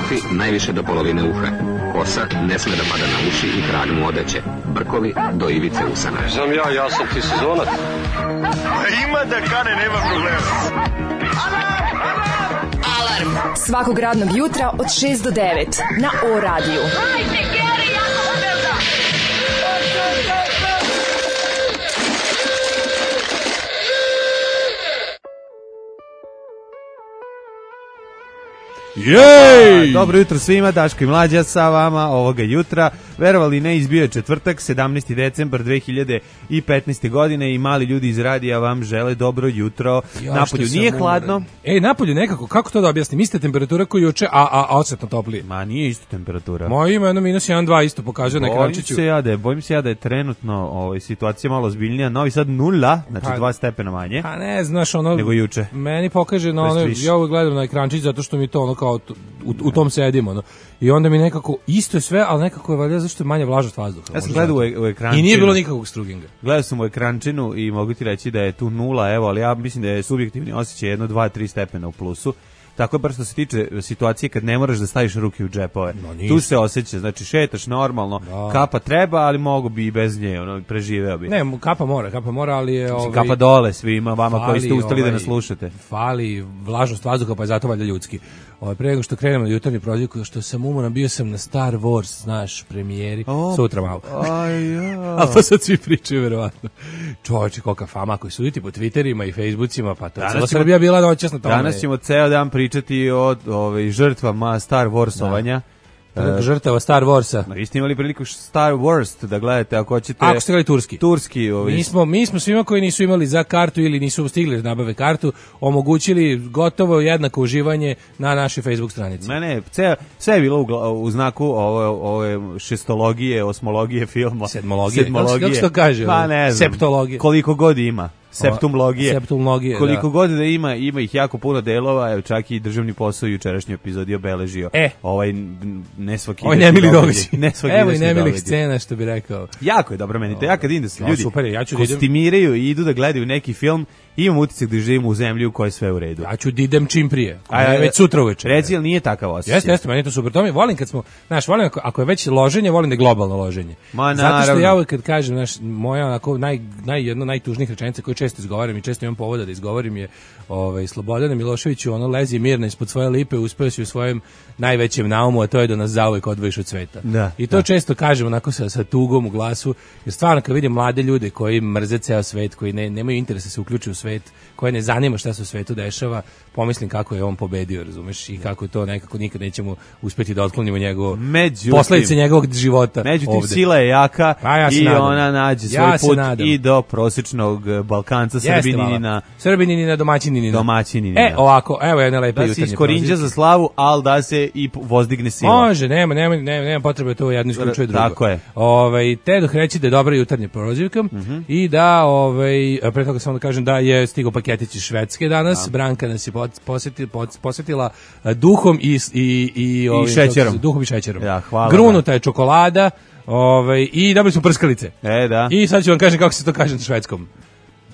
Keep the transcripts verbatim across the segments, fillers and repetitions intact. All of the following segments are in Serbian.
Kafi najviše do polovine uha. Kosa ne sme da pada na uši i krag mu odeće. Brkovi do ivice usana. Znam ja, ja sam ti sezonac. Ima da kane, nema problema. Alarm svakog radnog jutra od šest do devet na O radiju. Hajde, Geri, jako se velda! Jej! Dobro jutro svima, Daško i Mlađa sa vama ovoga jutra. Verovali ne, izbio je četvrtak, sedamnaesti decembar dve hiljade petnaeste. godine i mali ljudi iz radija vam žele dobro jutro. Ja, napolju nije hladno. Umoran. Ej, napolju nekako, kako to da objasnim? Ista temperatura koju juče, a, a, a osetno toplije. Ma nije isto temperatura. Moje ima jedno minus jedan dva isto pokazuje na ekrančiću. Se ja da je, bojim se ja da je trenutno ovaj, situacija malo ozbiljnija. Novi Sad nula, znači pa, dva stepena manje. A ne, znaš, ono... Nego juče. Meni pokaže na ono, ja ovo gledam na ekrančić zato što mi to ono kao u, u tom sedim, ono. I onda mi nekako, isto je sve, ali nekako je valjda zašto je manje vlažnost vazduha. Ja sam gledao u, u ekrančinu. I nije bilo nikakvog struginga. Gledao sam u ekrančinu i mogu ti reći da je tu nula, evo, ali ja mislim da je subjektivni osjećaj jedno, dva, tri stepena u plusu. Tako je bar što se tiče situacije kad ne moraš da staviš ruke u džepove. No, tu se osjeća, znači šetaš normalno, da. Kapa treba, ali mogu bi i bez nje, ono, preživeo bi. Ne, kapa mora, kapa mora, ali je... Ovaj, kapa dole svima vama fali, koji ste ustali ovaj, da nas slušate. Fali vlažnost vazduha, pa je zato valjda ljudski. Ovaj, pre nego što krenemo na jutarnji prozivku, što sam umoran, bio sam na Star Wars, znaš, premijeri, oh, sutra malo. Aj, ja. Ali to sad svi pričaju, verovatno. Čovječe, kolika fama koji su vidjeti po Twitterima i Facebookima, pa to je Srbija bila noćas na tome. Danas ćemo ceo dan pričati o ovaj, žrtvama Star Warsovanja. Da. Žrtava Star Warsa. No, vi ste imali priliku Star Wars da gledate ako hoćete. Ako ste gledali turski. Turski, ovaj. Mi smo, mi smo svima koji nisu imali za kartu ili nisu stigli da nabave kartu, omogućili gotovo jednako uživanje na našoj Facebook stranici. Mene, sve, sve je bilo u, u znaku ove, ove šestologije, osmologije filma. Sedmologije. Sedmologije. Kako se to kaže? Pa ne znam. Septologije. Koliko god ima. Septumlogije. Septumlogije, koliko da. god da ima, ima ih jako puno delova, evo čak i državni posao u jučerašnjoj epizodi obeležio. E. Ovaj ne svaki ovaj nemili događaj. Ne svaki evo i nemilih scena, što bi rekao. Jako je dobro meni. Ja kad idem da se ljudi super, ja ću kostimiraju i idu da gledaju neki film, imam utisak da živimo u zemlji u kojoj je sve u redu. Ja ću da idem čim prije. A ja već sutra uveče. Reci, jel nije takav osjećaj? Jeste, jeste, meni je to super. To mi volim kad smo, znaš, volim ako, ako je već loženje, volim da je globalno loženje. Ma, zato što ja uvek kad kažem, znaš, moja onako naj naj jedno najtužnijih rečenica koju često izgovaram i često imam povoda da izgovorim je ovaj Slobodane Miloševiću, ono lezi mirno ispod svoje lipe, uspeo si u svojem najvećem naumu, a to je da nas zauvek odvojiš od sveta. Da, I to da. često kažem onako sa, sa tugom u glasu, jer stvarno kad vidim mlade ljude koji mrze ceo svet, koji ne, nemaju interesa da se uključuju u svet, koje ne zanima šta se u svetu dešava, pomislim kako je on pobedio, razumeš, i kako to nekako nikad nećemo uspeti da otklonimo njegovo posledice njegovog života. Međutim, ovde. Sila je jaka ja i nadam. ona nađe svoj ja put nadam. i do prosječnog Balkanca, Srbininina. Srbininina, domaćininina. Domaćininina. E, ovako, evo jedna lepa jutarnja. Da se iskorinđa za slavu, ali da se i vozdigne sila. Može, nema, nema, nema, nema potrebe to jedno isključuje drugo. Tako je. Ovaj, te dok reći da je dobra jutarnja prozivka mm -hmm. i da, ovaj, pre toga samo da kažem da je stigao paketić iz Švedske danas. Da. Branka nas je posjetila, posjetila duhom i, i, i, ovim, I šećerom. Duhom i šećerom. Ja, hvala. Grunuta je čokolada. Ovaj, i dobili smo prskalice. E, da. I sad ću vam kažem kako se to kaže na švedskom.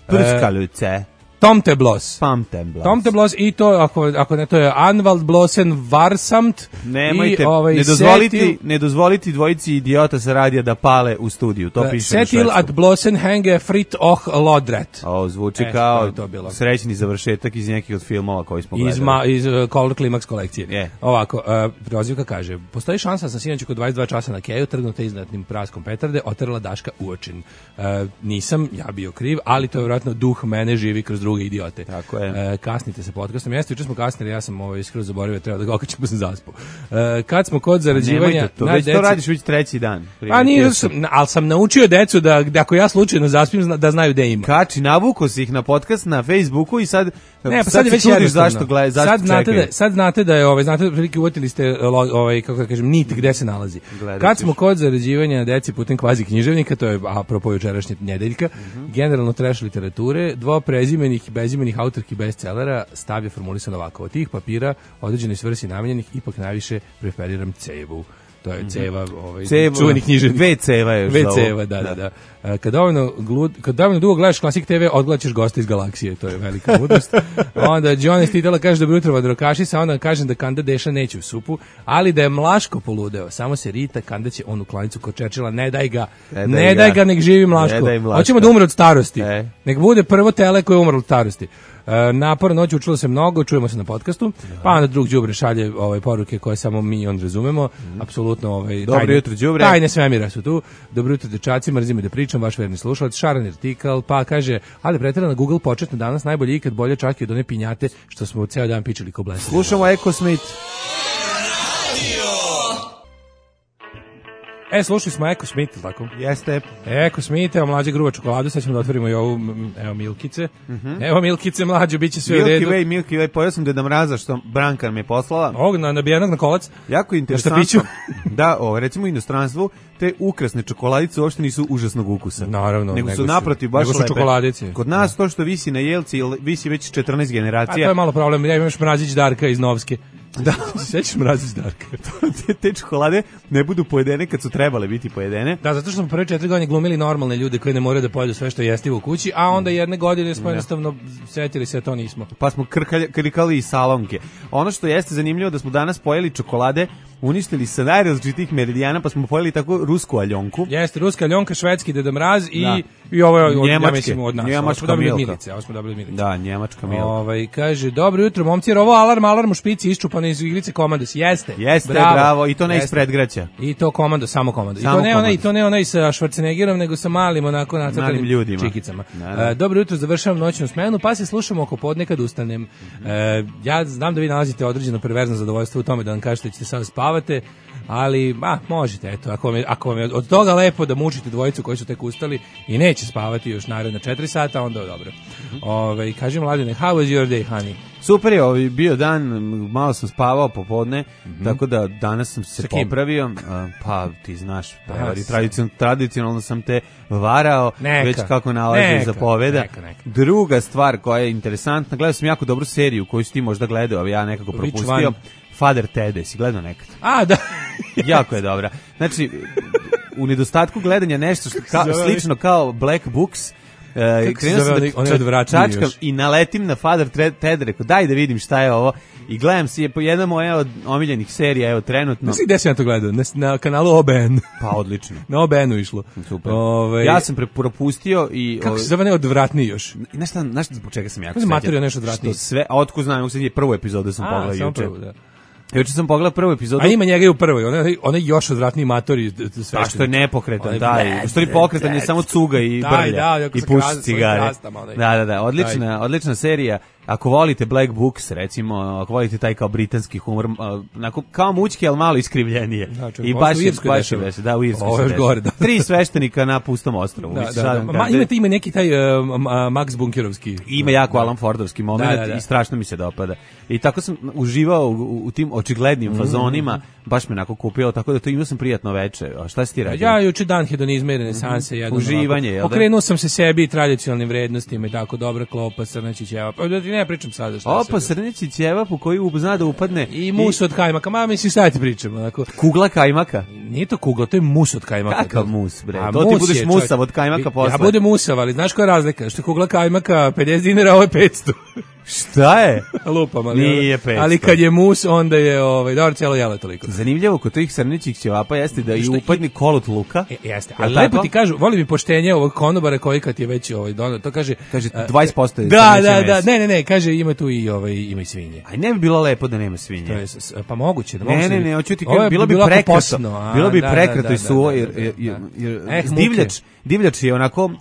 Prskalice. E, Tomteblos. Tomteblos. Tomteblos i to, ako, ako ne, to je Anwaldblosen Varsamt. Nemojte, i, ovaj, ne, dozvoliti, setil, ne dozvoliti dvojici idiota sa radija da pale u studiju. To uh, piše Setil at Blosen henge frit och lodret. O, zvuči e, kao srećni završetak iz nekih od filmova koji smo gledali. Iz, ma, iz uh, Color Climax kolekcije. Yeah. Ovako, uh, prozivka kaže, postoji šansa da sam sinoć oko dvadeset dva časa na keju, trgnuta iznadnim praskom petarde, otrla Daška u očin. Uh, nisam, ja bio kriv, ali to je vjerojatno duh mene živi kroz druge idiote. Tako je. E, kasnite se podcastom. Jeste, juče smo kasnili, ja sam ovaj skroz zaboravio, treba da ga okačim, pa sam zaspao. E, kad smo kod zarađivanja... To, već deci, to radiš već treći dan. A nije, sam, ali sam naučio decu da, da ako ja slučajno zaspim, da znaju gde ima. Kači, navuko si ih na podcast na Facebooku i sad... Ne, pa sad, sad je već čudiš zašto, gleda, zašto sad znate da, sad znate da je, ovaj, znate da prilike uvatili ste, ovaj, kako da kažem, nit gde se nalazi. Gledat kad smo kod zarađivanja deci putem kvazi književnika, to je apropo jučerašnje nedeljka, mm -hmm. generalno trash literature, dvo prezimenih i bezimenih autorki bestsellera stav je formulisan ovako. Od tih papira određenoj svrsi namenjenih ipak najviše preferiram cevu. to je ceva, ovaj, Cevo, čuveni književnik. Dve ceva je još Dve zovu. ceva, da, da, da. Kad dovoljno, glud, kad dovoljno dugo gledaš Klasik te ve, odgledaćeš gosta iz galaksije, to je velika mudrost. Onda Johnny Stidela kaže dobro jutro vadrokaši, sa onda kažem da Kanda Deša neće u supu, ali da je Mlaško poludeo, samo se rita, Kanda će onu klanicu kod Čečila, ne daj ga, ne, ne daj, daj ga, nek živi Mlaško. Hoćemo da umre od starosti, e. nek bude prvo tele koje je umrlo od starosti. E, naporno noć, učilo se mnogo, čujemo se na podcastu, pa onda drug đubre šalje ovaj, poruke koje samo mi i on razumemo, mm. apsolutno ovaj, dobro tajne, jutro đubre. Tajne svemira su tu, dobro jutro dečaci, mrzim da pričam, vaš verni slušalac, Šaran Artikal, pa kaže, ali preterano Google početno danas najbolje ikad, bolje čak i od one pinjate što smo ceo dan pičili ko blesali. Slušamo Eko Smith. E, slušali smo Eko Smith, tako? Jeste. Eko Smith, evo mlađe gruba čokoladu, sad ćemo da otvorimo i ovu, evo Milkice. Mm-hmm. Evo Milkice mlađe, bit će sve Milky u redu. Way, Milky Way, pojao sam Deda Mraza što Branka mi je poslala. Ovog na, nabijenog na kolac. Jako interesantno. Da, ovo, recimo u inostranstvu, te ukrasne čokoladice uopšte nisu užasnog ukusa. Naravno. Nego su naprotiv baš lepe. Čokoladice. Kod nas to što visi na jelci, visi već četrnaest generacija. A to je malo problem, ja imaš Mrazić Darka iz Novske. Da, sećaš Mrazić Darka. te, te čokolade ne budu pojedene kad su trebale biti pojedene. Da, zato što smo prve četiri godine glumili normalne ljude koji ne moraju da pojedu sve što je jestivo u kući, a onda jedne godine smo jednostavno setili se, a to nismo. Pa smo krkali, krikali i salonke. Ono što jeste zanimljivo da smo danas pojeli čokolade, uništili sa najrazličitih meridijana, pa smo pojeli tako rusku aljonku. Jeste, ruska aljonka, švedski Deda Mraz i, da. i ovo je od, ja mislim, od nas. Njemačka ovo milka. Milice, ovo smo dobili milice. Da, njemačka milka. Ovaj, kaže, dobro jutro, momci, jer ovo alarm, alarm u špici, iščupano iz igrice Komandos. Jeste, Jeste, bravo, bravo, i to ne iz predgraća. I to Komandos, samo Komandos. I samo to ne onaj, Komandos. i to ne onaj sa Schwarzeneggerom, nego sa malim, onako nacrtanim ljudima. Čikicama. Da, da. Uh, dobro jutro, završavam noćnu smenu, pa se slušamo oko podne kad ustanem. Uh, ja znam da vi nalazite određeno perverzno zadovoljstvo u tome da vam kažete da ćete sad spavate, ali, a, možete, eto, ako vam, je, ako vam je od toga lepo da mučite dvojicu koji su tek ustali i neće spavati još naredna četiri sata, onda je dobro. Mm-hmm. Ove, kažem, Mladine, how was your day, honey? Super je, ovaj bio dan, malo sam spavao popodne, mm-hmm. tako da danas sam se popravio, pa ti znaš, prevari, tradicionalno, tradicionalno sam te varao, neka, već kako nalaže neka, zapoveda. Neka, neka. Druga stvar koja je interesantna, gledao sam jako dobru seriju koju si ti možda gledao, a ja nekako propustio, Father Ted, si gledao nekad? A, da. Jako je dobra. Znači, u nedostatku gledanja nešto što ka, slično kao Black Books, Uh, krenuo sam da čačkam i naletim na Father Ted, rekao daj da vidim šta je ovo i gledam si je po jedna moja od omiljenih serija, evo trenutno. Znaš gde sam ja to gledao? Na, na kanalu O B N. Pa odlično. Na O B N-u išlo. Super. Ove, ja sam propustio i... Kako se zove ne odvratniji još? Znaš šta, znaš zbog čega sam jako srećan? Materija nešto odvratniji. Što sve, a otko znam, sad je prvu epizodu sam pogledao juče. Da. Juče sam pogledao prvu epizodu. A ima njega i u prvoj, ona ona još odvratniji matori sve. A što je nepokretan, taj. Što je pokretan je samo cuga i brlja i puši cigare. Da, da, da, odlična, odlična serija. Ako volite Black Books, recimo, ako volite taj kao britanski humor, onako kao mućki, ali malo iskrivljenije. Znači, i baš je baš je već, da, u Irskoj. Ovo je gore, da. Tri sveštenika na pustom ostrvu. Da, da, da. Ma, imate ima neki taj uh, Max Bunkerovski. Ima jako Alan Fordovski moment da, da, da. I strašno mi se dopada. I tako sam uživao u, u tim očiglednim mm-hmm. fazonima, baš me onako kupio, tako da to imao sam prijatno veče. A šta si ti radio? Ja juče dan hedonizma i renesanse, mm-hmm. uživanje, jel da? Okrenuo sam se sebi i tradicionalnim vrednostima i tako, dobra klopa, srneći ćeva. Pa da ti ne pričam sada šta. Opa, srneći ćeva po koji zna da upadne. I mus od kajmaka, ma mislim sad ti pričam. Onako. Kugla kajmaka? Nije to kugla, to je mus od kajmaka. Kakav mus, bre? A to ti budeš je, musav od kajmaka posle. Ja budem musav, ali znaš koja je razlika? Što je kugla kajmaka pedeset dinara, ovo je petsto. Šta je? Lupam, ali, nije petsto. Ali kad je mus, onda je ovaj, dobro, cijelo jelo toliko. Zanimljivo kod tih srnećih ćevapa jeste da i upadni kolot luka. E, jeste, ali ja, lepo ti kažu, volim mi poštenje ovog konobara koji kad je već ovaj, donao, to kaže... Kaže dvadeset posto je da, da, da, ne, ne, ne, kaže ima tu i, ovaj, ima i svinje. Aj ne bi bilo lepo da nema svinje. Je, pa moguće. Da ne, ne, ne, hoću ti kažem, bilo bi prekrato. Bilo bi prekrato i suvo, jer divljač, divljač je onako...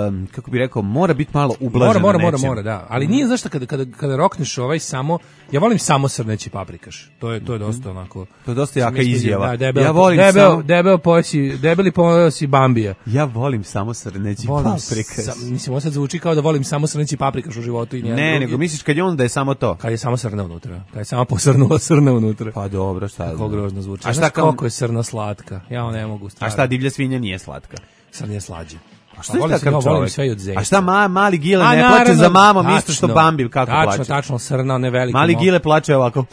Um, kako bi rekao, mora biti malo ublaženo. Mora, mora, mora, mora, da. Ali nije zašto kada kada kada rokneš ovaj samo, ja volim samo srneći paprikaš. To je to je dosta onako. To je dosta jaka izjava. Da, debel, ja volim debel, samo debel pojesi, debeli pojesi Bambija. Ja volim samo srneći paprikaš. Sam, mislim, ovo sad zvuči kao da volim samo srneći paprikaš u životu i ne. Ne, nego misliš kad je on da je samo to. Kad je samo srna unutra. Kad je samo posrnula srna unutra. Pa dobro, šta. Kako grozno zvuči. A šta kako je srna slatka? Ja ne mogu stvarno. A šta divlja svinja nije slatka? Srna je slađe. A šta je takav čovjek? A šta ma, mali Gile ne naravno, plače za mamom tačno, isto što Bambi kako tačno, plače? Tačno, tačno, srna, ne veliki. Mali Gile plače ovako.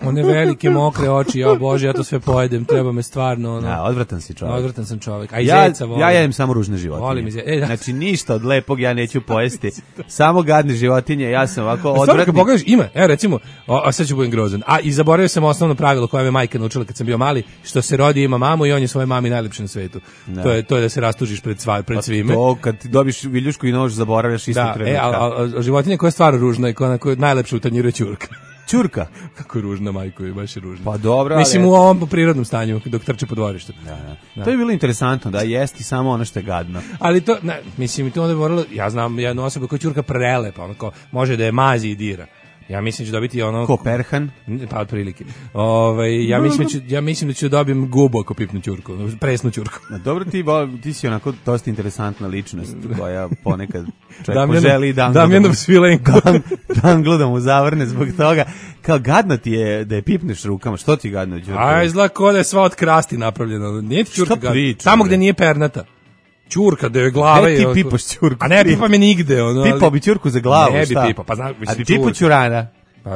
one velike mokre oči, ja bože, ja to sve pojedem, treba me stvarno ono. Ja, odvratan si čovjek. Odvratan sam čovjek. A i ja, zeca volim. ja jedem samo ružne životinje. Volim iz... e, da. Znači ništa od lepog ja neću pojesti. Samo gadne životinje, ja sam ovako odvratni. odvratni. Kad pogledaš, ima, evo recimo, o, a sad ću budem grozan. A i zaboravio sam osnovno pravilo koje me majka naučila kad sam bio mali, što se rodi ima mamu i on je svoje mami najlepši na svetu. Da. To je to je da se rastužiš pred sva, pred svime. To kad ti dobiš viljušku i nož zaboravljaš isto trenutka. Da, e, a, a, a životinja koja je stvarno ružna i koja, koja je najlepša u tanjiru je ćurka. Ćurka? Kako je ružna, majko, je baš je ružna. Pa dobro, mislim ali... u ovom prirodnom stanju dok trče po dvorištu. Da, da. Da. To je bilo interesantno da jesti samo ono što je gadno. Ali to, ne, mislim, to onda bi moralo, ja znam jednu osobu koja je ćurka prelepa, onako, može da je mazi i dira. Ja mislim da ću dobiti ono... Ko perhan? Pa otprilike. Ovaj ja mislim da ću, ja mislim da ću dobijem gubu ako pipnu ćurku, presnu ćurku. Na dobro ti ti si onako dosta interesantna ličnost koja ponekad čovjek poželi da Damjanov Svilenko danglo da mu zavrne zbog toga. Kao gadno ti je da je pipneš rukama. Što ti gadno ćurka? A izgleda kao da je sva od krasti napravljena. Nije ti ćurka gadna. Tamo gde nije pernata. Ćurka, da je glava je... Ne ti pipaš ćurku. A ne, pipa me nigde. Ono, ali... Pipao bi ćurku za glavu, ne šta? Ne bi pipa, pa znam... A bi pipao ćurana? Pa,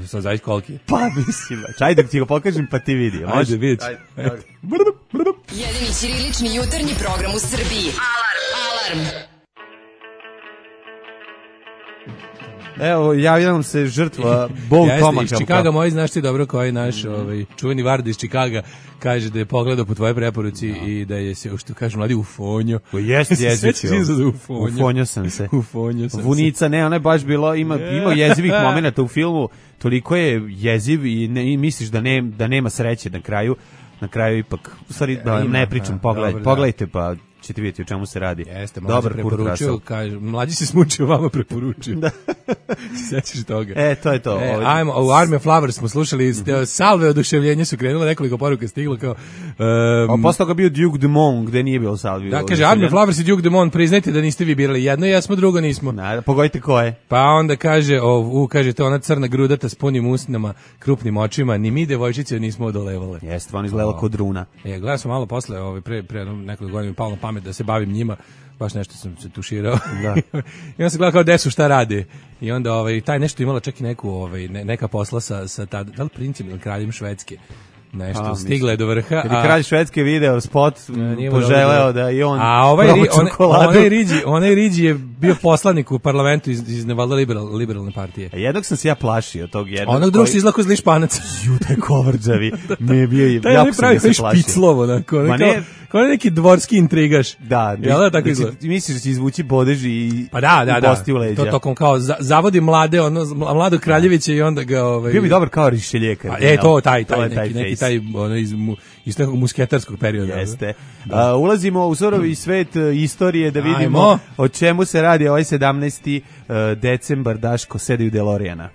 sad zavis koliki. Pa, mislim, ajde da ti ga pokažem pa ti vidi. Ajde, vidit ću. Jedini ćirilični jutarnji program u Srbiji. Alarm! Alarm! Evo, javljam se žrtva Bog Tomaka. Jeste, iz Čikaga moji, znaš ti dobro koji naš ovaj, čuveni Varda iz Čikaga kaže da je pogledao po tvojoj preporuci no. i da je se, što kažu mladi, ufonjo. O, jeste jezičio. Ufonjo. Ufonjo sam se. Ufonjo sam Vunica, ne, ona je baš bilo, ima, ima jezivih momenata u filmu, toliko je jeziv i, ne, i misliš da, ne, da nema sreće na kraju, na kraju ipak, u stvari, da ne pričam, pogledajte, pogledajte pa ćete vidjeti o čemu se radi. Jeste, dobar preporučio, kaže, mlađi se smučio, vama preporučio. Da. Sećaš toga. E, to je to. E, ajmo, u Army of Flowers smo slušali, mm-hmm. salve oduševljenja su krenule, nekoliko poruka stiglo kao... Um, a posle toga bio Duke Dumont, gde nije bilo salve. Da, kaže, Army of Flowers i Duke Dumont, priznajte da niste vi birali jedno, jesmo, drugo nismo. Na, pogodite ko je. Pa onda kaže, o, u, kaže, to ona crna grudata s punim usnama, krupnim očima, ni mi devojčice nismo odolevale. Jeste, on izgledala kod runa. E, gledam sam malo posle, ovaj, pre, pre nekoliko godina mi palo na pamet da se bavim njima, baš nešto sam se tuširao. Da. I onda se gleda kao gde su, šta rade. I onda ovaj, taj nešto imala čak i neku, ovaj, ne, neka posla sa, sa tad, da li princim ili kraljem Švedske. Nešto, a, stigla je do vrha. Kad je kralj Švedske video spot, a, poželeo da i on a ovaj, ri, on, onaj, riđi, onaj Riđi je bio poslanik u parlamentu iz, iz Nevalda liberal, liberalne partije. A jednog sam se ja plašio tog jednog. Onog drugog koji... se izlako zli španac. Ju, taj kovrđavi. Mi je bio, taj jako sam se plašio. Špiclovo, onako. Ma ne... Kao neki dvorski intrigaš. Da, jel da tako izgleda? Ti misliš da će izvući bodež i pa da, da, i bosti da. u leđa. To tokom kao za, zavodi mlade, ono mladog kraljevića i onda ga ovaj bio mi dobar kao Rišeljeka. E to taj taj neki, taj neki taj ono iz iz nekog musketarskog perioda. Jeste. Da. Uh, ulazimo u surovi svet istorije da vidimo Ajmo. o čemu se radi ovaj sedamnaesti decembar, Daško sedi u DeLoreana.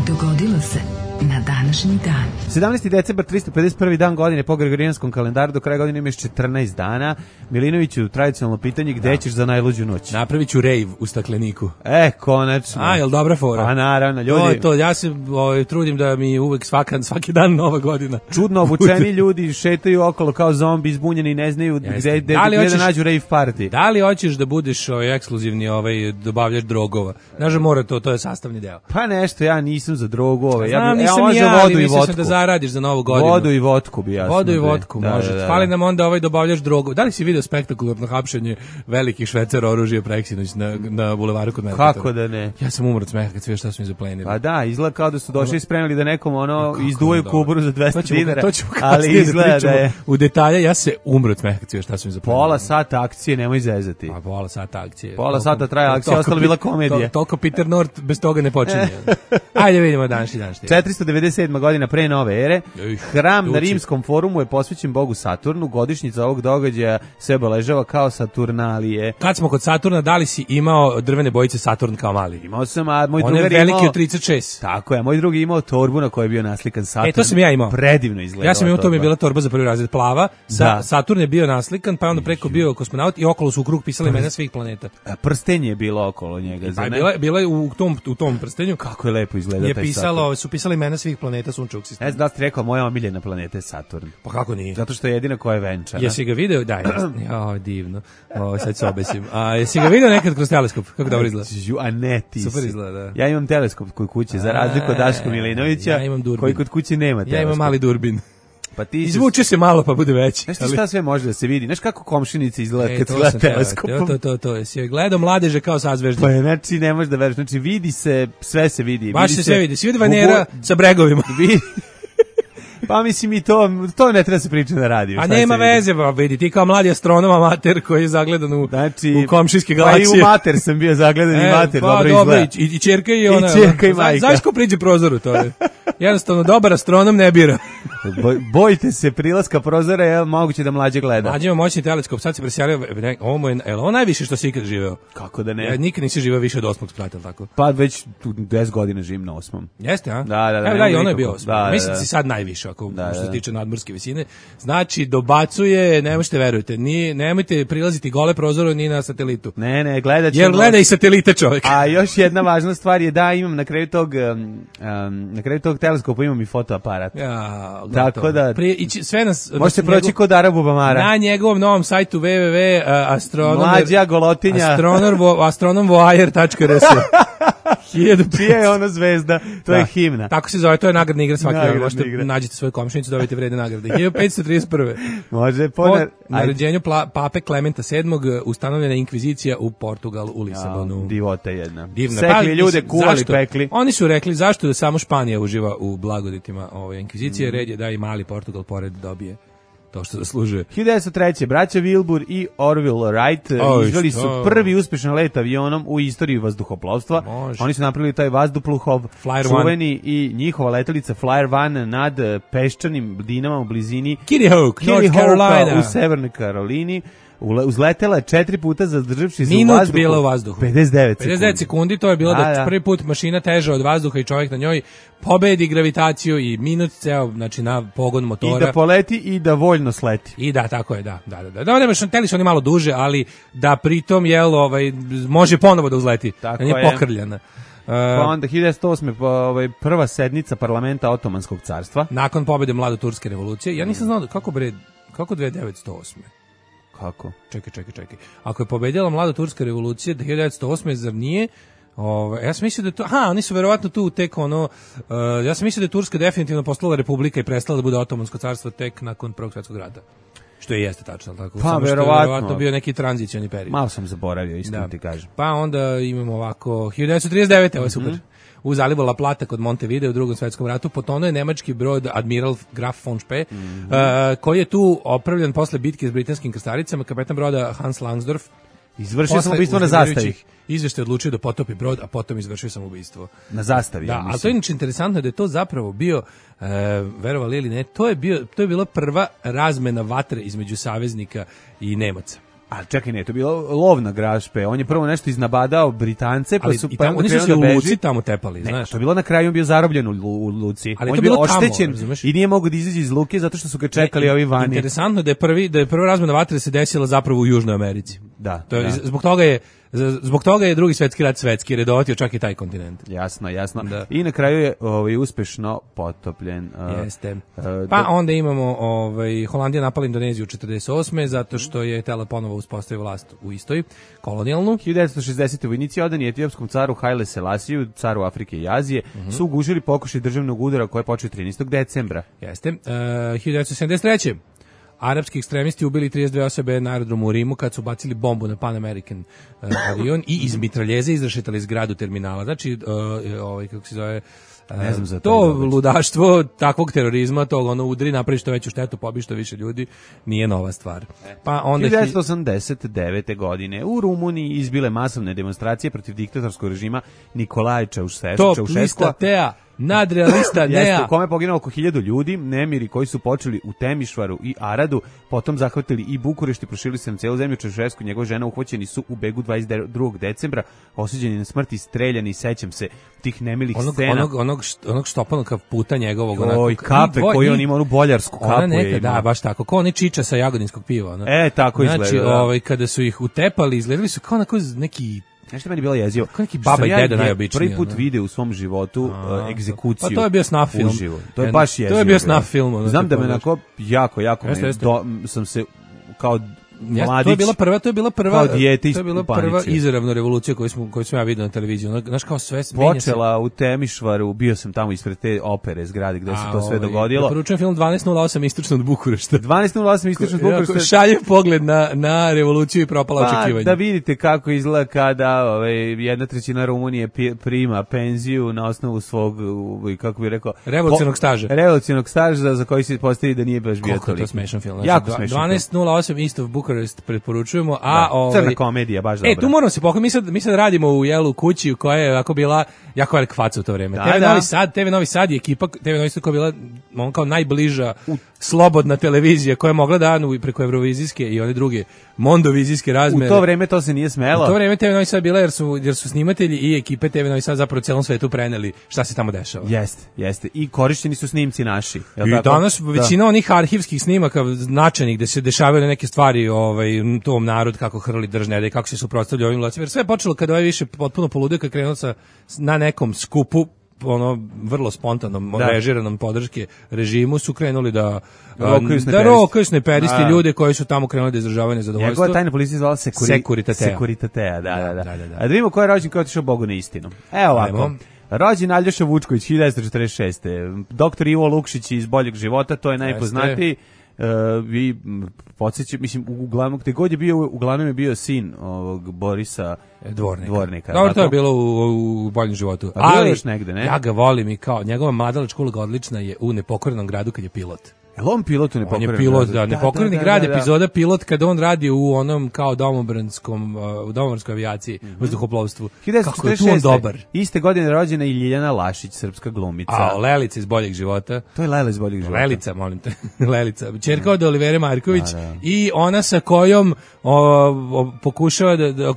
Dogodilo se na današnji dan. sedamnaesti decembar, tristo pedeset prvi dan godine po Gregorijanskom kalendaru, do kraja godine imaš četrnaest dana. Milinoviću, tradicionalno pitanje, gde da. ćeš za najluđu noć? Napravit ću rave u stakleniku. E, konačno. A, jel dobra fora? A, naravno, ljudi. To, to, ja se ovaj, trudim da mi uvek svaka, svaki dan nova godina. Čudno obučeni ljudi šetaju okolo kao zombi, izbunjeni, ne znaju gde, gde, da gde hoćeš, da nađu rave party. Da li hoćeš da budeš ovaj, ekskluzivni ovaj, dobavljač drogova? Znaš, mora to, to je sastavni deo. Pa nešto, ja nisam za drogu. Ovaj. Znam, ja, bi, nisam ja, ja, vodu i vodku. Da zaradiš za novu godinu. Vodu i vodku bi jasno. Vodu i vodku, da, može. Da, da. Fali nam onda ovaj dobavljač drogu. Da li si video spektakularno hapšenje velikih švercera oružja preksinoć na, na bulevaru kod Merkatora? Kako da ne? Ja sam umro od smeha kad sve šta su mi zaplenili. Pa da, izgleda kao da su došli i spremili da nekom ono izduvaju kuburu za dvesta dinara. To ćemo ali izgleda da je... U detalje, ja se umro od smeha kad sve šta su mi zaplenili. Pola sata akcije, nemoj zezati. Pa pola sata akcije. Pola sata traje akcija, ostalo bila komedija. Toliko Peter North bez toga ne počinje. Ajde vidimo današnji dan. četiristo devedeset sedma godina pre nove ere. Hram Tuči. Na Rimskom forumu je posvećen bogu Saturnu. Godišnjica ovog događaja se obeležava kao Saturnalije. Kad smo kod Saturna, da li si imao drvene bojice Saturn kao mali? Imao sam, a moj drugar imao... On je veliki od trideset šest. Tako je, moj drugi imao torbu na kojoj je bio naslikan Saturn. E, to sam ja imao. Predivno izgledala. Ja sam imao, to mi je bila torba za prvi razred plava. Sa, Saturn je bio naslikan, pa onda preko bio kosmonaut i okolo su u krug pisali imena svih planeta. A prstenje je bilo okolo njega. Pa je bila, bila je u tom, u tom prstenju. Kako je lepo izgleda je taj pisalo, Saturn. su pisali imena svih planeta sunčevog sistema. Ne znam da ste rekao, moja omiljena planeta je Saturn. Pa kako nije? Zato što je jedina koja je venčana. Jesi ga video? Da, ja, divno. O, sad se obesim. A jesi ga video nekad kroz teleskop? Kako dobro izgleda? A ne, ti Super si. izgleda, da. Ja imam teleskop kod kuće, za razliku od Daška Milinovića, ja imam durbin. koji kod kuće nema teleskop. Ja imam mali durbin. Pa ti izvuče se malo pa bude veći. Znaš ti šta sve može da se vidi? Znaš kako komšinica izgleda e, kad se gleda To, teleskopom? to, to, to. Jesi gledao mladeže kao sazveždje? Pa znači ne možeš da veruješ. Znači vidi se, sve se vidi. Baš vidi se sve vidi. Svi vidi Vanera Bubu... sa bregovima. Vidi. Pa mislim i to, to ne treba se pričati na radiju. A nema veze, ba, vidi, ti kao mladi astronom amater koji je zagledan u, znači, u komšijske galaksije. Pa i u mater sam bio zagledan e, i mater, pa, dobro, dobro izgleda. I, i čerka i ona. I čerka i majka. Znaš ko priđe prozoru, to je. Jednostavno, dobar astronom ne bira. Boj, bojite se prilaska prozora, je moguće da mlađe gleda. Mlađe ima moćni teleskop, sad se preselio, ovo mu je, je ovo najviše što si ikad živeo? Kako da ne? Ja nikad nisi živeo više od osmog sprata, tako? Pa već deset godina živim na osmom. Jeste, a? Da, da, da. Evo da, i ono je bio osmom. Da, Mislim da, da si sad najviše, ako da, što se da. tiče nadmorske visine. Znači, dobacuje, ne možete verujete, ni, nemojte prilaziti gole prozoru ni na satelitu. Ne, ne, gledat ćemo. Jer gleda i satelite čovjek. A još jedna važna stvar je da imam na kraju tog, um, um, na kraju tog teleskopa imam i fotoaparat. Ja, tako da prije, ići, sve nas možete proći njegov, kod Arabu Bamara na njegovom novom sajtu w w w tačka astronom Mlađa Golotinja astronomvoajer tačka r s. Čija je ono zvezda? To da. je himna. Tako se zove, to je nagradna igra svaki dan. Možete igra. nađete svoju komšinicu, dobijete vredne nagrade. hiljadu petsto trideset prve. Može, po ponar... naređenju pla, pape Klementa sedmog ustanovljena inkvizicija u Portugalu, u Lisabonu. Ja, divota jedna. Divna. Sekli pa, ljude, kuvali, zašto? pekli. Oni su rekli zašto da samo Španija uživa u blagoditima ove inkvizicije, mm. red je da i mali Portugal pored dobije to što zaslužuje. hiljadu devetsto treće. braća Wilbur i Orville Wright o, izveli su prvi uspešan let avionom u istoriji vazduhoplovstva. Može. Oni su napravili taj vazduplov čuveni i njihova letelica Flyer One nad peščanim dinama u blizini Kitty Hawk, North Carolina, u Severnoj Karolini. Uzletela je četiri puta zadržavši se minut u vazduhu. bila u vazduhu. pedeset devet pedeset devet sekundi, to je bilo da, da, da prvi put mašina teža od vazduha i čovjek na njoj pobedi gravitaciju i minut ceo, znači na pogon motora. I da poleti i da voljno sleti. I da, tako je, da. Da, da, da. Da, nemaš, teli su oni malo duže, ali da pritom, jel, ovaj, može ponovo da uzleti. Tako da nije je. Pokrljena. Uh, pa onda hiljadu devetsto osme pa, ovaj, prva sednica parlamenta Otomanskog carstva. Nakon pobede mladoturske revolucije. Ja nisam znao kako bre, kako devetsto osme Kako? Čekaj, čekaj, čekaj. Ako je pobedila mlada turska revolucija hiljadu devetsto osme zar nije? Ove, ja sam mislio da je to, aha, oni su verovatno tu tek ono, uh, ja sam mislio da je Turska definitivno postala republika i prestala da bude Otomansko carstvo tek nakon Prvog svjetskog rata. Što je jeste tačno, tako. Pa samo što verovatno. je verovatno bio neki tranzicioni period. Malo sam zaboravio, iskreno da. ti kažem. Pa onda imamo ovako hiljadu devetsto trideset devete. Ovo je super. Mm-hmm. U zalivu La Plata kod Montevideo u Drugom svjetskom ratu potonuo je nemački brod Admiral Graf von Spee, mm-hmm. uh, koji je tu opravljan posle bitke s britanskim krstarecama. Kapetan broda Hans Langsdorff izvršio samoubistvo na zastavi. Izveštaj odlučio da potopi brod, a potom izvršio samoubistvo. Na zastavi, da, ja mislim. ali to je inače interesantno da je to zapravo bio, e, verovali ili ne, to je, bio, to je bila prva razmena vatre između saveznika i Nemaca. A čekaj, ne, to je bilo lov na Grašpe. On je prvo nešto iznabadao Britance, pa ali su i pa tamo, oni su se u Luci tamo tepali, ne, znaš. To je bilo na kraju, on bio zarobljen u, u Luci. Ali on je bio bilo oštećen tamo, i nije mogao da izađe iz Luke zato što su ga čekali ne, ovi vani. Interesantno da je prvi da je prva razmena vatre se desila zapravo u Južnoj Americi. Da. To je, da. Zbog toga je zbog toga je Drugi svjetski rat svetski, jer je dovatio čak i taj kontinent. Jasno, jasno. Da. I na kraju je ovaj uspešno potopljen. Uh, Jeste. Uh, pa onda imamo ovaj Holandija napala Indoneziju četrdeset osme zato što je htela ponovo uspostaviti vlast u istoj kolonijalnu. hiljadu devetsto šezdesete vojnici odani etiopskom caru Haile Selasiju, caru Afrike i Azije, mm-hmm. su gužili pokušaj državnog udara koji je počeo trinaestog decembra. Jeste. Uh, hiljadu devetsto sedamdeset treće arapski ekstremisti ubili trideset dve osobe na aerodromu u Rimu kad su bacili bombu na Pan American uh, avion i iz mitraljeze izrešetali zgradu terminala. Znači, uh, ovaj, kako se zove, uh, ne znam za to ludaštvo takvog terorizma, tog ono udri, napravi što veću štetu, pobi što više ljudi, nije nova stvar. Pa onda hiljadu devetsto osamdeset devete godine u Rumuniji izbile masovne demonstracije protiv diktatorskog režima Nikolaja Čaušeskua. To lista Tea, nadrealista Nea. U kome je poginulo oko hiljadu ljudi, nemiri koji su počeli u Temišvaru i Aradu, potom zahvatili i Bukurešt i proširili se na celu zemlju. Čaušesku i njegova žena uhvaćeni su u begu dvadeset drugog decembra, osuđeni na smrt i streljani, sećam se tih nemilih onog, scena. Onog, onog, onog štopanog puta njegovog. Onako, Oj, kape koju on ima, onu boljarsku kapu. Ona neka, da, baš tako, kao oni čiča sa jagodinskog piva. Ono. E, tako znači, izgleda. Znači, ovaj, kada su ih utepali, izgledali su kao onako neki Nešto meni bilo jezivo. Kako neki baba i deda ja najobičniji. Prvi put ono. video u svom životu uh, egzekuciju. Pa to je bio snaf film. Uživo. To je baš jezivo. To je bio snaf film. Ono, znam da me onako jako, jako jeste, me, jeste. do, sam se kao Ja, to je bila prva, to je bila prva, to je bila prva izravna revolucija koju smo koju sam ja vidio na televiziji. Ono, znaš kao sve počela u Temišvaru, bio sam tamo ispred te opere zgrade gde se to sve dogodilo. Preporučujem film dvanaest nula osam istočno od Bukurešta. dvanaest nula osam istočno od Bukurešta. Šalje pogled na na revoluciju i propala pa, očekivanja. Da vidite kako izgleda kada ovaj jedna trećina Rumunije prima penziju na osnovu svog, kako bih rekao, revolucionog staža. Revolucionog staža za koji se postavi da nije baš bio toliko. Koliko je to smešan film. Znači, jako smešan. dvanaest nula osam East of Bucharest preporučujemo, a da, ovaj crna komedija baš dobra. E, tu moramo se pohvaliti, mi sad mi sad radimo u jelu kući koja je jako bila jako velika faca u to vreme. Da, T V da. Novi Sad, T V Novi Sad je ekipa, T V Novi Sad koja je bila on kao najbliža slobodna televizija koja je mogla da anu preko evrovizijske i one druge mondovizijske razmere. U to vreme to se nije smelo. U to vreme T V Novi Sad bila jer su jer su snimatelji i ekipe T V Novi Sad zapravo celom svetu preneli šta se tamo dešava. Jeste, jeste. I korišćeni su snimci naši. I tako? Danas većina da. onih arhivskih snimaka značajnih gde se dešavaju neke stvari, ovaj tom narod kako hrli držne, kako se suprotstavljaju ovim vlastima. Jer sve je počelo kada ovaj više potpuno poludio kad krenuo sa na nekom skupu ono vrlo spontanom, da. režiranom podrške režimu su krenuli da da rokaju snajperisti ljude koji su tamo krenuli da izražavaju nezadovoljstvo. Njegova tajna policija zvala sekuri, Sekuritatea. Sekuritatea, da, da, da. da, da, da. A da vidimo ko je rođen, ko je otišao Bogu na istinu. Evo ovako. Ajmo. Rođen Aljoša Vučković, hiljadu devetsto četrdeset šeste. Doktor Ivo Lukšić iz Boljeg života, to je najpoznatiji. Uh, vi podsjećam, mislim, uglavnom, gde god je bio, uglavnom je bio sin ovog Borisa Dvornika. Dvornika. Dobro, to je bilo u, u Boljem životu. A ali još negde, ne? Ja ga volim i kao, njegova mladalačka uloga odlična je u Nepokorenom gradu kad je pilot. Jel on pilot u Nepokorenom gradu? On je pilot, da, Nepokoreni da, da, grad, da, da, da. epizoda pilot kada on radi u onom kao domobranskom, u domobranskoj avijaciji, mm-hmm. vazduhoplovstvu. Kako je tu on dobar. Iste godine rođena i Ljiljana Lašić, srpska glumica. A, Lelica iz Boljeg života. To je Lela iz Boljeg života. Lelica, molim te. Lelica. Ćerka od Olivere Marković da, da. i ona sa kojom o, o, pokušava da, da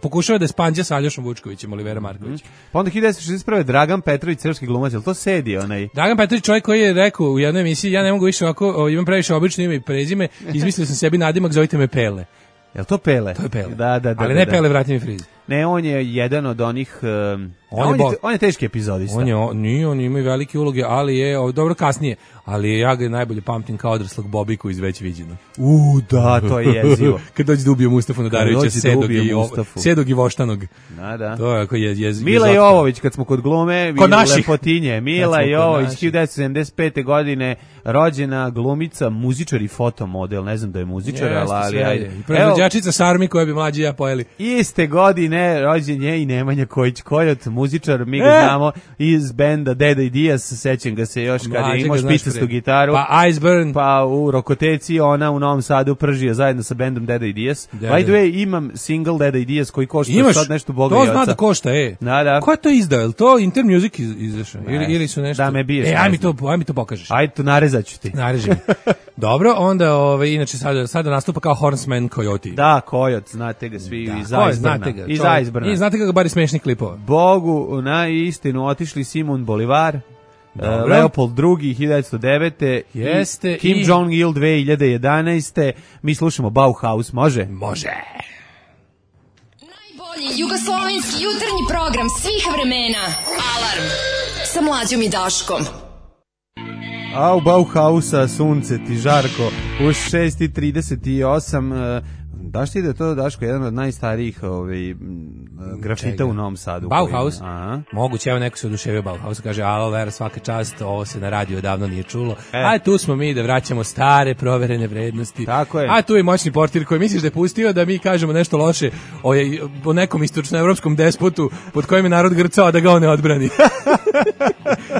pokušava da spanđa sa Aljošom Vučkovićem, Olivera Marković. Mm-hmm. Pa onda hiljadu devetsto šezdeset prve Dragan Petrović, srpski glumac, jel to sedi onaj? Dragan Petrović, čovjek koji je rekao u jednoj emisiji, ja ne mogu više ovako, o, imam previše obično ime i prezime, izmislio sam sebi nadimak, zovite me Pele. Jel to Pele? To je Pele. Da, da, da. Ali da, ne da. Pele, vrati mi friz. Ne, on je jedan od onih... Um, on, on, je je, on je teški epizodista. On je, on, nije, on ima i velike uloge, ali je, o, dobro kasnije, ali ja ga najbolje pamtim kao odraslog Bobiku iz Već viđeno. U, da, to je jezivo. Kad dođe da ubije Mustafa Nadarevića, Sedog, i, Sedog i Voštanog. Da, da. To je ako je jez, Mila Jovović, kad smo kod glume, kod naših lepotinje. Mila Jovović, hiljadu devetsto sedamdeset pete godine, rođena glumica, muzičar i fotomodel, ne znam da je muzičar, Jeste, ali ajde. I proizvođačica Sarmi koja bi mlađi ja pojeli. Iste godine rođen je i Nemanja Kojić-Kojot, muzičar, mi ga e! znamo iz benda Deda i Dijas, sećam ga se još kad je imao špicastu gitaru. Pa Iceburn. Pa u Rokoteci ona u Novom Sadu pržio zajedno sa bendom Deda i Dijas. By the way, imam single Deda i Dijas koji košta Imaš, sad nešto Boga i Oca. To zna da košta, e. Da, da. Ko je to izdao? Je li to Inter Music iz, izašao? Ili, ili su nešto? Da me biješ. E, aj mi to, aj mi to pokažeš. Ajde, to narezat ću ti. Nareži mi. Dobro, onda, ove, inače, sada, sada nastupa kao Horseman Coyote. Da, Coyote, znate ga svi da, iz Iceburna. Iz Iceburna. I znate ga bar iz smešnih klipova. Bogu na istinu otišli Simon Bolivar, uh, Leopold drugi, hiljadu devetsto devete Jeste. Kim i... Jong-il dve hiljade jedanaeste Mi slušamo Bauhaus, može? Može. Najbolji jugoslovenski jutarnji program svih vremena. Alarm sa Mlađom i Daškom. A u Bauhausa sunce ti žarko u šest i trideset osam Daš ti da je to, Daško, jedan od najstarijih ovaj, grafita Čega? u Novom Sadu. Bauhaus? Aha. Moguće, evo neko se oduševio Bauhaus, kaže, alo, Vera, svaka čast, ovo se na radiju odavno nije čulo. E. A tu smo mi da vraćamo stare, proverene vrednosti. Tako je. A tu je moćni portir koji misliš da je pustio da mi kažemo nešto loše o, o nekom istočnoevropskom despotu pod kojim je narod grcao da ga on ne odbrani.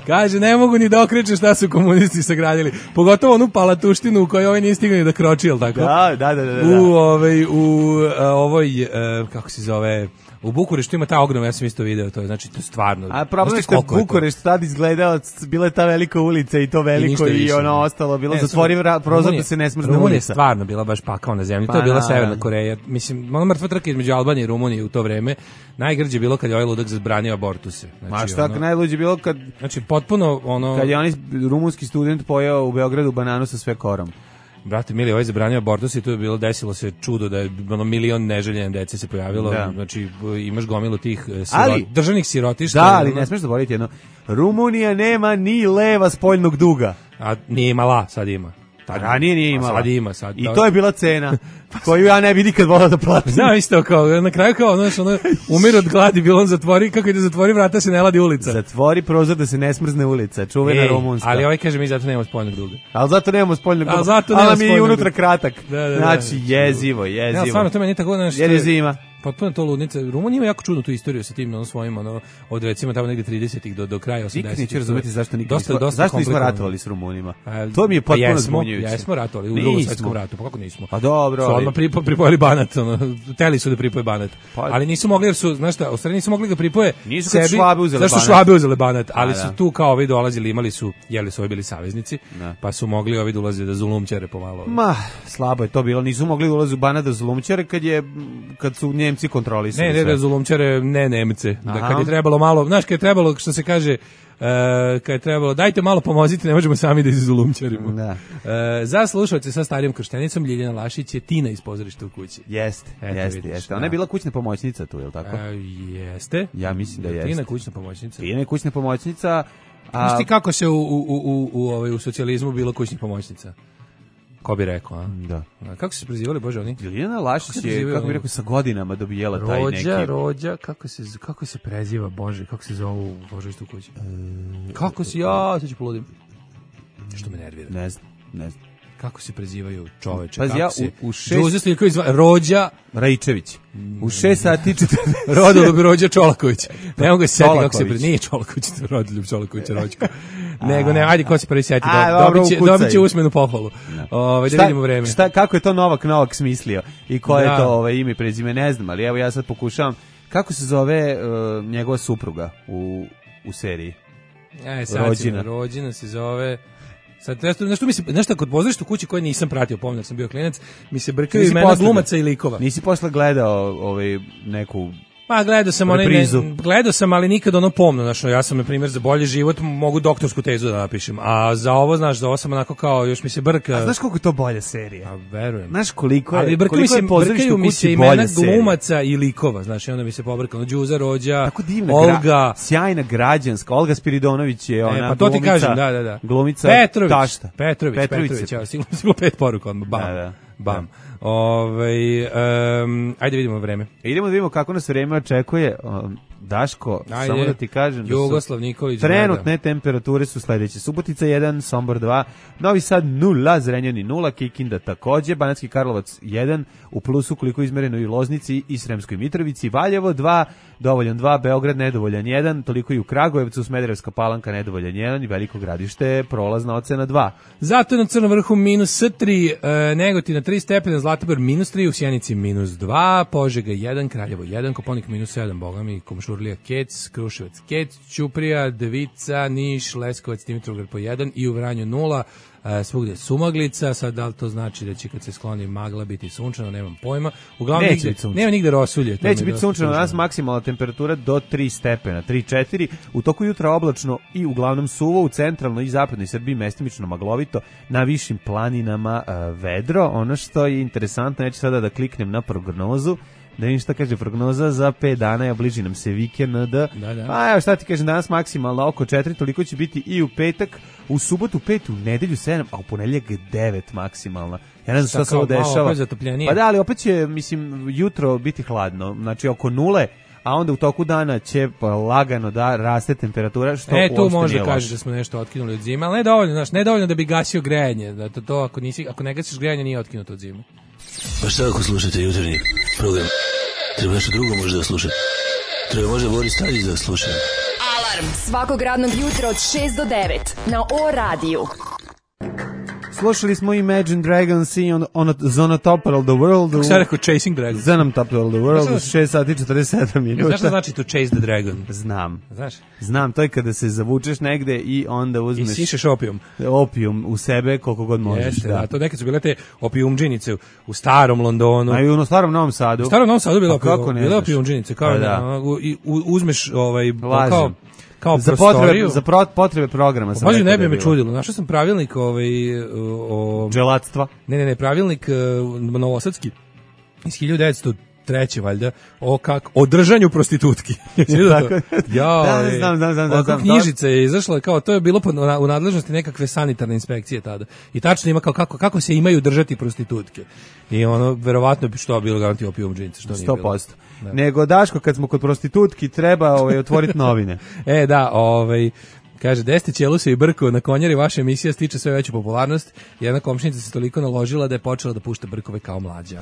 Kaže, ne mogu ni da okreće šta su komunisti sagradili. Pogotovo onu palatuštinu u kojoj ovaj nije stigao ni da kroči, jel tako? Da, da, da. da, da. U ovaj u a, ovoj a, kako se zove u Bukureštu ima ta ogromna, ja sam isto video to, znači to je stvarno. A problem je što Bukurešt tad izgledao, bila je ta velika ulica i to veliko i, i ono ostalo, bilo zatvorim prozor da se ne smrzne ulica. Rumunija je stvarno bila baš pakao na zemlji, pa to je bila na, Severna Koreja. Mislim, ono mrtva trka između Albanije i Rumunije u to vreme. Najgrđe bilo kad je ovaj ludak zabranio abortuse. Znači, ma šta ono, najluđe bilo kad... Znači, potpuno ono... Kad je onaj rumunski student pojeo u Beogradu bananu sa sve korom. brate mili, ovaj zabranio abortus i tu je bilo, desilo se čudo da je ono milion neželjene dece se pojavilo, da. Znači imaš gomilu tih sirot, ali, državnih sirotišta. Da, ali ne smiješ zaboraviti jedno, Rumunija nema ni leva spoljnog duga. A nije imala, sad ima. Ranije nije imala. Sad ima, sad. I to je bila cena koju ja ne bi nikad volao da platim. Znam isto, kao, na kraju kao, znaš, ono, umir od gladi, bilo on zatvori, kako ide zatvori vrata, se ne ladi ulica. Zatvori prozor da se ne smrzne ulica, čuvena rumunska. Ali ovaj kaže, mi zato nemamo spoljnog duga. Ali zato nemamo spoljnog duga. Ali zato nemamo spoljnog duga. Ali mi je unutra kratak. Da, da, znači, da. jezivo, jezivo. Ja, stvarno, to meni tako, znaš, jer je zima. Potpuno to ludnica. Rumunija ima jako čudnu tu istoriju sa tim ono svojim ono od recimo tamo negde tridesetih do do kraja osamdesetih. Nikad neću razumeti zašto nikad dosta, nismo, dosta zašto nismo ratovali s Rumunima. A, to mi je potpuno jesmo, zbunjujuće. Jesmo ratovali u Drugom svetskom ratu, pa kako nismo? Pa dobro. Su odmah pripo, pripojili Banat, ono, teli su da pripoje Banat. Pa, ali nisu mogli jer su, znaš šta, u stvari nisu mogli ga pripoje nisu sebi. Švabe uzeli zašto Banat. Švabe uzeli Banat, ali A, su da. tu kao ovi dolazili, imali su, jeli su ovi bili saveznici, da. Pa su mogli ovi dolaziti da zulumčare pomalo. Ma, slabo je to bilo, nisu mogli da ulaze u Banat da zulumčare kad je kad su Njemci kontrolisali. Ne, ne, da zulumčare ne Nemce, da Aha. kad je trebalo malo, znaš, kad je trebalo, što se kaže, Uh, kad je trebalo, dajte malo pomozite, ne možemo sami da izulumčarimo. Da. Uh, za slušalce sa starijom krštenicom, Ljiljana Lašić je Tina iz Pozorišta u kući. Jeste, Eto, jeste, vidiš, jeste. da. Ona je bila kućna pomoćnica tu, je li tako? Uh, jeste. Ja mislim da jeste. Tina kućna pomoćnica. Tina je kućna pomoćnica. A... Znaš ti kako se u, u, u, u, u, ovaj, u socijalizmu bilo kućnih pomoćnica? Ko bi rekao, a? Da. A kako se prezivali, Bože, oni? Ljiljana Lašić Kako se je, prezivaju kako bi oni? rekao, sa godinama dobijela taj Rođa, neki... rođa, kako se, kako se preziva, Bože, kako se zove u Pozorištu u kući? E, kako se, ja, sad ću poludim. Što me nervira. Ne znam, ne znam. Kako se prezivaju čoveče? Pazi, kako ja se... u, u šest... Đuze Stojković zva... Rođa... Raičević. U šest sati četrdeset... Rodoljub Rođa Čolaković. Ne mogu se setiti kako se... Čolaković. Pre... Nije Čolaković, to je Rodoljub Čolaković, Rođko. Nego, ne, ajde, ko se prvi seti. A, Do, dobro, dobit, će, ukucaj. dobit će usmenu pohvalu. Ove, da Šta- vidimo vreme. Šta, kako je to Novak Novak smislio i koje Da. je to ovaj, ime i prezime, ne znam, ali evo ja sad pokušavam. Kako se zove uh, njegova supruga u, u seriji? E, sad Rođina. rođina. rođina se zove... Sad, nešto, nešto mi se, nešto kod Pozorišta u kući koje nisam pratio, pomnio sam bio klinac, mi se brkaju Nisi imena posle glumaca i likova. Nisi posle gledao ovaj, neku... Pa gledao sam onaj, Reprizu. ne, gledao sam, ali nikad ono pomno, znaš, ja sam na primjer za bolji život mogu doktorsku tezu da napišem, a za ovo, znaš, za ovo sam onako kao, još mi se brka. A znaš koliko je to bolja serija? A verujem. Znaš koliko je, Ali brkaju mi koliko se, je Pozorište brkaju u mi kući se imena bolja serija? glumaca i likova, znaš, i onda mi se pobrka, ono, Đuza, Rođa, Tako divna, Olga, gra, sjajna građanska, Olga Spiridonović je ona e, pa to ti glumica, kažem, da, da, da. glumica Petrović, tašta. Petrović, Petrović Petrović, se- ja, sigurno, sigurno pet poruka, odmah, bam, Da, da. bam. Ovaj, um, ajde vidimo vreme. Idemo da vidimo kako nas vreme očekuje. Um, Daško, Ajde. samo da ti kažem da su Jugoslav Nikolić. trenutne temperature su sledeće. Subotica jedan, Sombor dva, Novi Sad nula, Zrenjanin nula, Kikinda takođe, Banatski Karlovac jedan, u plusu koliko je izmereno i u Loznici i Sremskoj Mitrovici, Valjevo dva, dovoljan dva, Beograd nedovoljan jedan, toliko i u Kragujevcu, Smederevska Palanka nedovoljan jedan i Veliko Gradište prolazna ocena dva. Zato na Crnom vrhu minus tri, e, Negotina tri stepena, Zlatibor minus tri, u Sjenici minus dva, Požega jedan, Kraljevo jedan, Koponik minus sedam, bogami, Komšurlija Kec, Kruševac Kec, Ćuprija, Devica, Niš, Leskovac, Dimitrovgrad po jedan i u Vranju nula, e, svugdje sumaglica, sad da li to znači da će kad se skloni magla biti sunčano, nemam pojma. Uglavnom Neće nigde, biti sunčano. nema nigde rosulje. to mi Neće je biti dosta sunčano, tužno. danas maksimalna temperatura do tri stepena, tri četiri, u toku jutra oblačno i uglavnom suvo, u centralnoj i zapadnoj Srbiji mestimično maglovito, na višim planinama e, vedro. Ono što je interesantno, neću sada da kliknem na prognozu, da vidim šta kaže prognoza za pet dana, ja bliži nam se vikend. Da, da. Pa evo šta ti kažem, danas maksimalno oko četiri, toliko će biti i u petak, u subotu pet, u nedelju sedam, a u ponedeljak devet maksimalna. Ja ne znam šta Šta se ovo kao, malo dešava. opet zatopljenije? Pa da, ali opet će, mislim, jutro biti hladno, znači oko nule, a onda u toku dana će pa, lagano da raste temperatura, što E, tu uopšte može nije kaže loše. da smo nešto otkinuli od zime, ali ne dovoljno, znaš, ne dovoljno da bi gasio grejanje, da to, to ako nisi, ako ne gasiš grejanje nije otkinuto od zime. Pa šta ako slušate jutarnji program? Treba nešto drugo možda da slušate. Treba možda Boris Tadić da sluša. Alarm svakog radnog jutra od šest do devet na O radiju. Slušali smo Imagine Dragons i on, on, on top of the world. Kako sam rekao, Chasing Dragon? Zanom top of the world, Znaš u šest sati četrdeset sedam Znaš minuta. šta znači to chase the dragon? Znam. Znaš? Znam, to je kada se zavučeš negde i onda I uzmeš sišeš opijum. opijum u sebe koliko god možeš. Jeste, da. da. To nekad su bile te opijumđinice u starom Londonu. A i u starom Novom Sadu. U starom Novom Sadu bila Pa kako opijum, ne bila znaš? opijumđinice, kao Pa da, da. ono, u- i u- uzmeš ovaj Lažem. kao kao za prostoriju. Potrebe, za pro, potrebe programa sam. Pazi, ne bi me čudilo. Našao sam pravilnik ovaj, o... Dželatstva. Ne, ne, ne, pravilnik uh, novosadski iz hiljadu devetsto treće valjda, o kak o držanju prostitutki. ja, da, znam, znam, znam, znam, znam. Knjižica je izašla, kao to je bilo pod, u nadležnosti nekakve sanitarne inspekcije tada. I tačno ima kao kako, kako se imaju držati prostitutke. I ono, verovatno bi što bilo garanti opijom džince, što nije bilo. sto posto. Nego, Daško, kad smo kod prostitutki, treba ovaj, otvoriti novine. e, da, ovaj... Kaže, Deste Ćeluse i Brko na konjari, vaša emisija stiče sve veću popularnost. Jedna komšinica se toliko naložila da je počela da pušta Brkove kao mlađa.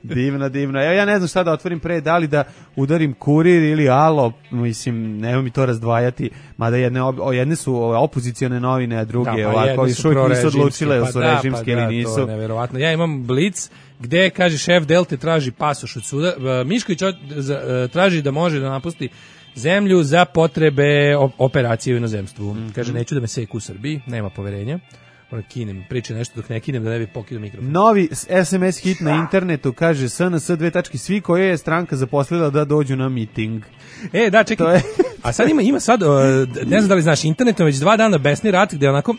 divno, divno. Evo ja ne znam šta da otvorim pre, da li da udarim Kurir ili Alo, mislim, nema mi to razdvajati, mada jedne, o, jedne su opozicione novine, a druge da, pa ovako, još uvijek nisu odlučile, pa su da, režimske pa da, ili nisu. To je neverovatno. Ja imam Blic, gde, kaže, šef Delte traži pasoš od suda. Mišković traži da može da napusti zemlju za potrebe operacije u inozemstvu. Mm-hmm. Kaže, neću da me seku u Srbiji, nema poverenja. Moram kinem, priča nešto dok ne kinem da ne bi pokidao mikrofon. Novi es em es hit na internetu kaže es en es dve tačke svi koje je stranka zaposlila da dođu na miting. E, da, čekaj. Je... A sad ima, ima sad, ne znam da li znaš, internetom već dva dana besni rat gde onako...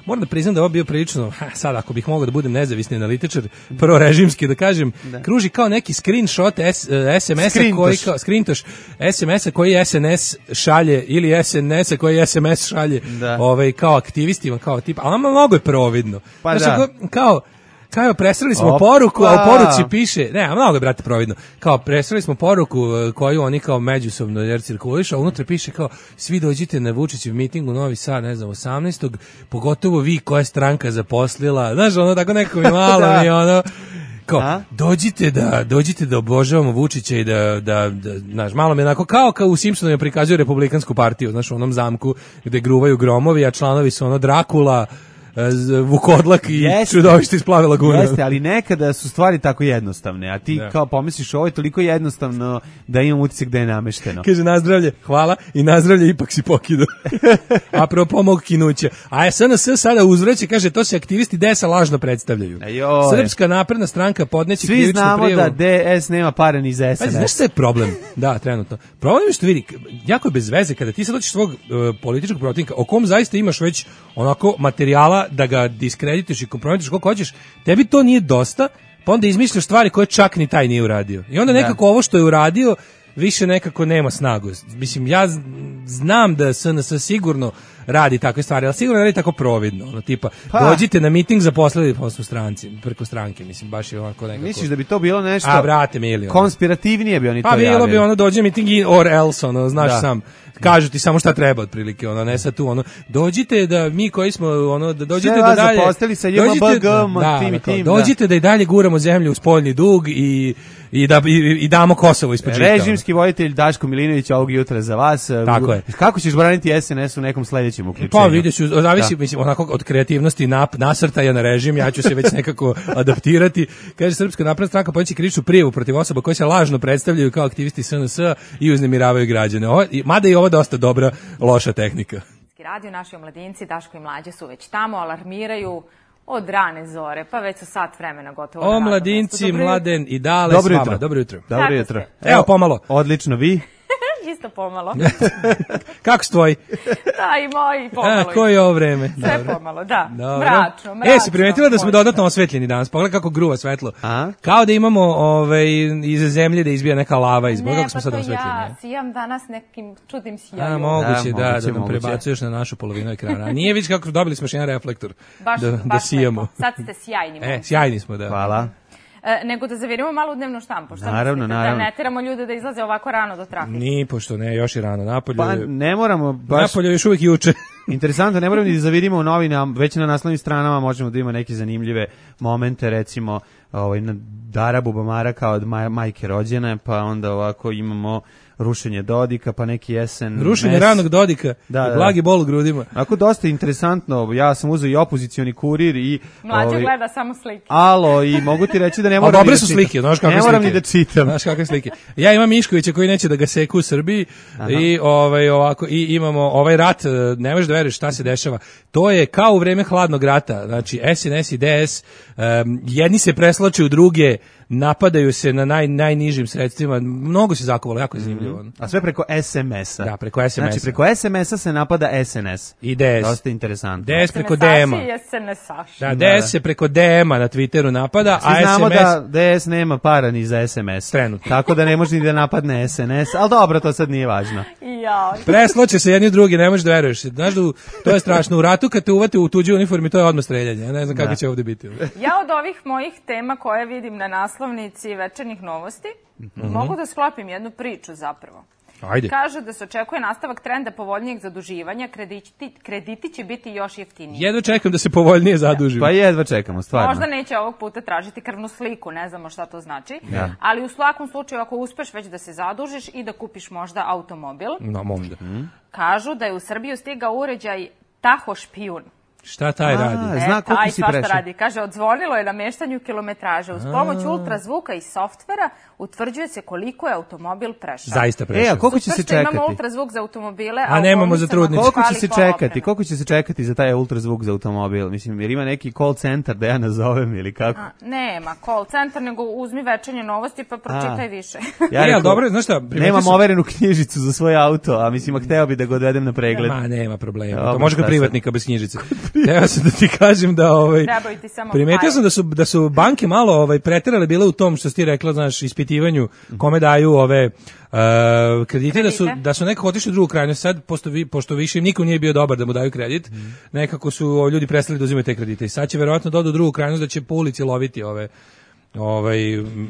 Moram da priznam da ovo bio prilično, ha, sad ako bih mogao da budem nezavisni analitičar, prvo režimski da kažem, da. Kruži kao neki screenshot es, es em es-a koji kao screentoš es em es-a koji es en es šalje ili es en es-a koji es em es šalje, da. Ovaj kao aktivistima, kao tip, ali mnogo je providno. Pa znači, da. kao Kao presreli smo Opa. poruku, a u poruci piše, ne, a mnogo je, brate, providno, kao presreli smo poruku koju oni kao međusobno jer cirkulišu, a unutra piše kao, svi dođite na Vučićev miting u Novi Sad, ne znam, osamnaestog pogotovo vi koja je stranka zaposlila, znaš, ono, tako nekako mi malo mi, ono, kao, a? dođite da, dođite da obožavamo Vučića i da, da, da, znaš, malo mi onako, kao kao u Simpsonovima prikazuju republikansku partiju, znaš, u onom zamku gde gruvaju gromovi, a članovi su ono Drakula, Vukodlak i čudovište iz Plave lagune. Jeste, ali nekada su stvari tako jednostavne, a ti da. kao pomisliš ovo je toliko jednostavno da imam utisak da je namešteno. Kaže nazdravlje, hvala i nazdravlje ipak si pokidao. Apropo mog kinuća. A es en es sada uzvraća, kaže to se aktivisti de esa lažno predstavljaju. Ajoj. Srpska napredna stranka podneće svi krivičnu prijavu. Svi znamo da de es nema pare ni za es en es. Znaš šta je problem? Da, trenutno. Problem je što vidi, jako je bez veze kada ti sad dođeš svog uh, političkog protivnika, o kom zaista imaš već onako materijala da ga diskredituješ i kompromituješ koliko hoćeš, tebi to nije dosta, pa onda izmišljaš stvari koje čak ni taj nije uradio. I onda nekako da. ovo što je uradio više nekako nema snagu. Mislim, ja znam da es en es sigurno radi takve stvari, ali sigurno radi tako providno. Ono, tipa, pa. dođite na miting zaposlili poslu stranci, preko stranke, mislim, baš je onako nekako... Misliš da bi to bilo nešto... A, brate, mili. Konspirativnije bi oni pa, to javili. Pa bilo bi ono, dođe miting or else, ono, znaš da. sam... Kažu ti samo šta treba otprilike, ono, ne sad tu, ono, dođite da mi koji smo, ono, da dođite da dalje... Sve sa dođite, da, tim i tim, dođite da. da i dalje guramo zemlju u spoljni dug i, i, da, i, i damo Kosovo ispod žita. Režimski voditelj Daško Milinović ovog jutra za vas. Tako je. Kako ćeš braniti es en es u nekom sledećem uključenju? Pa vidiš, zavisi, da. mislim, onako od kreativnosti nap, nasrtaja na režim, ja ću se već nekako adaptirati. Kaže, Srpska napredna stranka podneće krivičnu prijavu protiv osoba koje se lažno predstavljaju kao aktivisti es en es i uznemiravaju građane. Ovo, mada i ovo dosta dobra, loša tehnika. Radio, naši omladinci, Daško i Mlađe su već tamo, alarmiraju od rane zore, pa već su sat vremena gotovo. Omladinci, Mladen i Dale dobro s vama. Jutro. Dobro jutro. Dobro jutro. Evo, pomalo. Odlično, vi? Isto pomalo. Kako su tvoji? Da, i moji pomalo. A, koje je ovo vreme? Sve Dobro. pomalo, da. Dobro. Mračno, mračno. E, si primetila da smo dodatno osvetljeni danas? Pogledaj kako gruva svetlo. A? Kao da imamo ovaj, iza zemlje da izbija neka lava iz Boga, kako smo sad osvetljeni. Ne, pa to ja sijam danas nekim čudnim sijajom. A, moguće, da, da, da nam moguće. prebacuješ na našu polovinu ekrana. A nije vidiš kako dobili smo još jedan reflektor baš, da, baš da sijamo. Lepo. Sad ste sjajni. E, sjajni smo, da. Hvala. E, nego da zavirimo malo u dnevnu štampu. Šta naravno, mislite? naravno. Da ne teramo ljude da izlaze ovako rano do trafike? Ni, pošto ne, još je rano. Napolju, pa ne moramo baš... Napolju još uvijek juče. Interesantno, ne moramo ni da zavirimo u novinama, već na naslovnim stranama možemo da ima neke zanimljive momente, recimo ovaj, na Dara Bubamara kao od maj, majke rođene, pa onda ovako imamo rušenje Dodika, pa neki jesen... Rušenje mes. ranog Dodika da, i blagi bol u grudima. Ako dosta interesantno, ja sam uzeo i opozicioni kurir i... Mlađe ovaj, gleda samo slike. Alo, i mogu ti reći da ne moram dobre ni da su čitam. slike, znaš kakve ne moram slike. ni da čitam. Znaš kakve slike. Ja imam Miškovića koji neće da ga seku u Srbiji. Aha. i ovaj ovako i imamo ovaj rat, ne možeš da veruješ šta se dešava. To je kao u vreme hladnog rata. Znači es en es i de es um, jedni se preslače u druge, napadaju se na naj, najnižim sredstvima, mnogo se zakovalo, jako je zanimljivo. A sve preko es em es-a. Da, preko es em es-a. Znači, preko es em es-a se napada es en es. I D S. Dosta interesantno. D S preko D M-a. I es en es-aši. Da, D S se preko D M-a na Twitteru napada, Svi a znamo es em es... da D S nema para ni za es em es. Trenutno. Tako da ne može ni da napadne es en es, ali dobro, to sad nije važno. Ja. Presloće se jedni drugi, ne možeš da veruješ. Znaš da u, to je strašno. U ratu kad te uvate u tuđu uniformi, to je odmah streljanje. Ja ne znam kako da. će ovdje biti. Ja od ovih mojih tema koje vidim na naslovnici Večernjih novosti, mm-hmm. mogu da sklopim jednu priču zapravo. Ajde. Kaže da se očekuje nastavak trenda povoljnijeg zaduživanja, krediti, krediti će biti još jeftiniji. Jedva čekam da se povoljnije zadužim. Pa jedva čekamo, stvarno. Možda neće ovog puta tražiti krvnu sliku, ne znamo šta to znači, ja. ali u svakom slučaju ako uspeš već da se zadužiš i da kupiš možda automobil, no, možda. Kažu da je u Srbiju stigao uređaj Taho špijun. Šta taj A, radi? Zna koliko taj si svašta prešao. radi. Kaže, odzvonilo je nameštanju kilometraže. Uz pomoć ultrazvuka i softvera utvrđuje se koliko je automobil prešao. Zaista prešao. E, a koliko će se čekati? Imamo ultrazvuk za automobile, a, a nemamo za trudnice. Koliko će se čekati? Koliko će se čekati za taj ultrazvuk za automobil? Mislim, jer ima neki call centar da ja nazovem ili kako? A, nema call centar, nego uzmi Večernje novosti pa pročitaj a. više. Ja rekao, dobro, znaš šta? Nemam sam... overenu knjižicu za svoj auto, a mislim, a hteo bi da ga odvedem na pregled. Ma, nema problema. Dobro, to može kod privatnika bez knjižice. Teo sam da ti kažem da ovaj primetio sam da su da su banke malo ovaj preterale bile u tom što si ti rekla, znaš, ispitivanju kome daju ove uh, kredite, da su da su nekako otišli u drugu krajnost. Sad pošto vi pošto više niko nije bio dobar da mu daju kredit, mm. nekako su ljudi prestali da uzimaju te kredite. I sad će verovatno doći u drugu krajnost da će po ulici loviti ove ovaj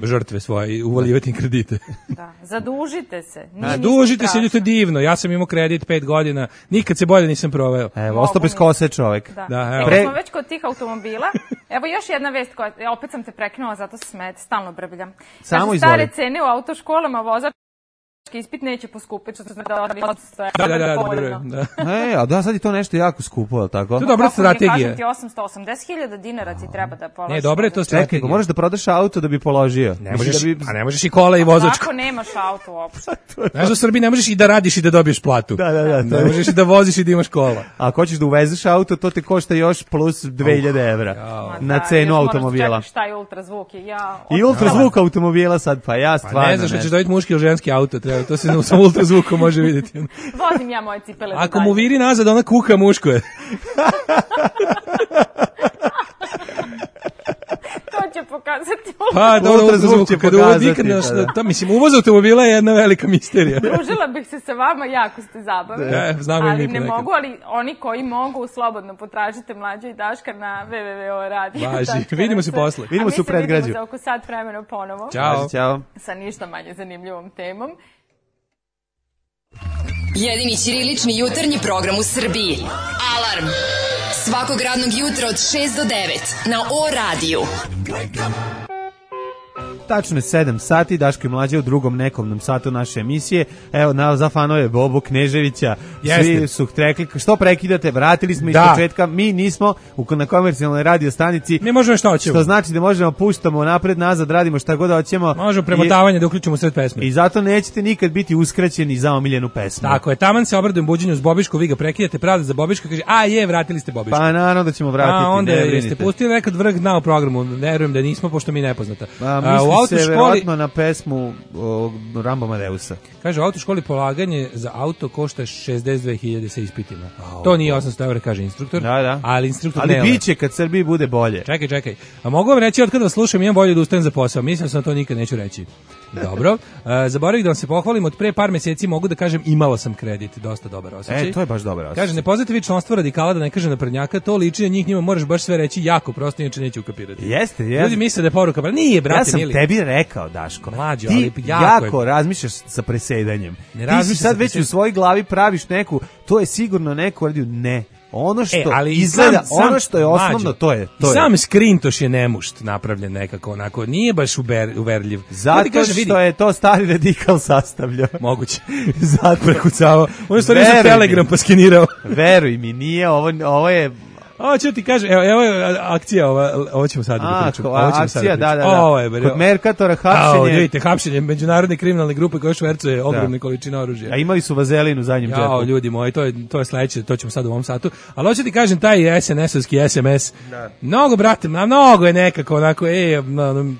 žrtve svoje i uvaljivati im kredite. Da, zadužite se. Zadužite se, to je divno. Ja sam imao kredit pet godina, nikad se bolje nisam proveo. Evo, ostao bez kose čovjek. Da, da evo. Pre... smo već kod tih automobila. Evo još jedna vest koja, opet sam te prekinula, zato se smete, stalno brbljam. Samo Kaže, stare cene u autoškolama, vozač ispit neće poskupiti, što znači da da, da, da, da. E, a da, sad je to nešto jako skupo, je li tako? To je dobra strategija. Kažem ti osamsto osamdeset hiljada dinara ti treba da položiš. Ne, dobro je to strategija. Čekaj, moraš da prodaš auto da bi položio. Ne možeš, da bi... a ne možeš i kola i vozačku. Ako nemaš auto uopšte. Znaš, u Srbiji ne možeš i da radiš i da dobiješ platu. Da, da, da. Ne možeš i da voziš i da imaš kola. A ako hoćeš da uvezeš auto, to te košta još plus dve hiljade evra na cenu automobila. Šta je ultrazvuk? Ja, I ultrazvuk automobila sad, pa ja stvarno. Pa ne znaš, hoćeš dobiti muški ili ženski auto, treba, to se sa ultrazvukom može vidjeti. Vozim ja moje cipele. Ako mu viri nazad, ona kuka, muško je. To će pokazati pa, da, ultrazvuk će pokazati. Da, da, mislim, uvoz automobila je jedna velika misterija. Družila bih se sa vama, jako ste zabavni. Da, znam ali ne mogu, ali oni koji mogu, slobodno potražite Mlađa i Daška na w w w tačka radio. Važi, vidimo se posle. Vidimo se u predgrađu. A mi se vidimo za oko sat vremena ponovo. Ćao. Ćao. Sa ništa manje zanimljivom temom. Jedini ćirilični jutarnji program u Srbiji. Alarm! Svakog radnog jutra od šest do devet na O radiju. Tačno je sedam sati, Daško i Mlađa u drugom nekovnom satu naše emisije. Evo, na, za fanove Bobu Kneževića, Jeste. Svi su rekli, što prekidate, vratili smo iz da. početka, mi nismo u, na komercijalnoj radio stanici. Mi možemo šta hoćemo. Što znači da možemo puštamo napred, nazad, radimo šta god hoćemo. Možemo premotavanje I, da uključimo sred pesme. I zato nećete nikad biti uskraćeni za omiljenu pesmu. Tako je, taman se obradujem buđenju s Bobišku, vi ga prekidate, pravda za Bobiška, kaže, a je, vratili ste Bobišku. Pa naravno da ćemo vratiti, a, onda ne brinite. Jeste pustili nekad vrh dna u programu, verujem da nismo, pošto mi nepoznata. A, misli a, u se verovatno na pesmu o, Rambo Amadeusa. Kaže, u autoškoli polaganje za auto košta šezdeset dve hiljade sa ispitima. A, to nije osamsto evra, kaže instruktor. Da, da. Ali instruktor ali ne. biće kad Srbiji bude bolje. Čekaj, čekaj. A mogu vam reći, od kada vas slušam, imam volju da ustanem za posao. Mislim sam to nikad neću reći. Dobro. Uh, zaboravih da vam se pohvalim, od pre par mjeseci mogu da kažem imala sam kredit, dosta dobar osjećaj. E, to je baš dobar osjećaj. Kaže, ne poznate vi članstvo radikala, da ne kaže naprednjaka, to liči na njih, njima moraš baš sve reći jako prosto, inače neće ukapirati. Jeste, jeste. Ljudi misle da je poruka, pa nije, brate, ja sam mili. Tebi rekao, Daško. Mlađo, ti ali jako, jako razmišljaš sa presedanjem. Ne ti si sad već u svojoj glavi praviš neku, to je sigurno neko radio, ne. Ono što e, ali izgleda, sam, sam, ono što je osnovno, mađo, to je. To sam je. skrintoš je nemušt napravljen nekako, onako, nije baš uver, uverljiv. Zato kaže, što vidi, je to stari radikal sastavljao. Moguće. Zato prekucavao. On je stvari za Telegram pa skenirao. Veruj mi, nije, ovo, ovo je... Ovo ću ti kažem, evo, evo je akcija, ova, ovo ćemo sad da pričamo. Ovo ćemo akcija, sad da, da, da. Ovo je, kod Merkatora hapšenje. A, vidite, hapšenje međunarodne kriminalne grupe koje švercuje ogromne količine oružja. A imali su vazelin u zadnjem džepu. Jao, ljudi moji, to je, to je sledeće, to ćemo sad u ovom satu. Ali hoću ti kažem, taj es en es-ovski es em es, da. Mnogo, brate, mnogo je nekako onako, e, no,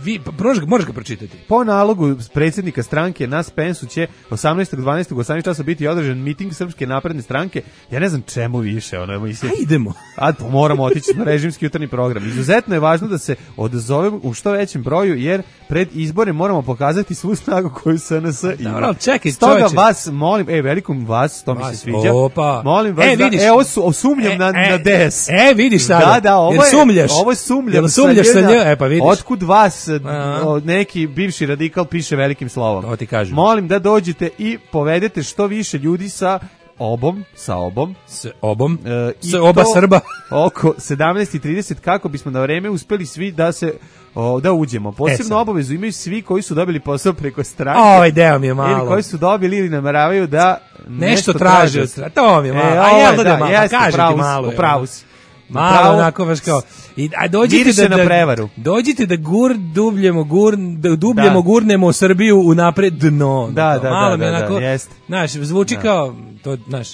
vi, možeš, možeš ga pročitati. Po nalogu predsjednika stranke na Spensu će osamnaestog decembra u osamnaest časova biti održan miting Srpske napredne stranke. Ja ne znam čemu više, ono je mislim. A idemo. A moramo otići na režimski jutarnji program. Izuzetno je važno da se odazovemo u što većem broju, jer pred izbore moramo pokazati svu snagu koju S N S ima. Dobro, čekaj, stoga čovječe. vas molim, ej, velikom vas, to vas, mi se sviđa. Opa. Molim vas, e, da, vidiš, e, ovo su, sumnjam e, na, e, na D S. E, vidiš sada. Da, da, ovo jer je, sumljaš. Ovo je sumljam. Jel sumljaš sa njom? E, pa vidiš. Otkud vas A. neki bivši radikal piše velikim slovom. To ti kažem. Molim da dođete i povedete što više ljudi sa obom, sa obom, s obom, e, s oba Srba oko sedamnaest i trideset kako bismo na vreme uspeli svi da se o, da uđemo. Posebno e, obavezu imaju svi koji su dobili posao preko stranke. Ovaj deo mi je malo. Ili koji su dobili ili nameravaju da nešto, nešto traže od strane. To mi je malo. E, a jel da, da malo, jeste, kaži ti malo. U pravu si. Malo onako baš kao i a dođite da, na prevaru. Dođite da gur dubljemo gur da dubljemo da. gurnemo Srbiju u napred dno. Da, da, malo da, mi da, onako, da, jest. Znaš, zvuči da. kao to, znaš.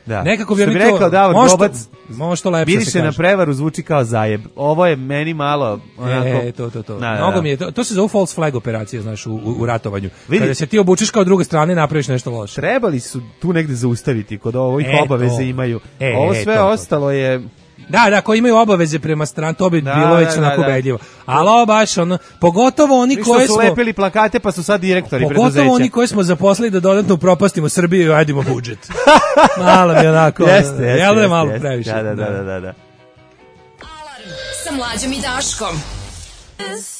Da. Nekako bi što mi bi to rekao Davor Gobac, može to lepše bili se se na kaže. prevaru zvuči kao zajeb. Ovo je meni malo onako. E, to, to, to. Da, da, Mnogo da. mi je, to, to se zove false flag operacija, znaš, u, u, u ratovanju. Vidi. Kada se ti obučeš kao druga strana i napraviš nešto loše. Trebali su tu negde zaustaviti kod ovih E, obaveze to. imaju. E, Ovo e, sve to, to. ostalo je. Da, da, koji imaju obaveze prema strani, to bi Da, bilo već da, onako da, da. ubedljivo. Ali ovo baš ono, pogotovo oni Mi što koje su smo lepili plakate pa su sad direktori pogotovo preduzeća. oni koji smo zaposlili da dodatno upropastimo Srbiju i ajdimo budžet. Malo mi onako. Jeste, jeste. Jel da je jeste, malo jeste. previše? Da, da, da, da, da. da. Sa Mlađom i Daškom.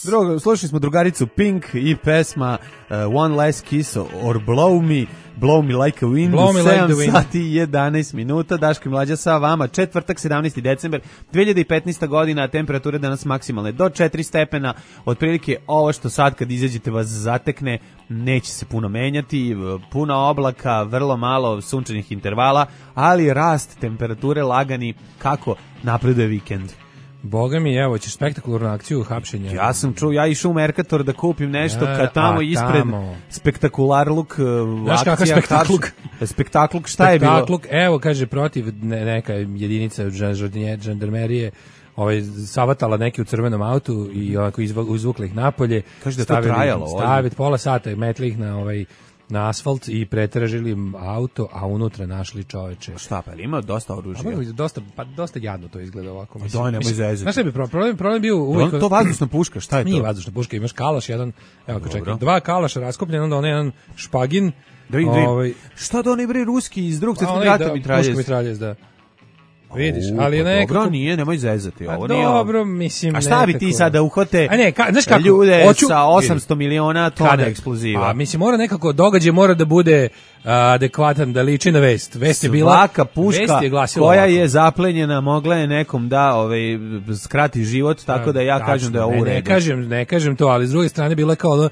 Drugo, slušali smo drugaricu Pink i pesma uh, One Last Kiss or Blow Me, Blow Me Like a Wind, Blow me like sedam the wind. sati i jedanaest minuta, Daško i Mlađa sa vama, četvrtak, sedamnaesti decembar, dve hiljade petnaesta godina, temperature danas maksimalne do četiri stepena, otprilike ovo što sad kad izađete vas zatekne, neće se puno menjati, puno oblaka, vrlo malo sunčanih intervala, ali rast temperature lagani kako napreduje vikend. Boga mi, evo, ćeš spektakularnu akciju hapšenja. Ja sam čuo, ja išao u Merkator da kupim nešto, Ja, kad tamo a ispred tamo. spektakularluk uh, Znaš kakav akcija, spektakluk? hapš- spektakluk, šta je bilo? Spektakluk, evo, kaže, protiv ne, neka jedinica žan- žandarmerije ovaj, savatala neki u crvenom autu i onako izva- izvukli ih napolje. Kaže da je to stavili- trajalo, ozbiljno. Staviti pola sata, metli ih na ovaj na asfalt i pretražili im auto, a unutra našli čoveče. Šta pa, ima dosta A oružja. mogu biti dosta, pa dosta jadno to izgleda ovako. Mislim. daj, nemoj Mislim, zezati. Znaš šta bi problem? Problem, problem bio uvijek... To, to vazdušna puška, šta je to? Nije vazdušna puška, imaš kalaš, jedan, evo Dobro. čekaj, dva kalaša raskopljen, onda onaj jedan špagin. Da vidim, da vidim. ovaj, Šta da oni bre ruski iz drugog a svjetskog onaj rata da, mitraljez? puška mitraljez, da. Vidiš, U, ali je pa nekako... Dobro, nije, nemoj zezati. A Ovo nije dobro, ovo. mislim... A šta bi ti nekako- sad da uhvate A ne, ka, znaš kako? ljude Hoću- sa osamsto miliona tona Kada- eksploziva? A mislim, mora nekako, događaj mora da bude a, adekvatan, da liči na vest. Vest je bila... Svaka puška vest je glasila koja ovako. je zaplenjena mogla je nekom da ovaj, skrati život, tako da ja Tačno, kažem da je ovo ne, u ne redu. kažem, ne kažem to, ali s druge strane bila je kao ono, uh,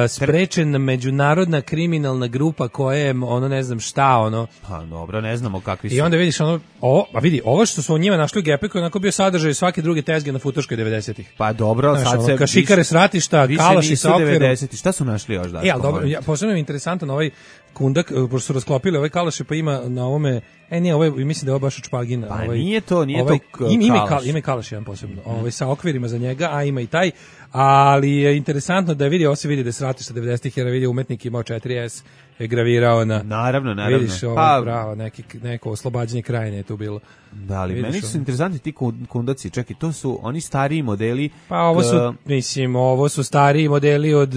sprečena međunarodna kriminalna grupa koja je ono ne znam šta ono. Pa dobro, ne znamo kakvi su. I onda vidiš ono, ovo, a vidi, ovo što su o njima našli u Gepeku je onako bio sadržaj svake druge tezge na Futoškoj devedesetih. Pa dobro, Znaš, sad ono, se... kašikare s ratišta, više kalaši nisu sa okvirom. devedeseti. Šta su našli još, Daško? E, ali dobro, molim te? ja, posebno mi je interesantan ovaj kundak, eh, pošto su rasklopili ovaj kalaš, pa ima na ovome, e nije, ovaj, mislim da je ovo baš od špagina. Pa ovaj, nije to, nije ovaj, to k- ima, ima, i kalaš. kal, ima i kalaš jedan posebno, ovaj, sa okvirima za njega, a ima i taj, ali je interesantno da vidi, ovo se vidi da je s ratišta devedesetih, jer vidi umetnik imao četiri S, je gravirao na... Naravno, naravno. Vidiš, ovo Pa- pravo, neki, neko oslobađanje krajine je tu bilo. Da, ali Vidiš meni su ono. interesantni ti kun- kundaci. Čekaj, to su oni stariji modeli. Pa ovo su, k- mislim, ovo su stariji modeli od...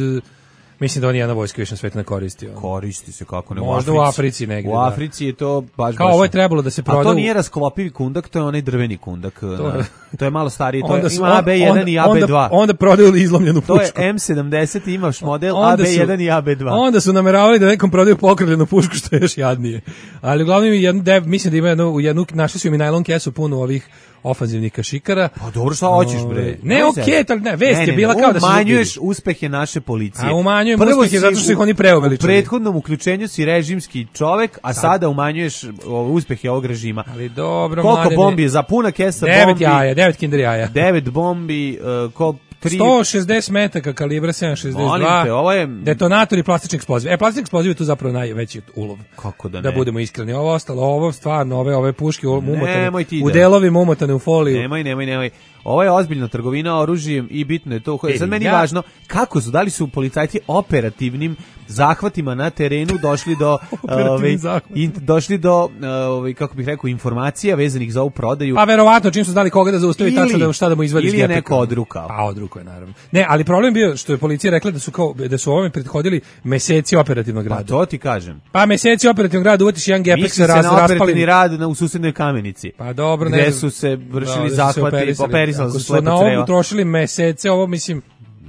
Mislim da on jedna vojska više na svetu ne koristi. ono. Koristi se kako ne Možda u u Africi. Africi negde, U da. Africi je to baš Kao baš- ovo je trebalo da se A proda to u- nije rasklopivi kundak, to je onaj drveni kundak. To To je- je, to je malo stariji, to Onda je, su- ima A B jedan onda- i A B dva. Onda, onda prodaju izlomljenu pušku. To je M sedamdeset, imaš model Onda A B su- jedan i A B dva. Onda su nameravali da nekom prodaju pokrivljenu pušku, što je još jadnije. Ali uglavnom jednu dev, mislim da ima jednu, u jednu, našli su im i najlon kesu puno ovih ofanzivnih kašikara. Pa dobro, šta hoćeš bre? Ove, Ne, Nemoj okej, zezati. ali ne, vest Ne, je ne, bila ne, kao da se umanjuješ zubili. uspehe naše policije. A umanjujem Prvo uspehe si zato što u- ih oni preuveličali. U prethodnom uključenju si režimski čovek, a sada umanjuješ o, uspehe ovog režima. Ali dobro, Koliko mladene. bombi je za puna kesa Devet bombi? jaja, devet kinder jaja. Devet bombi, uh, ko sto šezdeset metaka kalibra sedam šezdeset dva. Te, ovo je detonator i plastični eksploziv. E, plastični eksploziv je tu zapravo najveći ulov. Kako da ne? Da budemo iskreni. Ovo ostalo, ovo stvarno, ove ove puške umotane u da. delovima umotane u foliju. Nemoj, nemoj, nemoj. Ovo je ozbiljna trgovina oružjem i bitno je to. E, Sad meni ja... važno, kako su, da li su policajci operativnim zahvatima na terenu došli do ove, in, došli do ove, kako bih rekao, informacija vezanih za ovu prodaju. Pa verovatno čim su znali koga da zaustavi, tačno da šta da mu izvadi iz gepeka. Ili je neko odrukao. Pa odrukao je naravno. Ne, ali problem bio što je policija rekla da su kao da su ovome prethodili meseci operativnog rada. Pa to ti kažem. Pa meseci operativnog rada uvatiš jedan gepek se raz, raspali. Operativni rad na, u susednoj Kamenici. Pa dobro, gde ne. Gde su se vršili da, zahvati, operisali su slepo creva. Ako su na ovo trošili mesece, ovo mislim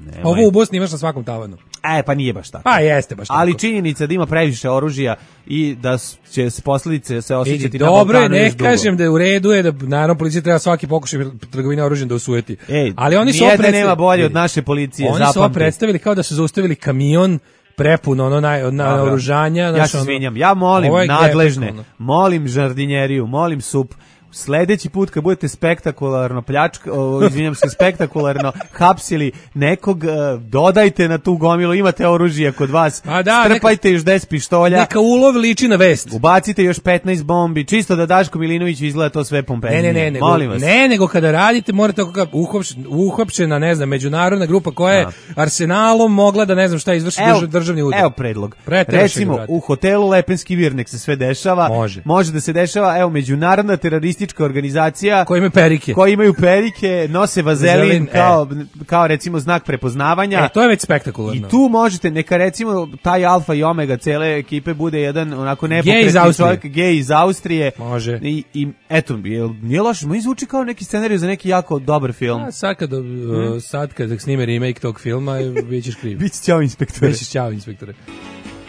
Nemoj. Ovo ubos nimaš na svakom tavanu. E, pa nije baš tako. Pa jeste baš tako. Ali činjenica da ima previše oružja i da će se posljedice se osjećati na Balkanu. Dobro, ne kažem da je u redu je da naravno policija treba svaki pokušaj trgovine oružjem da osujeti. Ej, ali oni su nijedne nema bolje od naše policije, oni zapamti. Oni su predstavili kao da su zaustavili kamion prepuno ono na, na oružanja. Ja se izvinjam, ja molim nadležne, gepek, molim žardinjeriju, molim sup, sledeći put kad budete spektakularno pljačka, o, izvinjam se, spektakularno hapsili nekog, dodajte na tu gomilu, imate oružje kod vas, da, strpajte neka, još deset pištolja. Neka ulov liči na vest. Ubacite još petnaest bombi, čisto da Daško Milinović izgleda to sve pompenije. Ne, ne, ne, molim nego, vas. Ne, nego kada radite morate kako uhopšena, ne znam, međunarodna grupa koja je arsenalom mogla da ne znam šta izvrši evo, državni udar. Evo predlog. Recimo, u hotelu Lepenski vir nek se sve dešava. Može. Može da se dešava, evo, međunarodna teroristička organizacija koji imaju perike, koji imaju perike, nose vazelin, vazelin kao e. kao recimo znak prepoznavanja. E, to je već spektakularno. I tu možete neka recimo taj alfa i omega cele ekipe bude jedan onako nepokretni čovjek, gej iz Austrije. Može. I, i eto, nije loše, mi zvuči kao neki scenarij za neki jako dobar film. A sad kad, hmm? uh, sad kad snime remake tog filma, bićeš kriv. Biće ćao inspektore. Bićeš ćao inspektore.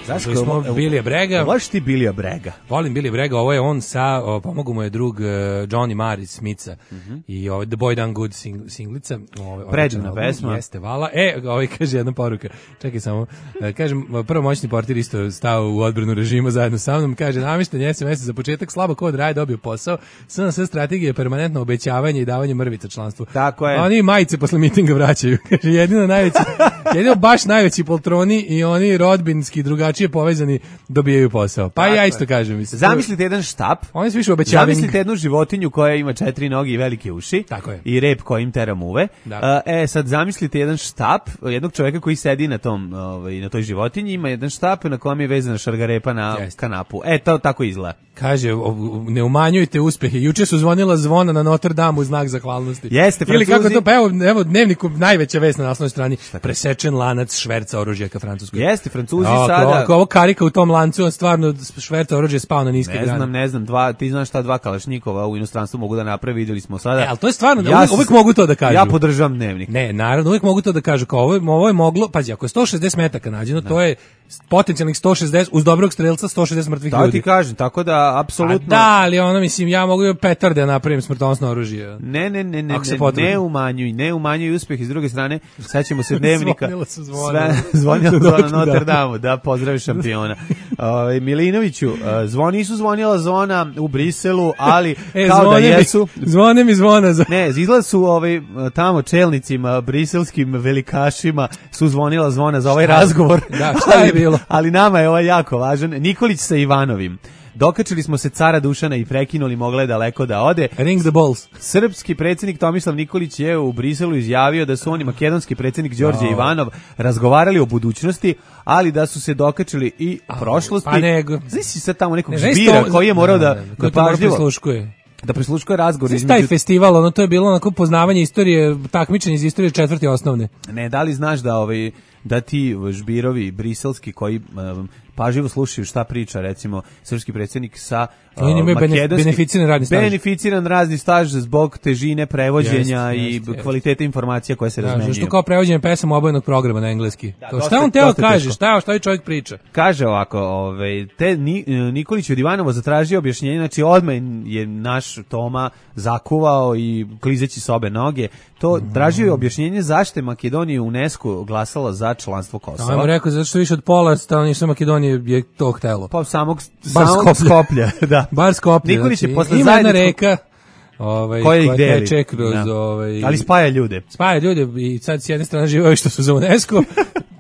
Zašto smo Bilija Brega? Voliš ti Bilija Brega? Volim Bilija Brega, ovo je on sa, o, pomogu mu je drug uh, Johnny Marr iz Smitha mm -hmm. i ovaj The Boy Done Good sing, singlica. Predivna pesma. Jeste, vala. E, ovaj kaže jedna poruka, čekaj samo, uh, kažem, prvo moćni portir isto stao u odbranu režima zajedno sa mnom, kaže, namješten S M S za početak, slabo kod raj dobio posao, S N S strategija je permanentno obećavanje i davanje mrvica članstvu. Tako je. Oni majice posle mitinga vraćaju, kaže, jedino najveći, jedino baš najveći poltroni i oni rodbinski drugačiji je povezani dobijaju posao. Pa tako ja isto kažem. Mislim, zamislite jedan štap. Oni su više obećavani. Zamislite jednu životinju koja ima četiri noge i velike uši. Tako je. I rep kojim tera muve. E, sad zamislite jedan štap jednog čovjeka koji sedi na tom, ovaj, na toj životinji, ima jedan štap na kojem je vezana šargarepa na Jest. kanapu. E, to tako izgleda. Kaže, ne umanjujte uspehe. Juče su zvonila zvona na Notre Dame u znak zahvalnosti. Jeste, Francuzi. Ili kako to, pa evo, evo dnevniku najveća vest na naslovnoj strani. Presečen lanac šverca oružja ka Francuskoj. Jeste, Francuzi o, sada. Ako ovo karika u tom lancu, on stvarno šverca oružje spao na niske grane. Ne znam, ne znam, dva, ti znaš šta dva kalašnikova u inostranstvu mogu da naprave, vidjeli smo sada. E, ali to je stvarno, ja uvijek, uvijek mogu to da kažu. Ja podržavam dnevnik. Ne, naravno, uvijek mogu to da kažu. Kao ovo, ovo je moglo, pazi, ako je sto šezdeset metaka nađeno, ne. To je potencijalnih sto šezdeset, uz dobrog strelca sto šezdeset mrtvih da, ljudi. Da ti kažem, tako da, apsolutno. Da, ali ono, mislim, ja mogu petarde da napravim smrtonosno oružje. Ne, ne, ne, ne, ne, ne umanjuj, ne umanjuj uspjeh. I s druge strane, sećamo se dnevnika. Zvonilo su zvona. Zvonilo zvona na Notre Dame, da, pozdravi šampiona. Uh, Milinoviću, uh, zvoni nisu zvonila zona u Briselu, ali e, kao da jesu. Mi, zvone mi zvona. Za... Ne, izgleda su ovaj, tamo čelnicima, briselskim velikašima su zvonila zvona za ovaj šta razgovor. Da, šta je bilo? Ali nama je ovaj jako važan. Nikolić sa Ivanovim. Dokačili smo se cara Dušana i prekinuli, mogla je daleko da ode. Ring the balls. Srpski predsjednik Tomislav Nikolić je u Briselu izjavio da su oni makedonski predsjednik Đorđe oh. Ivanov razgovarali o budućnosti, ali da su se dokačili i oh, prošlosti. Pa nego. Znaš si sad tamo nekog ne, žbira to, koji je morao da, da, da, da pažljivo da prisluškuje razgovor između... Taj festival, ono to je bilo onako poznavanje istorije, takmičenje iz istorije četvrti osnovne. Ne, da li znaš da ovaj da ti žbirovi briselski koji um, pažljivo slušaju šta priča recimo srpski predsjednik sa uh, makedonski beneficiran radni staž. Beneficiran radni staž zbog težine prevođenja jest, i jest, kvalitete jest. informacija koje se da, razmenjuju. Što kao prevođenje pesama obojenog programa na engleski. Da, to, šta on teo kaže, šta, šta je čovjek priča? Kaže ovako, ovaj, te Ni, Nikolić od Ivanova zatražio objašnjenje, znači odmah je naš Toma zakuvao i klizeći s obe noge, to mm. tražio je objašnjenje zašto je Makedonija u UNESCO glasala za članstvo Kosova. Ajmo rekao, zato što više od pola stanovništva Makedonije je to htelo. Pa samog, samog Skoplja. Da. Bar Skoplje. Nikolić je znači, posle ima jedna reka, Ovaj, koje ih deli. teče kroz, ovaj, ali spaja ljude. Spaja ljude i sad s jedne strane žive ovi što su za UNESCO,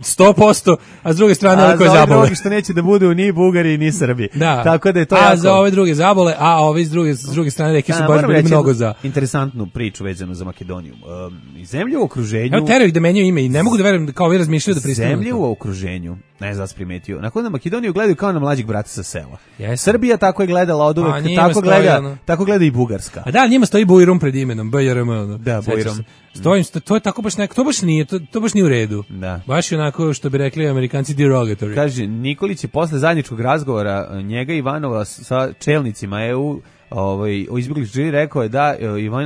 sto posto, a s druge strane ovi koji zabole. A za ove drugi što neće da budu ni Bugari ni Srbi. Da. Tako da je to a jako... za ove druge zabole, a ovi s druge, s druge strane neki su da, baš bili mnogo za... Interesantnu priču vezanu za Makedoniju. Um, zemlje u okruženju... Evo teraju ih da menjaju ime i ne mogu da verujem kao ovi razmišljaju da pristanu. Zemlje u okruženju, ne znam da si primetio, nakon da Makedoniju gledaju kao na mlađeg brata sa sela. Yes. Srbija tako je gledala od uvek, tako gleda, ono... tako gleda i Bugarska. A da, njima stoji Bujrum pred imenom, B J R M. Ono. Da, Bujrum. Stojim, to je tako baš neko, to baš nije, to, to baš nije u redu. Da. Baš je onako što bi rekli Amerikanci derogatory. Kaže, Nikolić je posle zajedničkog razgovora njega i Ivanova sa čelnicima E U ovaj, o izbjegličkoj rekao je da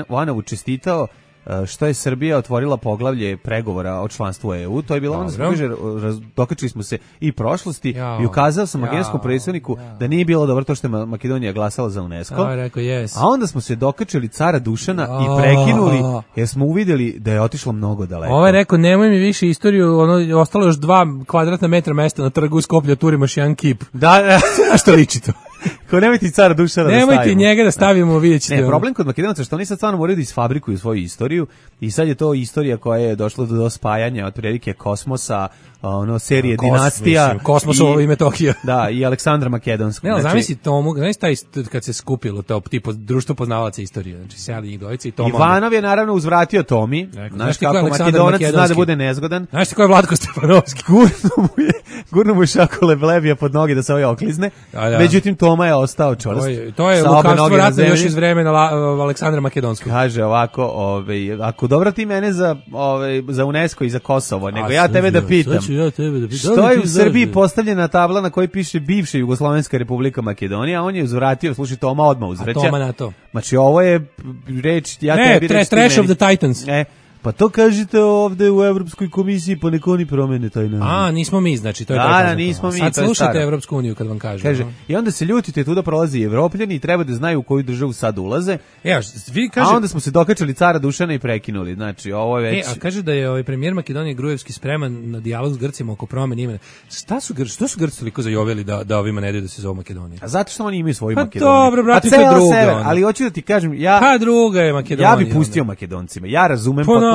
Ivanovu čestitao što je Srbija otvorila poglavlje pregovora o članstvu E U. To je bilo ono što kaže, dokačili smo se i prošlosti jao, i ukazao sam makedonskom predstavniku da nije bilo dobro to što je Makedonija glasala za UNESCO. A, rekao, yes. A onda smo se dokačili cara Dušana jao. I prekinuli jer smo uvidjeli da je otišlo mnogo daleko. Ovo je rekao, nemoj mi više istoriju, ono, ostalo još dva kvadratna metra mesta na trgu u Skoplju, turimaš jedan kip. Da, da. A što liči to? Ko nemoj ti cara Dušana da stavimo. Nemoj ti njega da stavimo, vidjet ćete. Ne, problem kod Makedonaca što oni sad stvarno moraju da isfabrikuju svoju istoriju i sad je to istorija koja je došla do, do spajanja od prilike kosmosa, ono, serije Kos, Dinastija. Mislim, Kosmosovo i Metohija. Da, i Aleksandra Makedonskog. Ne, znači, zamisli Tomu, znači taj kad se skupilo to tipo društvo poznavalaca istorije, znači seli njih dvojica i Toma. Ivanov je naravno uzvratio Tomi. Znaš kako Makedonac zna da bude nezgodan. Znaš ti ko je Vlatko Stefanovski? Gurno mu je, gurno mu je šako leblebija pod noge da se ovaj oklizne. Da, da. Međutim, Toma je ostao čvrst. To je, to je lukavstvo ratno još iz vremena La, Aleksandra Makedonskog. Kaže ovako, ovaj, ako dobro ti mene za, ovaj, za UNESCO i za Kosovo, nego A, ja tebe da pitam. Ja tebe da pitam. Što je u Srbiji postavljena tabla na kojoj piše bivša Jugoslovenska republika Makedonija, a on je uzvratio, slušaj, Toma odmah uzvraća. A Toma na to. Znači, ovo je reč, ja ne, tebi reč. Ne, Trash of the Titans. E, pa to kažete ovde u Evropskoj komisiji, pa neko oni promene taj naziv. A, nismo mi, znači, to je da, da, nismo mi, sad slušate Evropsku uniju kad vam kažem. Kaže, no? I onda se ljutite, tu da prolazi Evropljani i treba da znaju u koju državu sad ulaze. E, vi kaže... A onda smo se dokačali cara Dušana i prekinuli, znači, ovo je već... E, a kaže da je ovaj premijer Makedonije Grujevski spreman na dijalog s Grcima oko promene imena. Šta su Grci, što su Grci toliko zajoveli da, da ovima ne daju da se zove Makedonija? A zato što oni imaju svoju pa Makedoniju. Dobro, brate, to je druga. Sever, ali hoću da ti kažem, ja... Pa druga je Makedonija. Ja bih pustio onda Makedoncima, ja razumem pa, potpuno.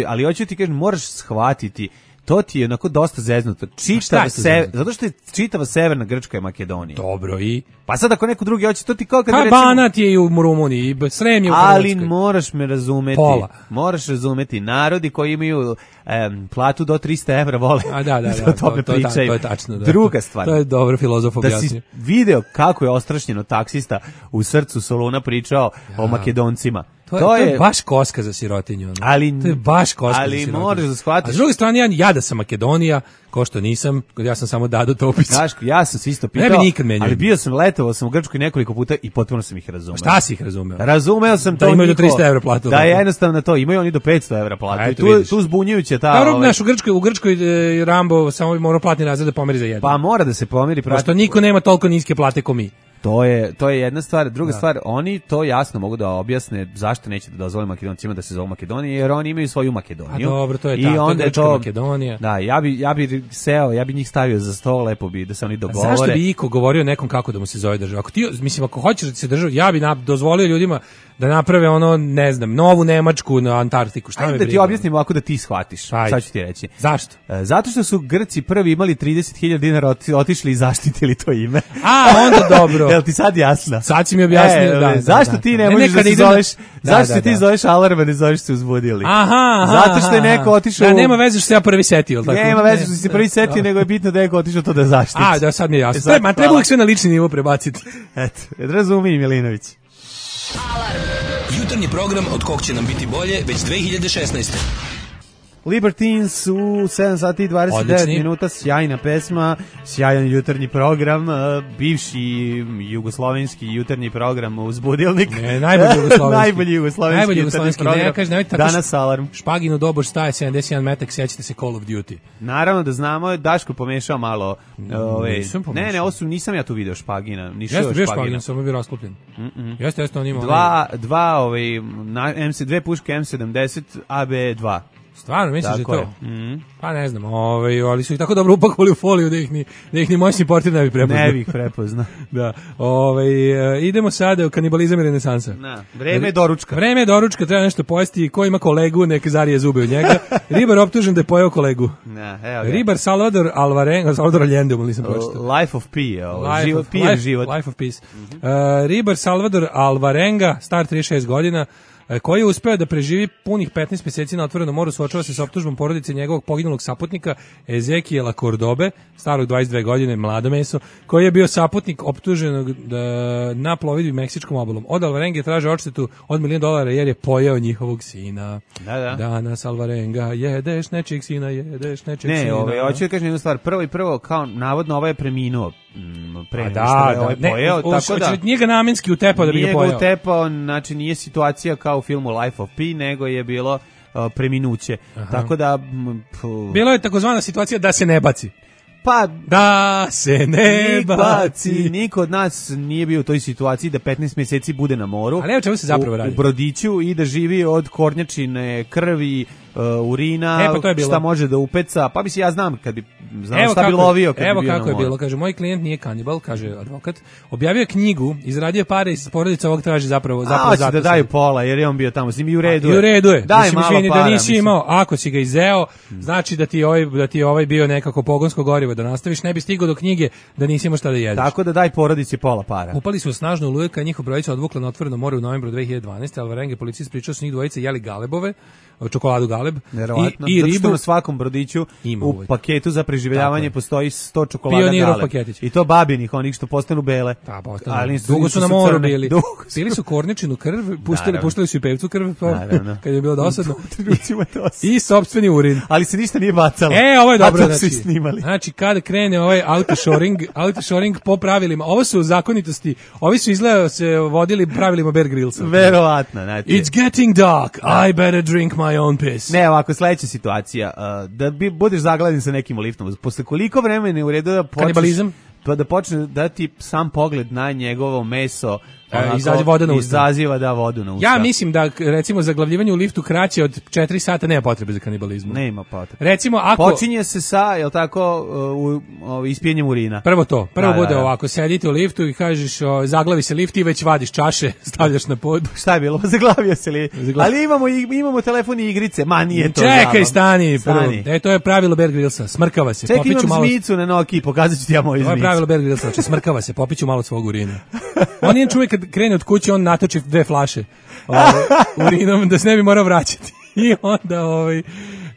Ali hoću ti kažem, moraš shvatiti, to ti je onako dosta zeznuto. Čitava se, zato što je čitava severna Grčka je Makedonija. Dobro i pa sad ako neko drugi hoće, to ti kao kad pa recimo Banat je i u Rumuniji, i Srem je u Hrvatskoj. Ali moraš me razumeti. Pola. Moraš razumeti narodi koji imaju em, platu do trista evra vole. A da, da, da. to, to, to, to je tačno. Da. Druga stvar. To je dobro filozof objasnio. Da si video kako je ostrašćeno taksista u srcu Soluna pričao ja. o Makedoncima. To, to, je, to je baš koska za sirotinju. Ono. Ali, to je baš koska ali za sirotinju. Ali moraš da shvatiš. A s druge strane, ja, ja da sam Makedonija, ko što nisam, ja sam samo Dado Topić. Daško, ja sam se isto pitao, ne bi nikad menio. Ali bio sam, letovao sam u Grčkoj nekoliko puta i potpuno sam ih razumeo. Šta si ih razumeo? Razumeo sam da to imaju do trista evra platu. Da je jednostavno to, imaju oni do petsto evra platu. I tu, tu zbunjujuće ta... Dobro, ovaj... naš, u Grčkoj, u Grčkoj e, Rambo samo mora platni razred da pomeri za jedan. Pa mora da se pomeri. Prati... Pošto niko nema toliko niske plate ko mi. To je, to je jedna stvar. Druga da. stvar, oni to jasno mogu da objasne zašto neće da dozvole Makedoncima da se zovu Makedonija, jer oni imaju svoju Makedoniju. A dobro, to je I ta, onda to je to, Makedonija. Da, ja bi, ja bi seo, ja bi njih stavio za sto, lepo bi, da se oni dogovore. A zašto bi iko govorio nekom kako da mu se zove država? Ako ti, mislim, ako hoćeš da se država, ja bi na, dozvolio ljudima da naprave ono, ne znam, novu Nemačku na Antarktiku. Šta me da ti objasnim ovako da ti shvatiš. Ajde. Sad ću ti reći. Zašto? E, zato što su Grci prvi imali trideset hiljada dinara otišli i zaštitili to ime. A, onda dobro. Jel ti sad jasno? Sad si mi objasnio, e, da, da. Zašto da, ti da. ne možeš ne, da se zoveš, da, zašto da, ti da. zoveš alarm, ne zoveš se uzbudili? Aha, aha. Zato što je neko otišao... Da, nema veze što se ja prvi setio, tako? Nema veze što si se prvi setio, nego je bitno da je neko otišao to da zaštiti. A, da, sad mi je jasno. Sad, ma treba uvijek sve na lični nivo prebaciti. Eto, razumim, Milinović. Alarm. Jutarnji program od kog će nam biti bolje već dve hiljade šesnaeste. Libertines u sedam sati i dvadeset devet minuta, sjajna pesma, sjajan jutarnji program, bivši jugoslovenski jutarnji program Uzbudilnik. Ne, najbolji jugoslovenski. najbolji jugoslovenski, najbolji jugoslovenski program. Ne, kaži, nemojte, danas Alarm. Špaginu doboš staje sedamdeset jedan metak, sjećate se Call of Duty. Naravno da znamo, Daško pomešao malo. Ove, ne, ne, osu, nisam ja tu video Špagina. Jeste bio Špagina, samo bio rasklopljen. Mm -mm. Jeste, jeste on imao. Dva, dva, ovaj, na, M C, dve puške M sedamdeset A B dva. Stvarno, misliš da je Tako to? je. Mm. Pa ne znam, ovaj, ali su ih tako dobro upakovali u foliju da ih ni, da ih ni moćni portir ne bi prepoznao. Ne bih prepoznao. Da. Ovaj, idemo sada u kanibalizam i renesansa. Na, vreme je doručka. Vreme je doručka, treba nešto pojesti. Ko ima kolegu, nek zarije zube od njega. Ribar optužen da je pojeo kolegu. Na, evo ga. Ribar Salvador Alvarenga, Salvador Allende, mu nisam pročitao. Life of Pi, ovo, Life život, of, pijen life, život. Life of Peace. Uh, ribar Salvador Alvarenga, star trideset šest godina, koji je uspeo da preživi punih petnaest mjeseci na otvorenom moru, suočava se sa optužbom porodice njegovog poginulog saputnika Ezekiela Cordobe, starog dvadeset dve godine, mlado meso, koji je bio saputnik optuženog da, na plovidbi Meksičkom obalom. Od Alvarenga traže odštetu od milion dolara jer je pojeo njihovog sina. Da, da. Danas Alvarenga, jedeš nečeg sina, jedeš nečeg ne, sina. Ne, ovaj, hoću da kažem jednu stvar. Prvo i prvo, kao navodno ovaj je preminuo pre nego da, što je da, ovaj ne, pojeo, o, tako da... Nije ga namenski utepao da bi ga pojeo. Nije ga utepao, znači nije situacija kao u filmu Life of Pi, nego je bilo uh, preminuće. Aha. Tako da... M, bilo je takozvana situacija da se ne baci. Pa, da se ne baci. Niko od nas nije bio u toj situaciji da petnaest mjeseci bude na moru. Ali evo čemu se zapravo radi. U brodiću i da živi od kornjačine, krvi, uh, urina, e, pa to je bilo. Šta može da upeca. Pa mislim, ja znam kad bi znao evo šta bi lovio kad evo bi bio kako na moru. je bilo, kaže, moj klijent nije kanibal, kaže advokat, objavio je knjigu, izradio pare iz porodice, ovog traži zapravo zapravo zato. Da daju pola, jer je on bio tamo s njim i u redu. I u redu je. Daj mislim, malo izvini, para, da nisi mislim. imao, ako si ga izeo, znači da ti ovaj da ti ovaj bio nekako pogonsko gorivo da nastaviš, ne bi stigao do knjige da nisi imao šta da jedeš. Tako da daj porodici pola para. Upali su snažno oluje kad njihov brojica odvukla na otvoreno more u novembru dve hiljade dvanaeste. Alvarenga policist pričao s njih dvojice jeli galebove, čokoladu galeb i, i ribu. Na svakom brodiću u paketu za preživljavanje postoji sto čokolada Pionirov galeb. Paketić. I to babinih, onih što postanu bele. Da, postanu. Ali dugo su na moru bili. Su. Pili su korničinu krv, pustili, puštali su i pevcu krv, kad je bilo dosadno. I sopstveni urin. Ali se ništa nije bacalo. E, ovo je dobro. A to znači, snimali. Znači, kada krene ovaj autoshoring, autoshoring po pravilima, ovo su zakonitosti, ovi su izgleda se vodili pravilima Bear Grillsa. Verovatno, znači. It's getting dark, I better drink my own piss. Ne, ovako, sledeća situacija, uh, da bi budeš zagladan sa nekim liftom, posle koliko vremena je u redu da počneš... Kanibalizam? Pa da počne da ti sam pogled na njegovo meso onako, izaziva voda na usta. Izaziva da vodu na usta. Ja mislim da recimo zaglavljivanje u liftu kraće od četiri sata nema potrebe za kanibalizmu. Nema potrebe. Recimo ako počinje se sa, je l' tako, u, u ispijenjem urina. Prvo to, prvo da, bude da, da. ovako, sedite u liftu i kažeš o, zaglavi se lift i već vadiš čaše, stavljaš na pod. Šta je bilo? Zaglavio se li? Zaglavio. Ali imamo imamo telefon i igrice. Ma nije to. Čekaj, zabav. stani, prvo. Stani. E to je pravilo Bear Grillsa, smrkava se. Čekaj, imam malo... zmicu na Noki, pokazat ću ti ja moju zmicu. To je pravilo Bear Grillsa, znači smrkava se, popiću malo svog urina. On je čovjek kad krene od kuće, on natoči dve flaše ovaj, urinom da se ne bi morao vraćati. I onda ovaj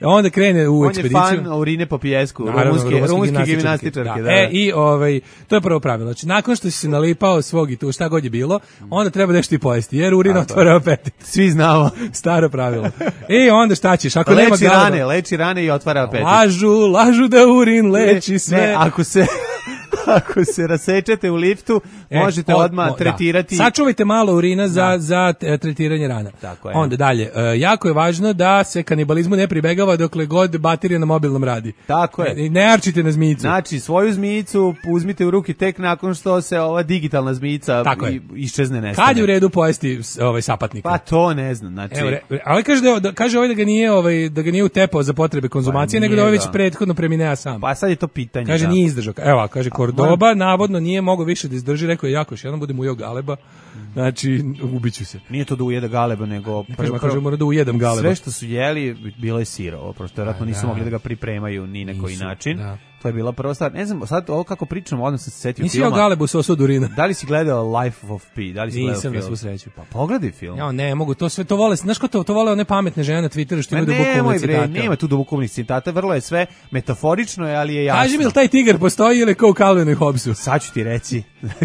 onda krene u on ekspediciju. On je fan urine po pijesku, rumunske, rumunske gimnastičarke. Da. Da. E, i ovaj, to je prvo pravilo. Znači, nakon što si se nalipao svog i tu šta god je bilo, onda treba nešto i pojesti, jer urin otvara apetit. Svi znamo. Staro pravilo. E, onda šta ćeš? Ako leči nema galeba, rane, leči rane i otvara apetit. Lažu, lažu da urin leči sve. Ne, ako se... Ako se rasečete u liftu, e, možete od, odmah mo, tretirati. Da. Sačuvajte malo urina za, da. za tretiranje rana. Tako je. Onda dalje, e, jako je važno da se kanibalizmu ne pribegava dokle god baterija na mobilnom radi. Tako je. Ne, ne arčite na zmijicu. Znači, svoju zmijicu uzmite u ruki tek nakon što se ova digitalna zmijica iščezne nestane. Kad je u redu pojesti ovaj sapatnik? Pa to ne znam. Znači... Evo, re, ali kaže, da, kaže ovaj da ga nije, ovaj, da ga nije utepao za potrebe konzumacije, pa nego da ovaj već prethodno preminea sam. Pa sad je to pitanje. Kaže, da. nije izdržao. Evo, kaže, Cordoba navodno nije mogao više da izdrži, rekao je jako, još jednom budem ujeo galeba, znači ubiću se. Nije to da ujede galeba, nego... Kažem, kažem, mora da ujedem galeba. Sve što su jeli, bilo je sirovo, prosto vjerojatno nisu mogli da ga pripremaju ni na koji način. Da. To je bila prva stvar. Ne znam, sad ovo kako pričamo, odmah sam se setio Nisi filma. Nisi jeo galebu sa osu od urina. Da li si gledao Life of Pi? Da li si Nisam gledao film? na svu sreću. Pa pogledaj film. Ja, ne, mogu, to sve to vole, znaš ko to, to vole one pametne žene na Twitteru što imaju dubokovne citate. Nema tu dubokovnih citata, vrlo je sve metaforično, ali je jasno. Kaži mi, li taj tigar postoji ili kao u Calvinu i Hobbesu? Sad ću ti reći,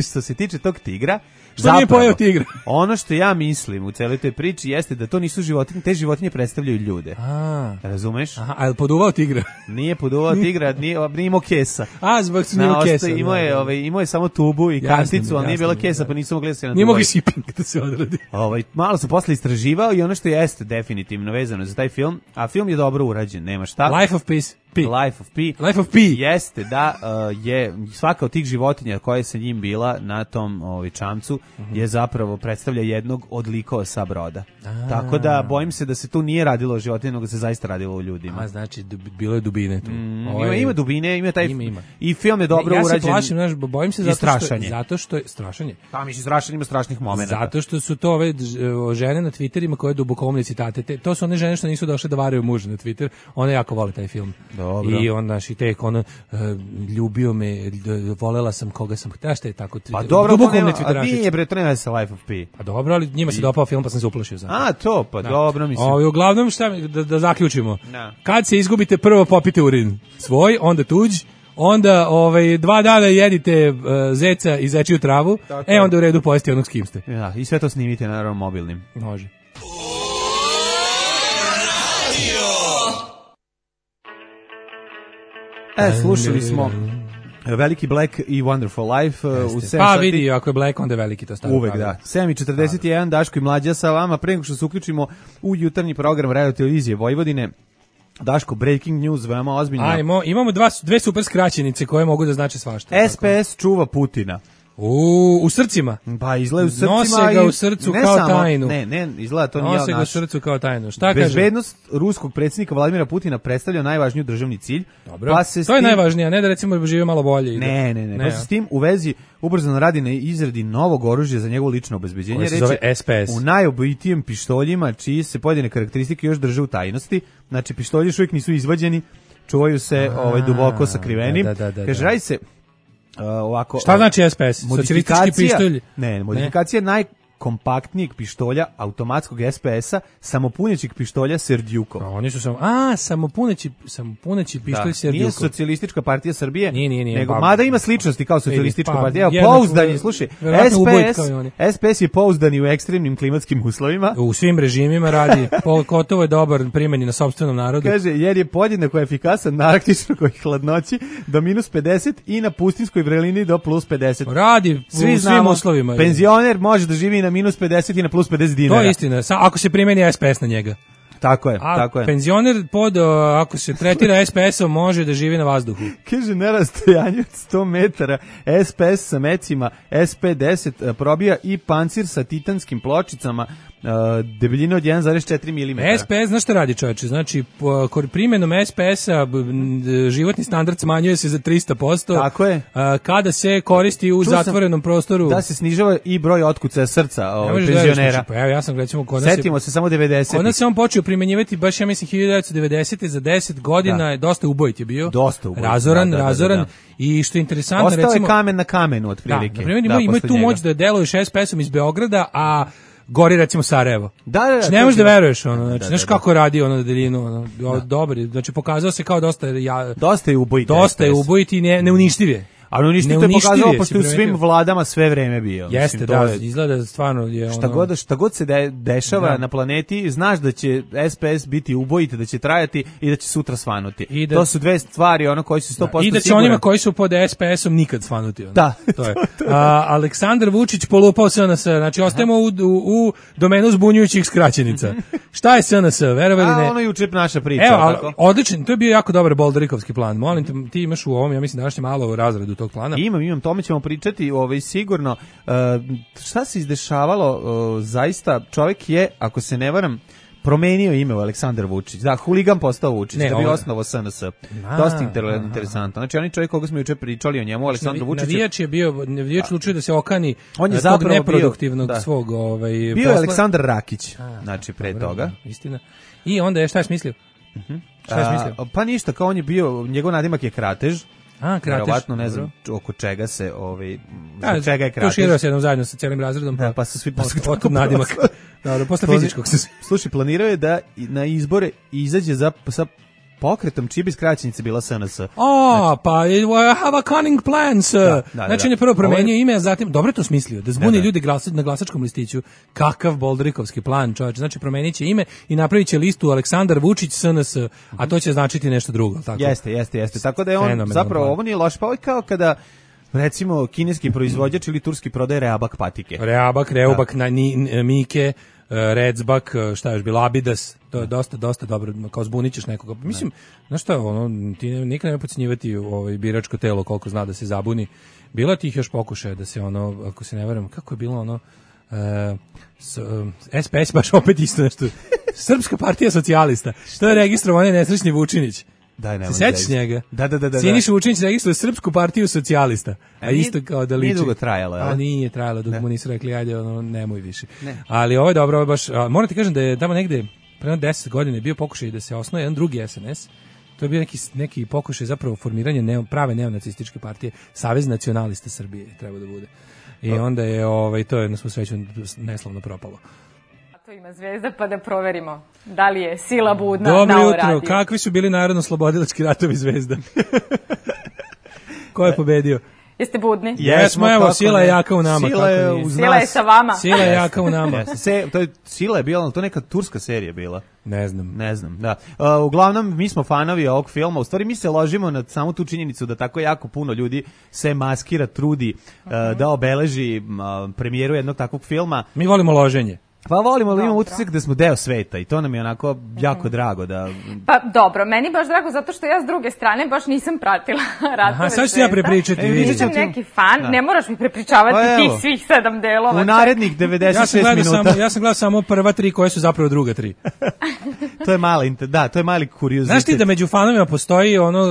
što se tiče tog tigra, što zapravo, nije pojeo tigra? Ono što ja mislim u celoj toj priči jeste da to nisu životinje, te životinje predstavljaju ljude. A, razumeš? Aha, a je poduvao tigra? Nije poduvao tigra, nije, nije imao kesa. A, zbog su nije kesa. Imao je, ovaj, imao je samo tubu i jasne, kanticu, ali nije bilo kesa, da. Pa nisu mogli da se na nije mogli shipping da se odradi. Ovaj, malo sam posle istraživao i ono što jeste definitivno vezano za taj film, a film je dobro urađen, nema šta. Life of Peace. Pi. Life of Pi. Life of Pi. Jeste da uh, je svaka od tih životinja koja je sa njim bila na tom ovaj, čamcu uh-huh. je zapravo predstavlja jednog od likova sa broda. A. Tako da bojim se da se tu nije radilo o životinjama, nego se zaista radilo o ljudima. A znači dub, bilo je dubine tu. Mm, Ovo ima, je, ima dubine, ima taj ima, ima. i film je dobro ne, ja urađen. Ja se plašim, znaš, bojim se zato što, zato što je strašanje. Pa mislim strašan, ima strašnih momenata. Zato što su to ove žene na Twitterima koje dubokomne citate. Te, to su one žene što nisu došle da varaju muža na Twitter. One jako vole taj film. Dobro. I onda i tek ono uh, ljubio me, volela sam koga sam htela, šta je tako. Pa dobro, dubokomne Twitterašice. A nije bre, to nema sa Life of Pi. Pa dobro, ali njima se dopao film pa sam se uplašio zato. A to, pa da. Dobro mislim. O, uglavnom šta da, da zaključimo. No. Kad se izgubite, prvo popite urin svoj, onda tuđ. Onda ovaj dva dana jedite uh, zeca i zečiju travu, tako e onda u redu pojesti onog s kim ste. Ja, i sve to snimite naravno mobilnim. Može. E, slušali smo Veliki Black i Wonderful Life uh, u sedam pa sati. vidi, ako je Black, onda je veliki to stavio. Uvek, pravi. Da. sedam i četrdeset jedan, Daško i Mlađa sa vama. Pre nego što se uključimo u jutarnji program Radio Televizije Vojvodine, Daško, breaking news, veoma ozbiljno. Ajmo, imamo dva, dve super skraćenice koje mogu da znače svašta. S P S tako. Čuva Putina. U, u srcima. Pa izgleda u srcima. Nose ga u srcu ne kao samo, tajnu. Ne, ne, izgleda to nije naš. Nose ga u srcu kao tajnu. Šta kaže? Bezbednost ruskog predsjednika Vladimira Putina predstavlja najvažniju državni cilj. Dobro. Pa se to je tim... najvažnije, a ne da recimo žive malo bolje. Ne, ne, ne. ne pa se s tim u vezi ubrzano radi na izradi novog oružja za njegovo lično obezbeđenje. Koje se zove S P S. U najobojitijem pištoljima, čiji se pojedine karakteristike još drže u tajnosti. Znači, pištolji još uvijek nisu izvađeni, čuvaju se a, ovaj, duboko sakrivenim. Da, da, da, Kaže, da. Radi se uh, ovako... Šta znači S P S? Socijalistički pištolj? Ne, modifikacija ne? najkompaktnijeg pištolja, automatskog S P S-a, samopunjećeg pištolja Serdjukov. A, oni su samo, a, samopuneći, samopuneći pištolj da, Serdjukov. Nije Socijalistička partija Srbije, nije, nije, nije, nego, pa, mada ima sličnosti kao Socijalistička pa, partija. Evo, pouzdani, slušaj, S P S, S P S je pouzdani u ekstremnim klimatskim uslovima. U svim režimima radi, Kotovo je dobar primjeni na sopstvenom narodu. Kaže, jer je podjednako efikasan na arktičnoj hladnoći do minus pedeset i na pustinskoj vrelini do plus pedeset. Radi Svi u znamo, svim uslovima. Penzioner može da živi na minus pedeset i na plus pedeset dinara. To je istina, ako se primeni S P S na njega. Tako je, a tako je. Penzioner pod, ako se tretira S P S-om, može da živi na vazduhu. Kaže, na rastojanju od sto metara S P S sa mecima S P deset probija i pancir sa titanskim pločicama uh, debeljine od jedan zarez četiri milimetra. S P S, znaš šta radi, čovječe? Znači, po, primjenom S P S-a životni standard smanjuje se za trista posto. Tako je. Uh, kada se koristi u Ču zatvorenom prostoru. Da se snižava i broj otkucaja srca ovaj, penzionera. Pa evo, ja sam, recimo, kod nas Setimo se samo devedesetih. Kod nas se on počeo primenjivati baš, ja mislim, hiljadu devetsto devedesete za deset godina, da. je dosta ubojit je bio. Dosta ubojit. Razoran, da, da, razoran. Da, da, da. I što je interesantno, Ostao recimo... je kamen na kamenu, otprilike. Da, na primjer, ima, ima tu njega. moć da deluješ S P S-om iz Beograda, a gori recimo Sarajevo. Da, da, da. Znači, ne možeš da veruješ, ono, znači, da, znaš da, kako radi ono na daljinu, ono, da. dobar, znači pokazao se kao dosta... Ja, dosta je ubojit. Dosta je ubojit i ne, neuništiv je. Ali on isto je pokazao pošto u svim vladama sve vreme bio. Jeste, mislim, da, je, izgleda stvarno je ono... Šta god, šta god se de, dešava da. na planeti, znaš da će S P S biti ubojit, da će trajati i da će sutra svanuti. I da, to su dve stvari ono koji su sto posto da. I da će sigurno. Onima koji su pod S P S-om nikad svanuti. Ono. Da. To je. A, Aleksandar Vučić polupao S N S. Znači, ostajemo u, u, u domenu zbunjujućih skraćenica. Šta je S N S? Verovali ne? A, ono juče naša priča. Evo, ali, odličan, to je bio jako dobar Bolderikovski plan. Molim te, ti imaš u ovom, ja mislim, današnje malo razredu tog plana. Imam, imam, tome ćemo pričati, ovaj, sigurno. Uh, šta se izdešavalo, uh, zaista, čovjek je, ako se ne varam, promenio ime u Aleksandar Vučić. Da, huligan postao Vučić, ne, da bi osnovo S N S. Dosta inter, interesantno. Znači, oni čovjek koga smo juče pričali o njemu, Aleksandru Vučiću. Navijač je bio, navijač lučio da se okani on je tog neproduktivnog bio, da. svog ovaj, bio posla. Je Aleksandar Rakić, A, znači, pre dobro, toga. Istina. I onda je, šta je smislio? Uh-huh. Šta je smislio? A, pa ništa, kao on je bio, njegov nadimak je Kratež. A, Kratež. Verovatno, ne znam oko čega se, ovaj, zbog čega je Kratež. Tuširao se jednom zajedno sa cijelim razredom. Pa, da, pa su svi posle od, od nadimak. Dobro, posle fizičkog se... Slušaj, planirao je da na izbore izađe za, sa pokretom čiji bi skraćenica bila S N S. A, znači, pa I have a cunning plan, sir. Da, da, znači, on je prvo promenio ime, a zatim, dobro je to smislio, da zbuni da, da. ljudi glasa, na glasačkom listiću. Kakav Bolderikovski plan, čovječ. Znači, promenit će ime i napravit će listu Aleksandar Vučić S N S, a to će značiti nešto drugo. Tako? Jeste, jeste, jeste. Tako da je on, fenomenal zapravo, plan. Ovo nije loš, pa ovo je kao kada recimo kineski proizvođač ili turski prodaje Reabak patike. Reabak, Reubak, da. na, ni, Mike, Redzbak, šta još bilo, Abidas, to je dosta, dosta dobro, kao zbunićeš nekoga. Mislim, znaš šta, ono, ti nikad nema podcjenjivati ovaj, biračko telo koliko zna da se zabuni. Bilo je tih još pokušaja da se ono, ako se ne varam, kako je bilo ono, uh, s, uh, S P S baš opet isto nešto, Srpska partija socijalista, to je registrovan nesrećni Vučinić. Daj, se sećaš njega? Da, da, da, da. Siniša Vučinić registruje Srpsku partiju socijalista. A, a isto kao da liči. Nije dugo trajalo, a nije trajalo dok ne. mu nisu rekli ajde, ono, nemoj više. Ne. Ali ovo je dobro, ovo je baš, a, moram ti kažem da je tamo negde pre deset godina bio pokušaj da se osnuje jedan drugi S N S. To je bio neki, neki pokušaj zapravo formiranje neo, prave neonacističke partije, Savez nacionalista Srbije treba da bude. I onda je ovaj, to je na svu sreću neslavno propalo. To ima Zvezda, pa da proverimo da li je sila budna Dobro na ovo jutro, radio. kakvi su bili narodno-slobodilački ratovi Zvezda? Ko je pobedio? Jeste budni? Jesmo, evo, sila je jaka u nama. Sila je uz nas. Sila je sa vama. Sila je jaka u nama. Se, to je, sila je bila, to je neka turska serija bila. Ne znam. Ne znam, da. Uh, uglavnom, mi smo fanovi ovog filma. U stvari, mi se ložimo na samu tu činjenicu da tako jako puno ljudi se maskira, trudi uh, uh-huh. da obeleži uh, premijeru jednog takvog filma. Mi volimo loženje. Pa volimo, ali imamo utisak da smo deo sveta i to nam je onako jako mm-hmm. drago. Da... Pa dobro, meni baš drago zato što ja s druge strane baš nisam pratila ratove Aha, sad ću ja prepričati. E, nisam neki fan, da. Ne moraš mi prepričavati pa, tih svih sedam delova. U narednih devedeset šest ja minuta. Samo, ja sam gledao samo prva tri koje su zapravo druga tri. To je mali, da, to je mali kuriozitet. Znaš ti da među fanovima postoji ono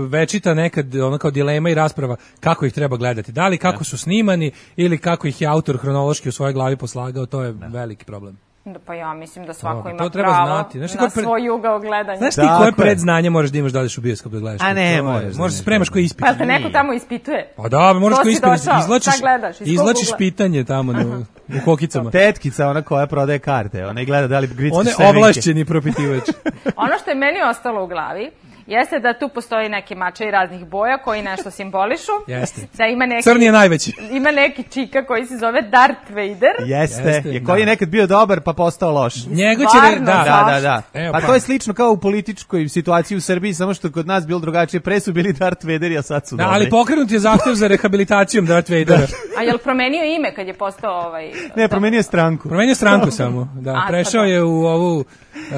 večita nekad ono kao dilema i rasprava kako ih treba gledati. Da li kako da. su snimani ili kako ih je autor hronološki u svojoj glavi poslagao, to je da. veliki problem. Da, pa ja mislim da svako no, ima treba pravo znati. Znaš, na pre... svoj ugao gledanja. Znaš ti koje predznanje moraš da imaš da odeš u bioskop da gledaš? A ne, možeš. Možeš se spremaš koji ispit. Pa te neko tamo ispituje? Pa da, moraš koji ispit. Izlačiš, gledaš, izlačiš pitanje tamo na, u kokicama. Tetkica, ona koja prodaje karte, ona i gleda da li gricki semenke. On je ovlašćeni propitivač. Ono što je meni ostalo u glavi jeste da tu postoji neki mačevi raznih boja koji nešto simbolišu. Jeste. Da ima neki, crni je najveći. Ima neki čika koji se zove Darth Vader. Jeste, Jeste je koji je nekad bio dobar pa postao loš. Njego će re... da, da, da, da. Evo, pa, pa to je slično kao u političkoj situaciji u Srbiji, samo što kod nas bilo drugačije. Pre su bili Darth Vaderi, a sad su da, dobri. Ali pokrenut je zahtev za rehabilitacijom Darth Vadera. A je li promenio ime kad je postao ovaj... Ne, promenio je stranku. Promenio stranku samo, da. A, prešao je u ovu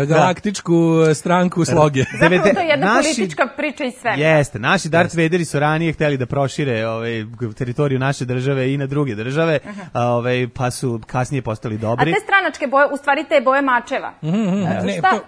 galaktičku da. stranku sloge. Zapravo to je jedna naši... politička priča i sve. Jeste, naši Darth Vaderi su ranije hteli da prošire ovaj, teritoriju naše države i na druge države, uh-huh. a, ovaj, pa su kasnije postali dobri. A te stranačke boje, u stvari te boje mačeva. Mm-hmm. Ne, šta... To...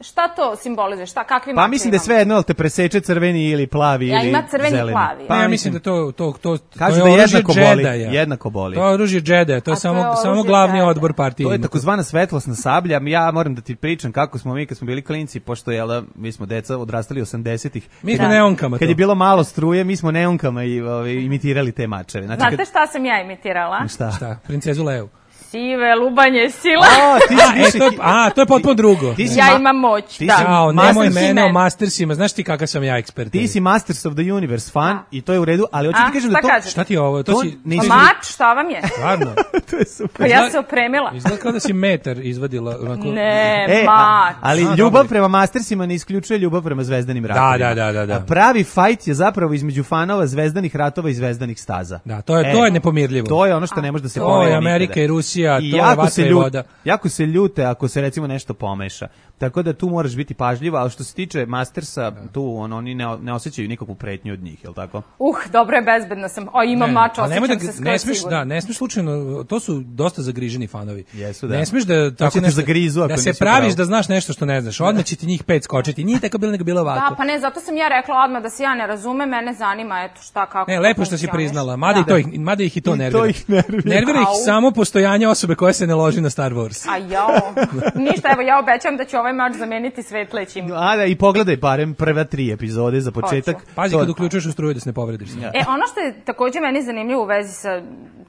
Šta to simbolizuje? Šta, kakvi Pa mislim da je sve jedno, ali te preseče crveni ili plavi ja, ili ima crveni zeleni. Plavi. Pa ja mislim da to to to kažu da jednako boli, jednako boli. To je oružje Džedaja, to je samo to je samo glavni Jedi. Odbor partije. To je takozvana svetlosna sablja. Ja moram da ti pričam kako smo mi kad smo bili klinci, pošto je da mi smo deca odrastali osamdesetih. Mi smo neonkama. Kad je bilo malo struje, mi smo neonkama i ovaj, imitirali te mačeve. Znači, znate kad... šta sam ja imitirala? Šta? Šta? Princezu Leu. Sive, lubanje, sila. A, ti si više... e, to je, a, to je potpuno drugo. Ti si ja ma... imam moć, ti da. Jao, nemoj mene o Mastersima, znaš ti kakav sam ja ekspert. Ti si Masters of the Universe fan a. I to je u redu, ali hoću ti kažem da to... Kažete? Šta ti je ovo? To, to si... Nisi... Mač, šta vam je? Stvarno? To je super. Pa ja se opremila. Izgleda kao da si metar izvadila. Onako... Ne, e, mač. Ali a, ljubav prema Mastersima ne isključuje ljubav prema Zvezdanim ratovima. Da, da, da, da. A pravi fajt je zapravo između fanova Zvezdanih ratova i Zvezdanih staza. Da, to je, e, to je nepomirljivo. To je ono što ne može da se pomeri. To je Amerika i Rusija, I to je vatra i voda. Jako se ljute ako se recimo nešto pomeša. Tako da tu moraš biti pažljiva, ali što se tiče Mastersa, tu on, oni ne, ne osjećaju nikakvu pretnju od njih, je li tako? Uh, dobro je, bezbedna sam. O, imam mač, osjećam da, se skoro ne smiješ, sigurno. Da, ne smiješ slučajno, to su dosta zagriženi fanovi. Jesu, da. Ne smiješ da tako nešto, zagrizu, da se praviš pravo. Da znaš nešto što ne znaš. Odmah će ti njih pet skočiti. Nije tako bilo nego bilo ovako. Da, pa ne, zato sam ja rekla odmah da se ja ne razumem, mene zanima, eto šta, kako. Ne, lepo što si priznala, mada, da. i to ih, mada ih i to nervira. To ih nervira. Nervira ih samo postojanje osobe koja se ne loži na Star Wars. A jao, ništa, evo ja obećam da ću ovaj mač zameniti svetlećim. A da, i pogledaj barem prve tri epizode za početak. Hoću. Pazi kad uključuješ u struju da se ne povrediš. Ja. E, ono što je također meni zanimljivo u vezi sa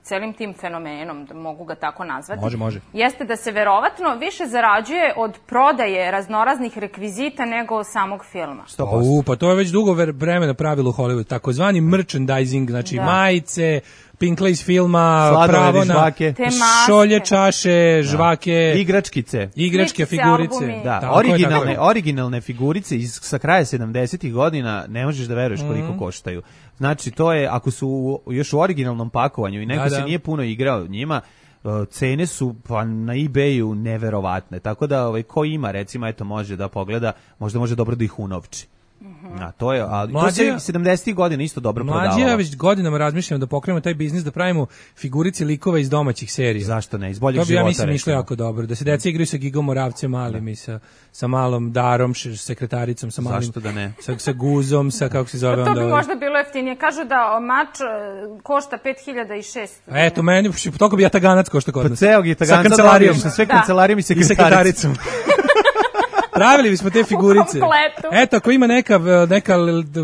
celim tim fenomenom, da mogu ga tako nazvati, može, može. jeste da se verovatno više zarađuje od prodaje raznoraznih rekvizita nego od samog filma. sto posto. U, pa to je već dugo vremena pravilo u Hollywoodu, takozvani merchandising, znači da. majice, Pinkla iz filma, sladoled pravo na šolje, čaše, žvake, da. igračkice, igračke figurice. Albumi. Da, tako originalne, originalne figurice iz sa kraja sedamdesetih godina, ne možeš da veruješ koliko mm. koštaju. Znači, to je, ako su još u originalnom pakovanju i neko da, se da. nije puno igrao njima, cene su pa na eBayu neverovatne, tako da ovaj, ko ima recimo eto može da pogleda, možda može dobro da ih unovči. A to je, ali to se sedamdesetih godina isto dobro prodavalo. Mlađi ja već godinama razmišljam da pokrenemo taj biznis, da pravimo figurice likova iz domaćih serija. Zašto ne? Iz boljeg života. To bi ja mislim išlo jako dobro. Da se deca igraju sa Gigom Moravcem malim i sa, sa malom Darom, sekretaricom, sa malim... Zašto da ne? Sa, sa Guzom, sa kako se zove to onda... To bi možda bilo jeftinije. Kažu da mač košta pet hiljada šesto. Eto, meni, toliko bi jataganac košta kod nas. Pa ceo jataganac sa kancelarijom. Sa sve kancelarijom i sekretaricom. Pravili bismo te figurice. Eto, ako ima neka, neka,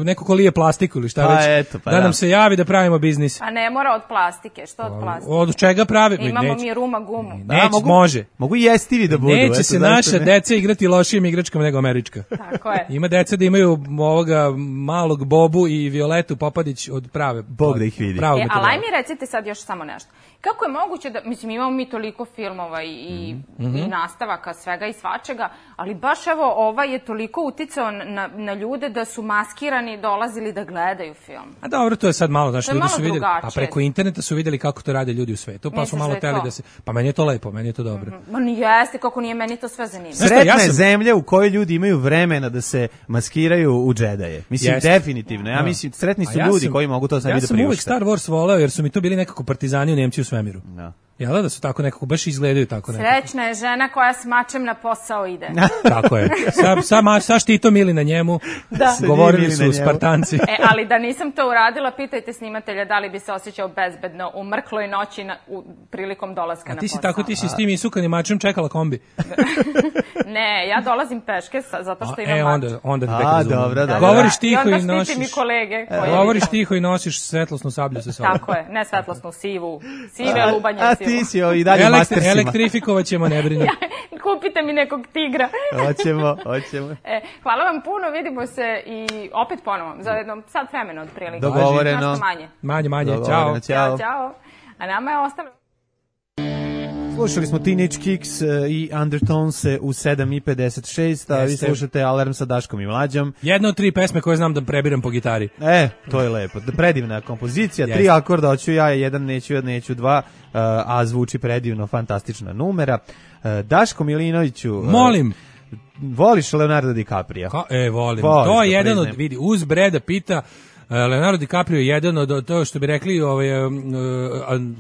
neko ko lije plastiku ili šta pa već, eto, pa da da nam se javi da pravimo biznis. A ne mora od plastike, što od plastike? Od čega pravi? Imamo mi ruma gumu. Neće, da, mogu, može. Mogu i jestivi da budu. Neće eto, se naša ne? deca igrati lošijim igračkama nego američka. Tako je. Ima deca da imaju ovoga malog Bobu i Violetu Popadić od prave. Bog da ih vidi. E, ali aj mi recite sad još samo nešto. Kako je moguće da, mislim, imamo mi toliko filmova i, mm-hmm. i nastavaka, svega i svačega, ali baš evo ovaj je toliko uticao na, na ljude da su maskirani dolazili da gledaju film. A dobro, to je sad malo, znači ljudi malo su vidjeli, drugačije. a preko interneta su vidjeli kako to rade ljudi u svetu, pa Misliš su malo teli da se, pa meni je to lepo, meni je to dobro. Mm-hmm. Ma ni jeste, kako nije, meni to sve zanimljivo. Sretna ja sam... je zemlja u kojoj ljudi imaju vremena da se maskiraju u džedaje. Mislim, Jest. definitivno. Ja da. mislim, sretni su ja ljudi sam, koji mogu to sebi ja da priušte. Ja sam uvek Star Wars voleo, jer su mi to bili nekako partizani u Nemci u svemiru. Da. Jel da su tako nekako, baš izgledaju tako nekako. Srećna je žena koja s mačem na posao ide. Tako je. Sa, sa, sa štitom ili na njemu, da. govorili su Spartanci. E, ali da nisam to uradila, pitajte snimatelja da li bi se osjećao bezbedno u mrkloj noći na, u, prilikom dolaska na posao. A ti si tako, ti si s tim isukanim mačem čekala kombi. Ne, ja dolazim peške sa, zato što imam e, mač. onda, onda te A, dobro, da, govoriš tiho i, i nosiš... mi kolege. E, govoriš tiho i nosiš svetlosnu sablju sa sobom. Tako je, ne svetlosnu, sivu, sive lubanje. A ti si i dalje Elektri, mastersima. Elektrifikovat ćemo, ne brini. Ja, kupite mi nekog tigra. Hoćemo, hoćemo. E, hvala vam puno, vidimo se i opet ponovo, za jedno sad vremena od prilike. Dogovoreno. Manje. Manje, manje, čao. Ćao, čao. A nama je ostalo... Slušali smo Teenage Kicks i Undertonese u sedam i pedeset šest, a vi slušate Alarm sa Daškom i Mlađom. Jedna od tri pesme koje znam da prebiram po gitari. E, to je lepo. Predivna kompozicija, Jeste. tri akorda, hoću ja, jedan neću, jedan neću, dva, a zvuči predivno, fantastična numera. Daško Milinoviću... Molim! Voliš Leonardo DiCaprio? Ka, e, volim. Voliš, to je jedan od, vidi, uz Breda Pitta, Leonardo DiCaprio je jedan od to što bi rekli ovaj uh,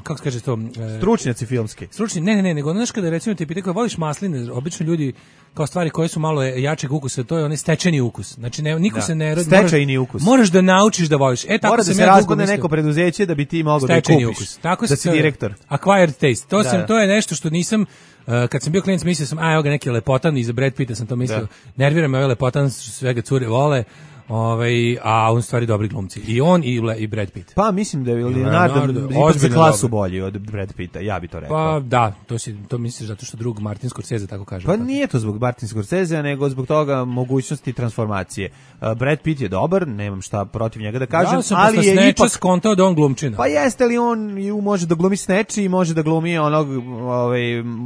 kako se kaže to uh, stručnjaci filmski. Stručni, ne ne ne, nego znaš kada recimo ti pitaju kako voliš masline, obično ljudi kao stvari koje su malo jačeg ukusa, to je onaj stečeni ukus. Znači ne, niko da. se ne rodi. Stečajni ukus. Moraš da naučiš da voliš. E tako Mora sam da se ja razbune neko preduzeće da bi ti mogao da kupiš. Ukus. Tako da si direktor. Acquired taste. To da, sam da. to je nešto što nisam Uh, kad sam bio klinac mislio sam, a evo ga neki lepotan i za Brad Pitta sam to mislio. Da. Nervira me ovaj lepotan, svega cure vole. Ovaj, a on stvari dobri glumci. I on i, i Brad Pitt. Pa mislim da je Leonardo, Leonardo za klasu bolji od Brad Pitta, ja bi to rekao. Pa da, to si to misliš zato što drug Martin Scorsese tako kaže. Pa tako. Nije to zbog Martin Scorsese, nego zbog toga mogućnosti transformacije. Uh, Brad Pitt je dobar, nemam šta protiv njega da kažem, da, sam ali je ipak skontao da on glumčina. Pa jeste li on može da glumi Snatch i može da glumi onog ovaj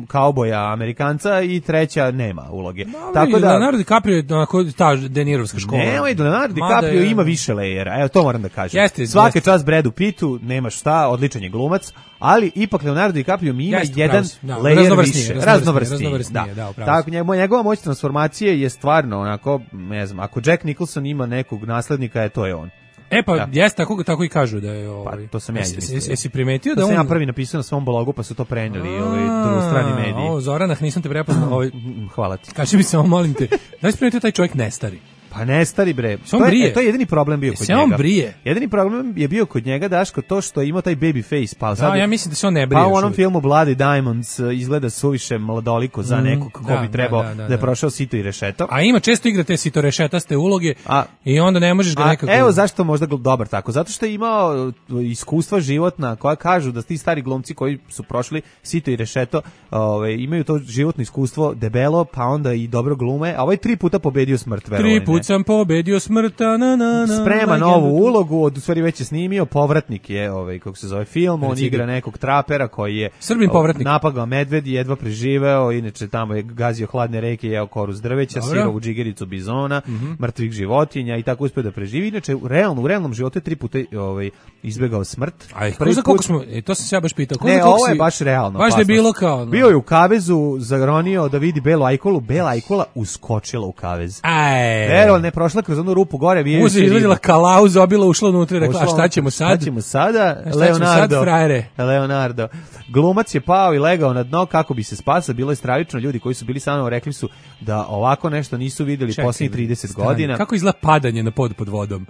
kauboja Amerikanca i treća nema uloge. No, tako da Leonardo DiCaprio je onako ta Denirovska škola. Ne, Leonardo DiCaprio je... ima više lejera, evo to moram da kažem. Jeste, Svaka jeste. čast Bradu Pittu, nema šta, odličan je glumac, ali ipak Leonardo DiCaprio mi ima jeste, jedan da, lejer više, raznovrsniji. raznovrsniji da, da, tako, njegova moć transformacije je stvarno onako, ne znam, ako Jack Nicholson ima nekog naslednika, je to je on. E pa da. jeste tako tako i kažu da je ovaj. Pa to sam ja izmislio. Jesi, jesi primetio to da on? on sam ja prvi napisao na svom blogu, pa su to preneli ovaj strani mediji. O, Zoranah, nisam te prepoznao, ovaj. Hvala ti. Kaži mi samo, molim te, da li si primetio taj čovjek ne stari? Pa ne stari bre. To je, to je jedini problem bio kod se njega. On brije. Jedini problem je bio kod njega Daško to što je imao taj baby face, pa sad. Da, ja mislim da se on ne brije. Pa u onom filmu Bloody Diamonds izgleda suviše mladoliko za nekog ko da, bi trebao da, da, da, da je prošao sito i rešeto. A ima često igra te sito rešetaste uloge a, i onda ne možeš ga nekako. Evo zašto možda dobar tako, zato što je imao iskustva životna koja kažu da ti stari glumci koji su prošli sito i rešeto, ovaj imaju to životno iskustvo debelo, pa onda i dobro glume, a ovaj tri puta pobedio smrt, verovali. Tri puta put sam pobedio smrta, na, na, na, sprema legendu. novu ulogu, od u stvari već je snimio, povratnik je, ovaj, kako se zove film, on Reci igra ga. nekog trapera koji je Srbin povratnik. napagao medved i jedva preživeo, inače tamo je gazio hladne reke, jeo koru s drveća, Dobro. sirovu džigericu bizona, Mhm. mrtvih životinja i tako uspeo da preživi. Inače, u realno, u realnom životu je tri puta ovaj, izbegao smrt. Aj, Prvi za koliko put- smo, e, to sam se ja baš pitao. ko Ne, za koliko ovo je si- baš realno. Baš da je opasnost. bilo kao... no. Bio je u kavezu, zagronio da vidi belu ajkulu, bela ajkula uskočila u kavez. Aj. Veroval ne prošla kroz onu rupu gore, vijeći Uzi, izvedila kalauzu, zabila, ušla unutra i rekla, a šta ćemo sad? Šta ćemo sada? A šta ćemo Leonardo. sad, frajere? Leonardo. Glumac je pao i legao na dno kako bi se spasao. Bilo je stravično, ljudi koji su bili sa mnom rekli su da ovako nešto nisu vidjeli Čekaj, posljednjih trideset stani. godina. Kako izgleda padanje na pod pod vodom?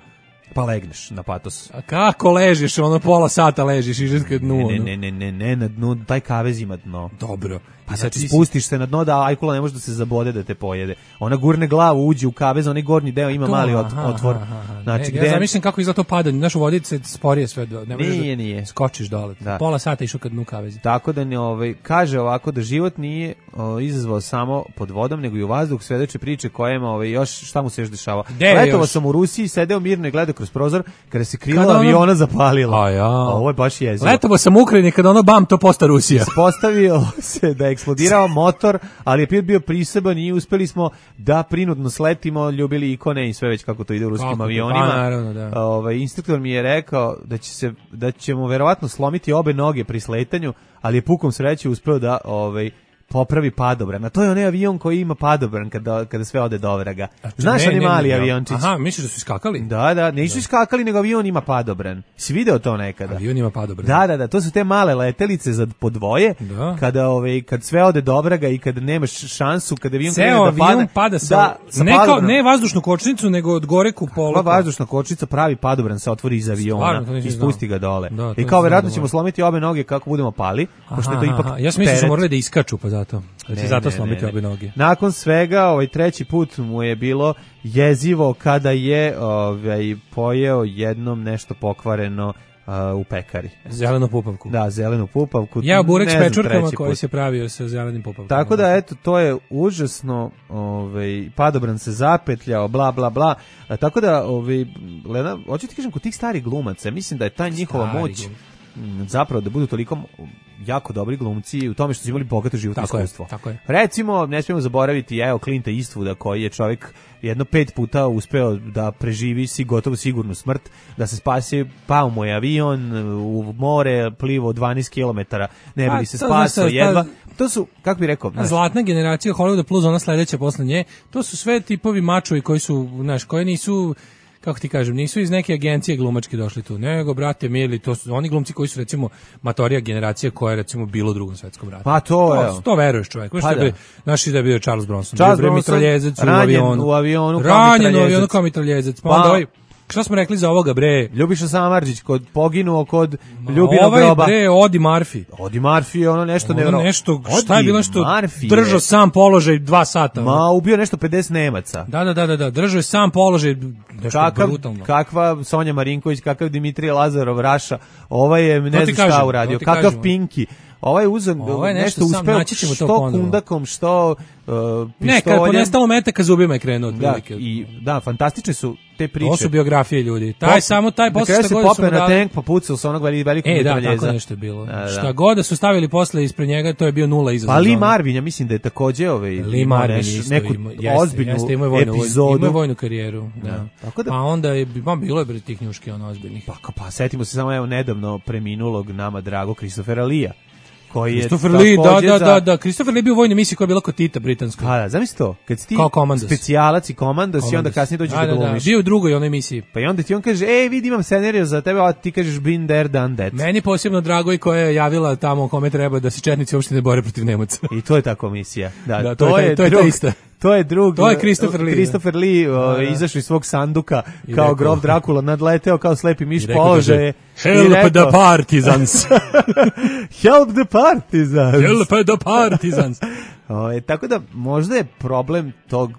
Pa legneš na patos. A kako ležiš, ono pola sata ležiš i žetka dnu. Ne, ono. ne, ne, ne, ne, na dnu, taj kavez ima dno. Dobro. Pa I znači ti si- spustiš se na dno da ajkula ne može da se zabode da te pojede. Ona gurne glavu, uđe u kavez, onaj gornji deo ima To, mali ot- aha, otvor. aha, aha. Znači, Ne, gde... ja zamišljam kako izgleda to padanje. Znaš, u vodi se sporije sve. Do, ne možeš Nije, da nije. Skočiš dole. Da. Pola sata išao kad dnu kavezi. Tako da ne, ovaj, kaže ovako da život nije o, izazvao samo pod vodom, nego i u vazduh, svedoče priče kojima ovaj, još šta mu se još dešava. Gde je Letovao još? sam u Rusiji, sedeo mirno i gledao kroz prozor, kada se krila Kada ono- aviona zapalila. A ja. Ovo je baš jezivo. Letovo sam u Ukrajini kada ono bam, to posta Rusija. Ispostavio se da je eksplodirao motor, ali je pilot bio priseban i uspeli smo da prinudno sletimo, ljubili ikone i sve već kako to ide u ruskim Kako to? avionima. Pa, naravno, da. Ovaj, instruktor mi je rekao da će se da ćemo verovatno slomiti obe noge pri sletanju, ali je pukom sreće uspeo da ovaj popravi padobran. A to je onaj avion koji ima padobran kada, kada sve ode do vraga. Znaš Ne, oni ne, mali ne, aviončić? Aha, misliš da su iskakali? Da, da, nisu iskakali, nego avion ima padobran. Si video to nekada? Avion ima padobran. Da, da, da, to su te male letelice za po dvoje, Da. kada ovaj kad sve ode do vraga i kad nemaš šansu, kada avion krene Ceo da avion padne, pada sa, da, sa ne, kao, padobranom. ne vazdušnu kočnicu, nego od gore kupolu. Pa vazdušna kočnica pravi padobran se otvori iz Stvarno, aviona to nisam i spusti ga dole. Da, to I nisam kao verovatno znao. ćemo slomiti obe noge kako budemo pali, pošto je to Aha, ipak aha. Ja sam mislio da su teret. morali da iskaču, pa zato. Da će Ne, zato ne, slomiti ne, ne. obe noge. Nakon svega, ovaj treći put mu je bilo jezivo kada je ovaj pojeo jednom nešto pokvareno a, u pekari. Zelenu pupavku. Da, zelenu pupavku. Ja burek s Ne znam, pečurkama treći koji put. se pravio sa zelenim pupavkama. Tako da, eto, to je užasno, ovaj, padobran se zapetljao, bla, bla, bla. A, tako da, ovaj, Lena, hoću ti kažem, kod tih starih glumaca, mislim da je ta njihova Stari moć glum. m, zapravo da budu toliko jako dobri glumci u tome što su imali bogato životno Tako je, iskustvo. tako je. Recimo, ne smijemo zaboraviti, evo, Clinta Eastwooda, koji je čovjek jedno pet puta uspeo da preživi si gotovo sigurnu smrt, da se spasi, pao mu je avion u more, plivao dvanaest kilometara, ne bi Pa, li se to spasao znaš, ta- jedva. To su, kako bi rekao, A znaš, zlatna generacija Hollywooda plus ona sledeća posle nje, to su sve tipovi mačovi koji su, znaš, koji nisu, kako ti kažem, nisu iz neke agencije glumačke došli tu, nego, brate, mili, to su oni glumci koji su, recimo, matorija generacije koja je, recimo, bilo u drugom svetskom ratu. Pa to, to, evo. to veruješ, čovjek. Pa Pa da. da. Znaš da je bio Charles Bronson. Charles bio je Bronson, mitraljezec u ranjen avionu. u avionu kao Ranjen u mitraljezec. avionu kao mitraljezec. Pa, Pa- onda ovaj, šta smo rekli za ovoga, bre? Ljubiša Samardžić kod poginuo kod Ljubinog Ovaj, groba. bre, Odi Murphy. Odi Murphy je ono nešto Ono nevjerojatno. nešto, šta je bilo nešto, Murphy je- držao sam položaj dva sata. ono. Ma, ubio nešto pedeset Nemaca. Da, da, da, da, da, držao je sam položaj, nešto Kakav, brutalno. kakva Sonja Marinković, kakav Dimitrije Lazarov, Raša, ovaj je, ne To ti znam šta kažem, uradio, to ti kakav kažem. Pinki. Ovaj uzem, Ovaj nešto, nešto sam, uspeo, naći ćemo to što ponovo. kundakom, što uh, Ne, kad pištoljem. ponestalo metaka zubima je krenuo Da, otprilike. i, da, fantastične su te priče. To su biografije ljudi. Taj samo taj Na posle kraju šta se god da su popeo mu na dali. tank, pa pucao sa onog veli- velikog E, da, mitraljeza. tako nešto je bilo. Da, da. Šta god da su stavili posle ispred njega, to je bio nula izazov. Pa Lee za ono. Marvin, ja mislim da je takođe ovaj, Lee imao Marvin neš- isto neku ima, jeste, ozbiljnu jeste, imao je vojnu, epizodu. Imao je vojnu karijeru, da. Da. Tako da- Pa onda je, pa bilo je bre tih njuški ono ozbiljnih. Pa, pa setimo se samo evo nedavno preminulog nama drago Christophera Lee-a, koji je Christopher Lee, da, takođe da, za- da, da, Christopher Lee je bio u vojnoj misiji koja je bila kod Tita britanskoj. Pa da, zamisli to, kad si ti Kao komandos. specijalac i komandos i onda Komandos. kasnije dođeš da, da da, da, glumiš. bio u drugoj onoj emisiji. Pa i onda ti on kaže, ej, vidi, imam scenariju za tebe, a ti kažeš been there, done that. Meni posebno drago i koja je javila tamo kome treba da se četnici uopšte ne bore protiv Nemaca. I to je ta komisija. Da, Da, to je taj- to je ta drug- ista. To je drug. To je Christopher Lee, Christopher Lee uh, da. izašao iz svog sanduka I kao rekao- grof Drakula, nadleteo kao slepi miš I rekao, položaje. kaže, i Help rekao, the partisans. Help the partizans. Help the partisans. O, tako da možda je problem tog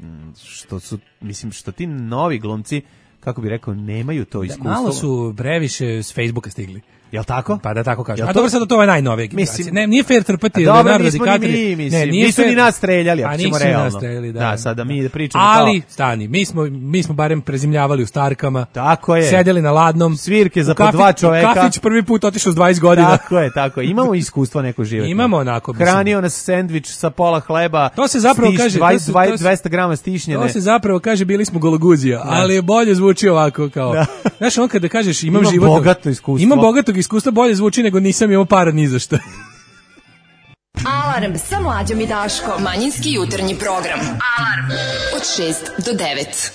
m, što su, mislim, što ti novi glumci, kako bi rekao, nemaju to iskustvo. Malo su previše s Facebooka stigli. Jel tako? Pa da tako kažem. Jel A to- dobro, sad to je najnovije generacije. Mislim- Ne, nije fair trpati A dobro, Leonardo nismo ni DiCaprio. mi, mislim. Ne, nije Nisu fair- ni nas streljali, ako A ćemo nisu ni realno. nas streljali, da. Da, sada mi pričamo Ali, kao- stani, mi smo, mi smo barem prezimljavali u Starkama. Tako je. Sedeli na ladnom. Svirke za U po kafić- dva čoveka. u Kafić prvi put otišao s dvadeset godina. Tako je, tako je. Imamo iskustvo neko životno. Imamo onako, mislim. Hranio nas sendvič sa pola hleba. To se zapravo stiš- kaže- to dvadeset, se- dvadeset, to se- dvesta grama stišnjene. To se zapravo kaže bili smo gologuzija, ali je bolje zvuči ovako kao. Da. Znaš, on kada kažeš imam, Imam životno, bogato iskustvo. Imam bogatog iskustva, bolje zvuči nego nisam imao para ni za šta. Alarm sa mlađom i Daškom. Manjinski jutarnji program. Alarm od šest do devet.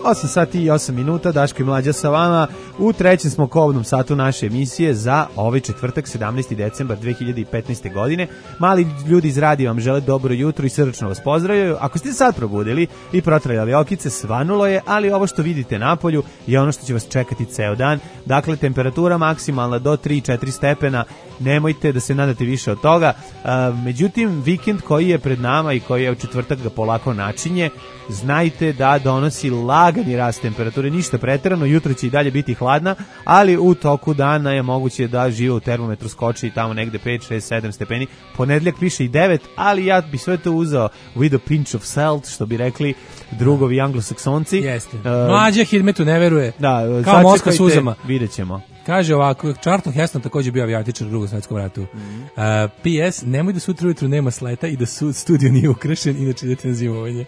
osam sati i osam minuta, Daško i Mlađa sa vama. U trećem smo kobnom satu naše emisije za ovaj četvrtak, sedamnaesti decembar dve hiljade petnaeste. godine. Mali ljudi iz radija vam žele dobro jutro i srdačno vas pozdravljaju. Ako ste sad probudili i protrajali okice, svanulo je, ali ovo što vidite napolju je ono što će vas čekati ceo dan. Dakle, temperatura maksimalna do tri do četiri stepena. Nemojte da se nadate više od toga. A, međutim, vikend koji je pred nama i koji je u četvrtak ga polako načinje, znajte da donosi lagani rast temperature, ništa preterano, jutro će i dalje biti hladna, ali u toku dana je moguće da živo u termometru skoči tamo negde pet, šest, sedam stepeni. Ponedjeljak piše i devet, ali ja bi sve to uzeo with a pinch of salt, što bi rekli drugovi anglosaksonci. Jeste. Uh, Mlađa Hidmetu ne veruje. Da, kao Moska sačekajte, suzama. vidjet ćemo. Kaže ovako, Charlton Heston također bio avijatičar u Drugom svjetskom ratu. Mm -hmm. uh, P S. Nemoj da sutra ujutru nema sleta i da su, studio nije ukrašen, inače idete na zimovanje.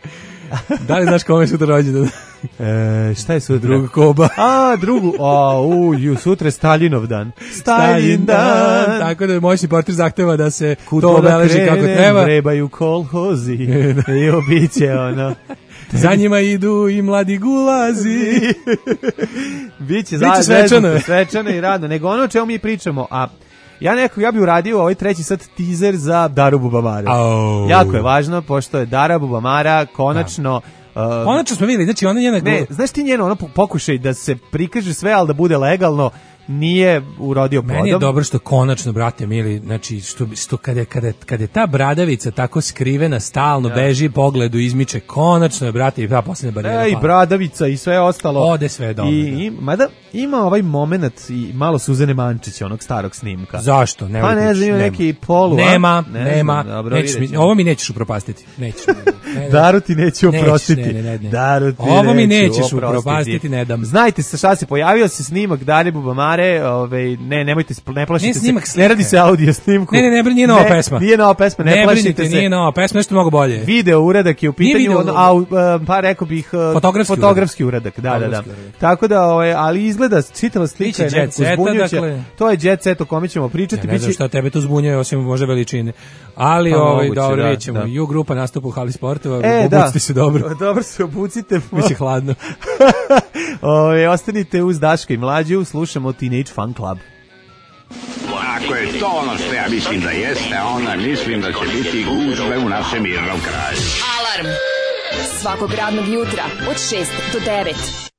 Da li znaš kome je sutra rođendan? E, šta je sutra? Drugu Koba. A, drugu. A, u, ju, sutra je Staljinov dan. Staljin dan. Tako da moj portir zahteva da se Kud to obeleži krenem, kako treba. Vrebaju kolhozi i obiće ono. Za njima idu i mladi gulazi. Biće, Biće svečano. svečano i radno. Nego ono o čemu mi pričamo, a ja neko, ja bih uradio ovaj treći sad teaser za Daru Bubamara. Oh. Jako je važno, pošto je Dara Bubamara konačno... Uh, Konačno smo vidjeli, znači ona njena... ne, znaš ti njeno ono pokušaj da se prikaže sve, ali da bude legalno, nije urodio plodom. Meni je dobro što konačno, brate mili, znači što, što kada, kada, kada je ta bradavica tako skrivena, stalno ja. beži pogledu, izmiče, konačno je, brate, i ta posljednja barijera. E, i bradavica i sve ostalo. Ode sve dobro. I, i, mada ima ovaj moment i malo Suzane Mančića, onog starog snimka. Zašto? Ne pa ne znam, ima neki polu. Nema, ne nema. Znam, dobro, nećeš mi, ovo mi nećeš upropastiti. Nećeš mi. Ne, Daru ti neću oprostiti. Ne, ne, ne, ne. Daru ti ovo mi neću nećeš oprostiti. upropastiti, ne dam. Znajte se šta se pojavio se snimak Dare Bubamare, ovaj ne nemojte ne plašite ne, se. Snimak ne radi se audio snimku. Ne, ne, ne, nije nova pesma. Nije nova pesma, ne, ne plašite brinite, se. Nije nova pesma, nešto mnogo bolje. Video uradak je u pitanju, video, on, a, a, pa rekao bih fotografski, fotografski uradak. Da, da, da. Uradak. Tako da, ovaj, ali izgleda čitava slika je nekako zbunjujuća. Dakle, to je jet set o kome ćemo pričati. Ja ne znam šta tebe to zbunjuje, osim možda veličine. Ali, pa, ovaj, moguće, dobro, da, rećemo. da. U grupa nastupa u hali sportova, e, obucite da. se dobro. Dobro se obucite. Biće hladno. Ove, ostanite uz Daška i Mlađu, slušamo Teenage Fan Club. Ako je to ono što ja mislim da jeste, onda mislim da će biti gužve u našem mirnom kraju. Alarm svakog radnog jutra od šest do devet.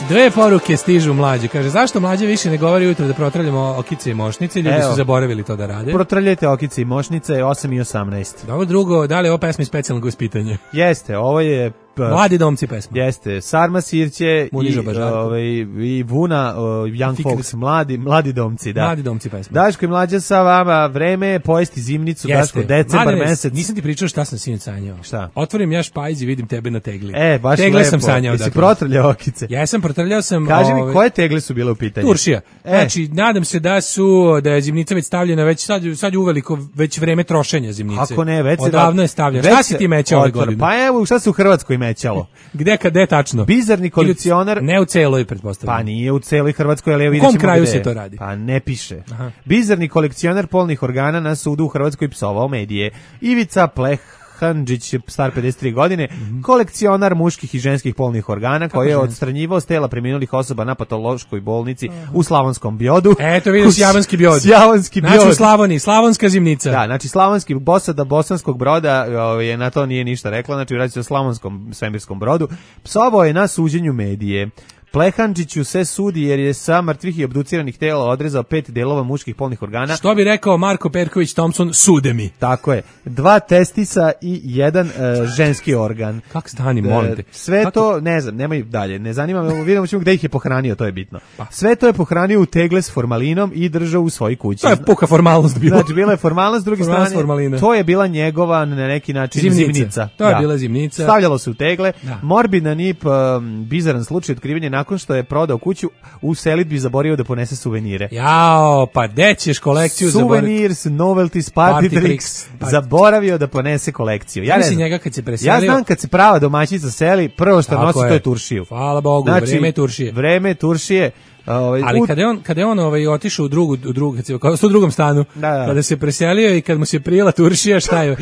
Dve poruke stižu Mlađe. Kaže, zašto Mlađe više ne govori ujutro da protraljamo okice i mošnice? Ljudi Evo, su zaboravili to da rade. Protraljajte okice i mošnice, osam i osamnaest. Dobro, drugo, da li je ovo pesma iz specijalnog ispitanja? Jeste, ovo je... Mladi domci pesma. Jeste, Sarma Sirće i, ovaj, i Vuna, uh, Young Fikret. Folks, mladi, mladi domci. Da. Mladi domci pesma. Daško i Mlađa sa vama, vreme je pojesti zimnicu, Jeste. Daško, decembar Mladine, mesec. Nisam ti pričao šta sam sinoć sanjao. Šta? Otvorim ja špajz i vidim tebe na tegli. E, baš tegle lepo. sam sanjao. Jesi dakle. protrljao okice? Ja sam protrljao sam... Kaži mi, ove, koje tegle su bile u pitanju? Turšija. E. Znači, nadam se da su, da je zimnica već stavljena, već sad, sad je uveliko već vreme trošenja zimnice. Ako ne, već se... Odavno je stavljena. Šta si ti mećao ove godine? Pa evo, šta se u Hrvatskoj mećalo? Gde, kad, tačno. Bizarni kolekcionar. Ne u celoj, pretpostavljam. Pa nije u celoj Hrvatskoj, ali ja vidjet ćemo u kom kraju gde. se to radi? Pa ne piše. Aha. Bizarni kolekcionar polnih organa na sudu u Hrvatskoj psovao medije. Ivica Pleh Handžić, star pedeset tri godine, mm-hmm. kolekcionar muških i ženskih polnih organa koji je odstranjivao s tela preminulih osoba na patološkoj bolnici uh-huh. u Slavonskom Bjodu. Eto vidiš Javanski Bjod. Javanski Bjod. Znači u Slavoniji, Slavonska zimnica. Da, znači Slavonski Bosada Bosanskog Broda je na to nije ništa rekla, znači radi se o Slavonskom svemirskom brodu. Psovao je na suđenju medije. Plehančiću se sudi jer je sa mrtvih i obduciranih tela odrezao pet delova muških polnih organa. Što bi rekao Marko Perković Thompson, sude mi. Tako je. Dva testisa i jedan uh, ženski organ. Kako stani, molim te? Sve Kako? to, ne znam, nemoj dalje. Ne zanima me, vidimo ćemo gde ih je pohranio, to je bitno. Sve to je pohranio u tegle s formalinom i držao u svojoj kući. To je puka formalnost bila. Znači, bila je formalnost, s druge strane, formalina. To je bila njegova, na neki način, zimnica. zimnica. To je da. bila zimnica. Stavljalo se u tegle. Da. Morbidan i um, bizaran slučaj otkrivanja nakon što je prodao kuću u selidbi zaboravio da ponese suvenire. Jao, pa gde ćeš kolekciju zaboraviti? Souvenirs, novelties, party, party tricks, tricks party. Zaboravio da ponese kolekciju. Ja, ja mislim njega kad se preselio. Ja znam kad se prava domaćica seli, prvo što nosi je. To je turšiju. Hvala Bogu, znači, vreme turšije. Vreme turšije. Ovaj, ali kada je on kada je on ovaj otišao u drugu u drugu kad se kao u drugom stanu da, da. Kada se preselio i kad mu se prijela turšija šta je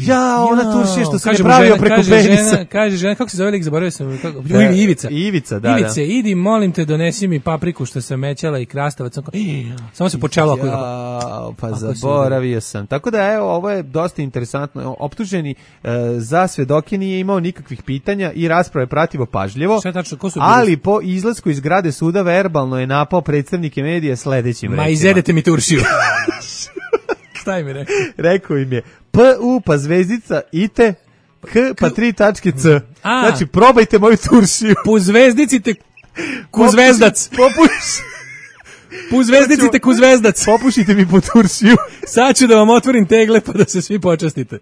ja ona turšija što se pravio preko kaže penisa žena, kaže žena kako se zove lik zaboravio sam kako da, Ivica Ivica da Ivice da. idi molim te donesi mi papriku što sam mećala i krastavac samo se počelo ako ja, pa zaboravio sam tako da evo ovo je dosta interesantno optuženi e, za svedoke nije imao nikakvih pitanja i rasprave prativo pažljivo šta tačno ko su ali po izlasku iz zgrade suda verbalno je napao predstavnike medija sledećim rečima. Ma izjedete mi turšiju. Šta im je rekao? Rekao im je P U pa zvezdica ite K pa tri tačke C. A. Znači probajte moju turšiju. Po zvezdici te ku zvezdac. Popuši. Po zvezdici te ku zvezdac. Popušite mi po turšiju. Sad ću da vam otvorim tegle pa da se svi počastite.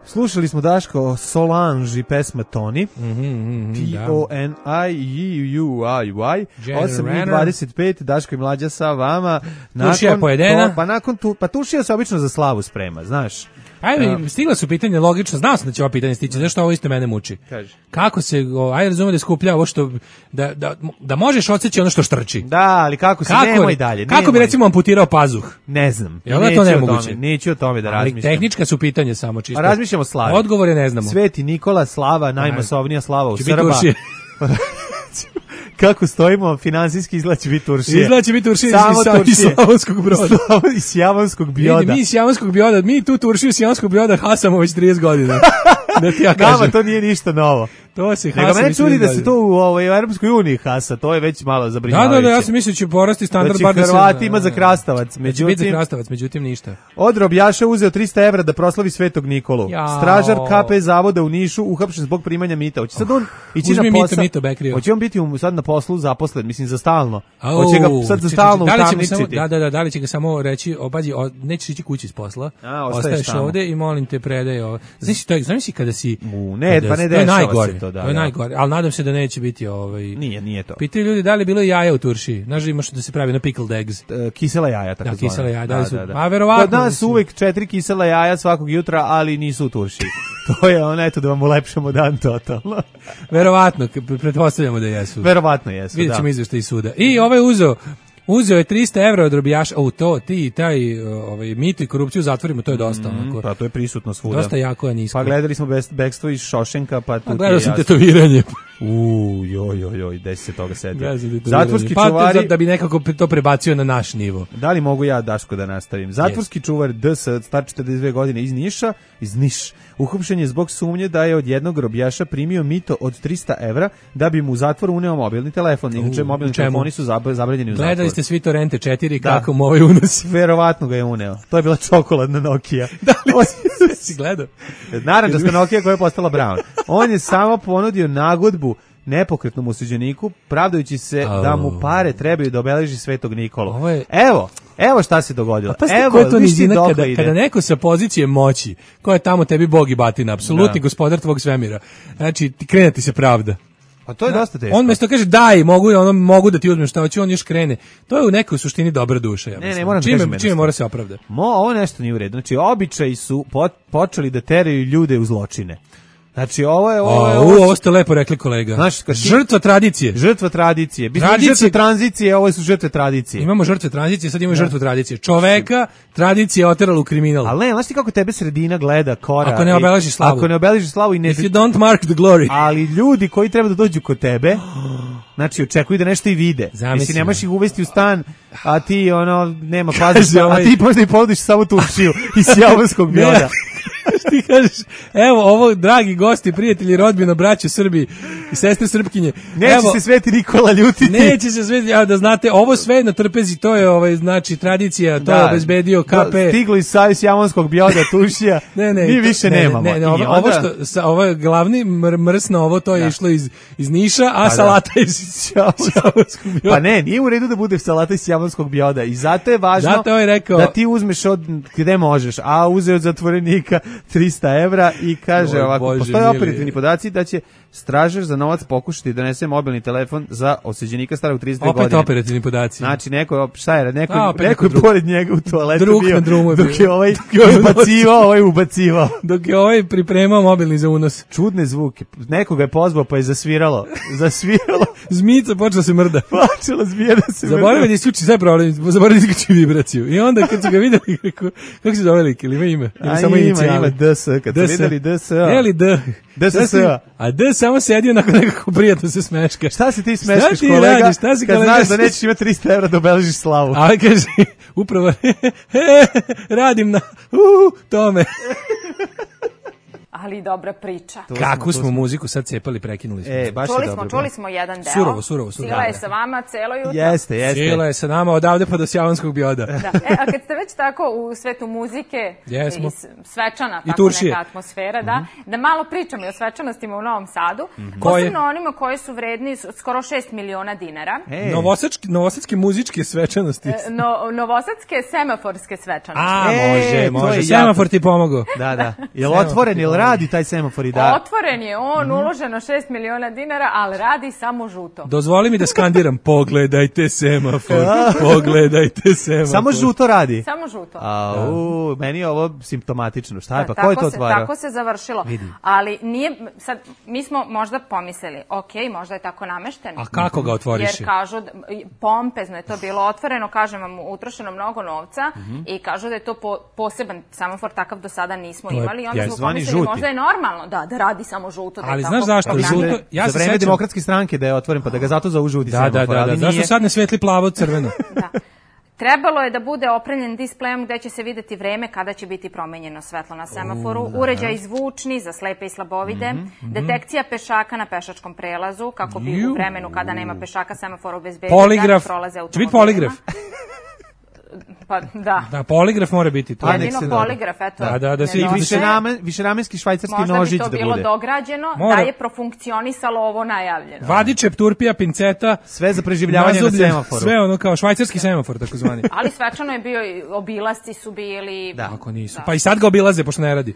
Slušali smo Daško Solange i pesma Toni. Mm -hmm, T O N I U I Y osam i dvadeset pet Daško i Mlađa sa vama. Tušija je pojedena. To, pa nakon tu, pa tušija se obično za slavu sprema, znaš. Ajde, uh, stigla su pitanja logično, znao sam da će ovo pitanje stići, zašto ovo isto mene muči. Kaži. Kako se, o, ajde razume da skuplja ovo što, da, da, da možeš odseći ono što štrči. Da, ali kako se, kako, nemoj dalje. Kako nemoj. bi recimo amputirao pazuh? Ne znam. Jel da to nemoguće? Tome, neću o tome da razmišljam. Ali tehnička su pitanja samo čisto. A razmišljamo o slavi. Odgovore ne znamo. Sveti Nikola, slava, najmasovnija slava u Srba. Kako stojimo, finansijski izlači biti Turšije. Izlači biti Turšije iz Slavonskog Broda. Iz Javanskog Bioda. Mi iz Javanskog Bioda, mi tu Turšiju iz Javanskog Bioda hasamo već trideset godina. Da ti ja kažem. Nama to nije ništa novo. To se hasa. Nego mene čudi da se to u ovoj Europskoj uniji hasa, to je već malo zabrinjavajuće. Da, da, da, ja sam mislio da će porasti standard bar da se Hrvati ima za krastavac, međutim za krastavac, međutim ništa. Od robljaša uzeo trista evra da proslavi Svetog Nikolu. Jao. Stražar K P zavoda u Nišu uhapšen zbog primanja mita. Hoće sad on ići na posao. Mito, mito, hoće on biti sad na poslu zaposlen, mislim za stalno. Hoće ga sad za stalno utamničiti. Da, da, da, da li će ga samo reći, opazi, nećeš ići kući iz posla. Ostaješ ovde i molim te predaj ovo. Znaš to, znaš kada si ne, pa ne dešava se to, da. To je najgore. Ali nadam se da neće biti ovaj. Nije, nije to. Pitaju ljudi da li je bilo jaja u turšiji. Znaš da imaš da se pravi na pickled eggs. Uh, kisela jaja tako. Da, kisela jaja, da, da, su. Da, da. A verovatno. Kod nas uvek četiri kisela jaja svakog jutra, ali nisu u turšiji. To je ono eto da vam ulepšamo dan totalno. Verovatno, pretpostavljamo da jesu. Verovatno jesu, Vidjet ćemo izveštaj iz suda. I ovaj uzeo Uzeo je trista evra od robijaša, o to, ti, taj, ovaj, mito i korupciju zatvorimo, to je dosta. Mm, onako. Pa to je prisutno svuda. Dosta jako je nisko. Pa gledali smo bekstvo iz Šošenka, pa tu ti je gledao sam tetoviranje. Uuu, joj, joj, joj, desi se toga setio. Zatvorski pa, čuvari... Pa da bi nekako to prebacio na naš nivo. Da li mogu ja, Daško, da nastavim? Zatvorski yes. čuvar D S, star četrdeset dve godine iz Niša, iz Niš, uhapšen je zbog sumnje da je od jednog robijaša primio mito od trista evra da bi mu u zatvor uneo mobilni telefon. Inače, mobilni telefoni su zabranjeni u zatvoru. Gledali ste svi Torrente četiri, da. Kako mu ovaj unosi? Verovatno ga je uneo. To je bila čokoladna Nokia. Da li si gledao? Naranđasta Nokia koja je postala brown. On je samo ponudio nagodbu nepokretnom osuđeniku, pravdajući se oh. da mu pare trebaju da obeleži Svetog Nikolu. Je... Evo, evo šta se dogodilo. Evo, to nizina, kada, kada neko sa pozicije moći, ko je tamo tebi bog i batina, apsolutni gospodar tvog svemira, znači ti krene ti se pravda. A to je da, dosta teško. On mesto kaže daj, mogu, ono, mogu da ti uzmem šta hoće, on još krene. To je u nekoj suštini dobra duša. Ja ne, ne, moram čime, kažem čime mora se opravda. Mo, ovo nešto nije u redu. Znači, običaji su po, počeli da teraju ljude u zločine. Znači, ovo je... Ovo, je, ovo, ovo ste lepo rekli, kolega. Znaš, kad žrtva tradicije. Žrtva tradicije. Tradicije. Žrtve tranzicije, ovo su žrtve tradicije. Imamo žrtve tranzicije, sad imamo da. žrtvu tradicije. Čoveka tradicija oterala u kriminal. Ali ne, znaš ti kako tebe sredina gleda, kora... Ako ne obeleži slavu. Ako ne obeleži slavu i ne... If you don't mark the glory. Ali ljudi koji treba da dođu kod tebe... Znači, očekuju da nešto i vide. Mislim, nemaš ih uvesti u stan, a ti, ono, nema pazi, a ti možda i ponudiš samo turšiju iz Javanskog Bioda. ti kažeš, evo, ovo, dragi gosti, prijatelji, rodbino, braće Srbi i sestre Srpkinje. Neće evo, se Sveti Nikola ljutiti. Neće se Sveti, ja, da znate, ovo sve na trpezi, to je, ovaj, znači, tradicija, to Da. je obezbedio K P. Stiglo iz Savez Jamonskog bioda, tušija, Ne, ne, mi to- više ne, nemamo. Ne, ne, I ovo, ovo onda- što, sa, ovo je glavni mr, mrs na ovo, to je Da. išlo iz, iz Niša, a da. salata iz Jamonskog bioda. Pa ne, nije u redu da bude salata iz jamonskog bioda i zato je važno Zato je rekao- da ti uzmeš od gde možeš, a uzeo od zatvorenika trista evra i kaže Oj, ovako, Bože postoje mili. operativni podaci da će stražar za novac pokušati da donese mobilni telefon za osuđenika starog trideset dve Opet godine. operativni podaci. Znači, neko, šta je, neko, A, opet neko neko je drug. pored njega u toaletu Drug bio, na drumu je dok bio. je ovaj Dok je ovaj ubacivao, ovaj ubacivao. Dok je ovaj pripremao mobilni za unos. Čudne zvuke. Nekoga je pozvao pa je zasviralo. Zasviralo. Zmica počela se mrda. Počela zmija da se Zaboravio da isključi sve problem, zaboravio da isključi vibraciju. I onda kad su ga videli, rekao, kako se zove lik, ili ima ime? Ili A samo ima, inicijali? ima D S, kad su D S. videli D S. Je li D? D S S. A D samo sedi onako nekako prijatno se smeška. Šta se ti smeškaš, ti kolega, radiš? Šta si, kad kolega? znaš da nećeš imati trista evra da obeležiš slavu? A ovaj kaže, upravo, radim na, uh, tome. Ali dobra priča. Kakvu smo muziku sad cepali, prekinuli smo. E, baš je Čuli dobro. smo, čuli smo jedan deo. Surovo, surovo, surovo. Sila je Da. sa vama celo jutro. Jeste, jeste. Cijela je sa nama odavde pa do Sjavanskog bioda. Da. E, a kad ste već tako u svetu muzike Jesmo. i s- svečana, I tako turšije. neka atmosfera, da, da malo pričamo i o svečanostima u Novom Sadu, Koje? posebno onima koji su vredni s- skoro šest miliona dinara. E, Novosadski, novosadske muzičke svečanosti. E, No, novosadske semaforske svečanosti. A, E, može, to može. je Semafor jako. ti pomogao. Da, da. Jel otvoren, jel radi taj semafor i da? Otvoren je on, uloženo šest miliona dinara, ali radi samo žuto. Dozvoli mi da skandiram, pogledajte semafor, pogledajte semafor. Samo žuto radi. Samo žuto. A, u, meni je ovo simptomatično. Šta je, pa Da, ko je tako to se- otvarao? Tako se završilo. Ali nije, sad, mi smo možda pomislili, ok, možda je tako namešteno. A kako ga otvoriš? Jer kažu, da- pompezno je to bilo otvoreno, kažem vam, utrošeno mnogo novca i kažu da je to po, poseban semafor, takav do sada nismo To je imali. I onda smo zvani pomislili, žuti. možda je normalno da, da radi samo žuto. Da je Ali tako znaš zašto? ograničeno. Žuto- ja za se vreme sećam- demokratske stranke da je otvoren, pa da ga zato zovu žuti Da, semafor. da, da, ali da. Zašto nije. sad ne svetli plavo crveno? Da. Trebalo je da bude opremljen displejom gde će se videti vreme kada će biti promenjeno svetlo na semaforu, uređaj zvučni za slepe i slabovide, detekcija pešaka na pešačkom prelazu, kako bi Ju. u vremenu kada nema pešaka semafor obezbedio Poligraf. da ne prolaze Će biti automobilima. poligraf. Pa da. Da, poligraf mora biti to. Pa, nek Jedino se poligraf, eto. Da, da, da se- I nedostaje. više, ramen, više ramenski švajcarski Možda nožić bi to da bilo bude. dograđeno, Mora. da je profunkcionisalo ovo najavljeno. Vadičep, turpija, pinceta, Sve za preživljavanje na nazubljen, semaforu. sve ono kao švajcarski semafor, takozvani. Ali svečano je bio, i obilasci su bili. Da. Ako nisu. Pa i sad ga obilaze, pošto ne radi.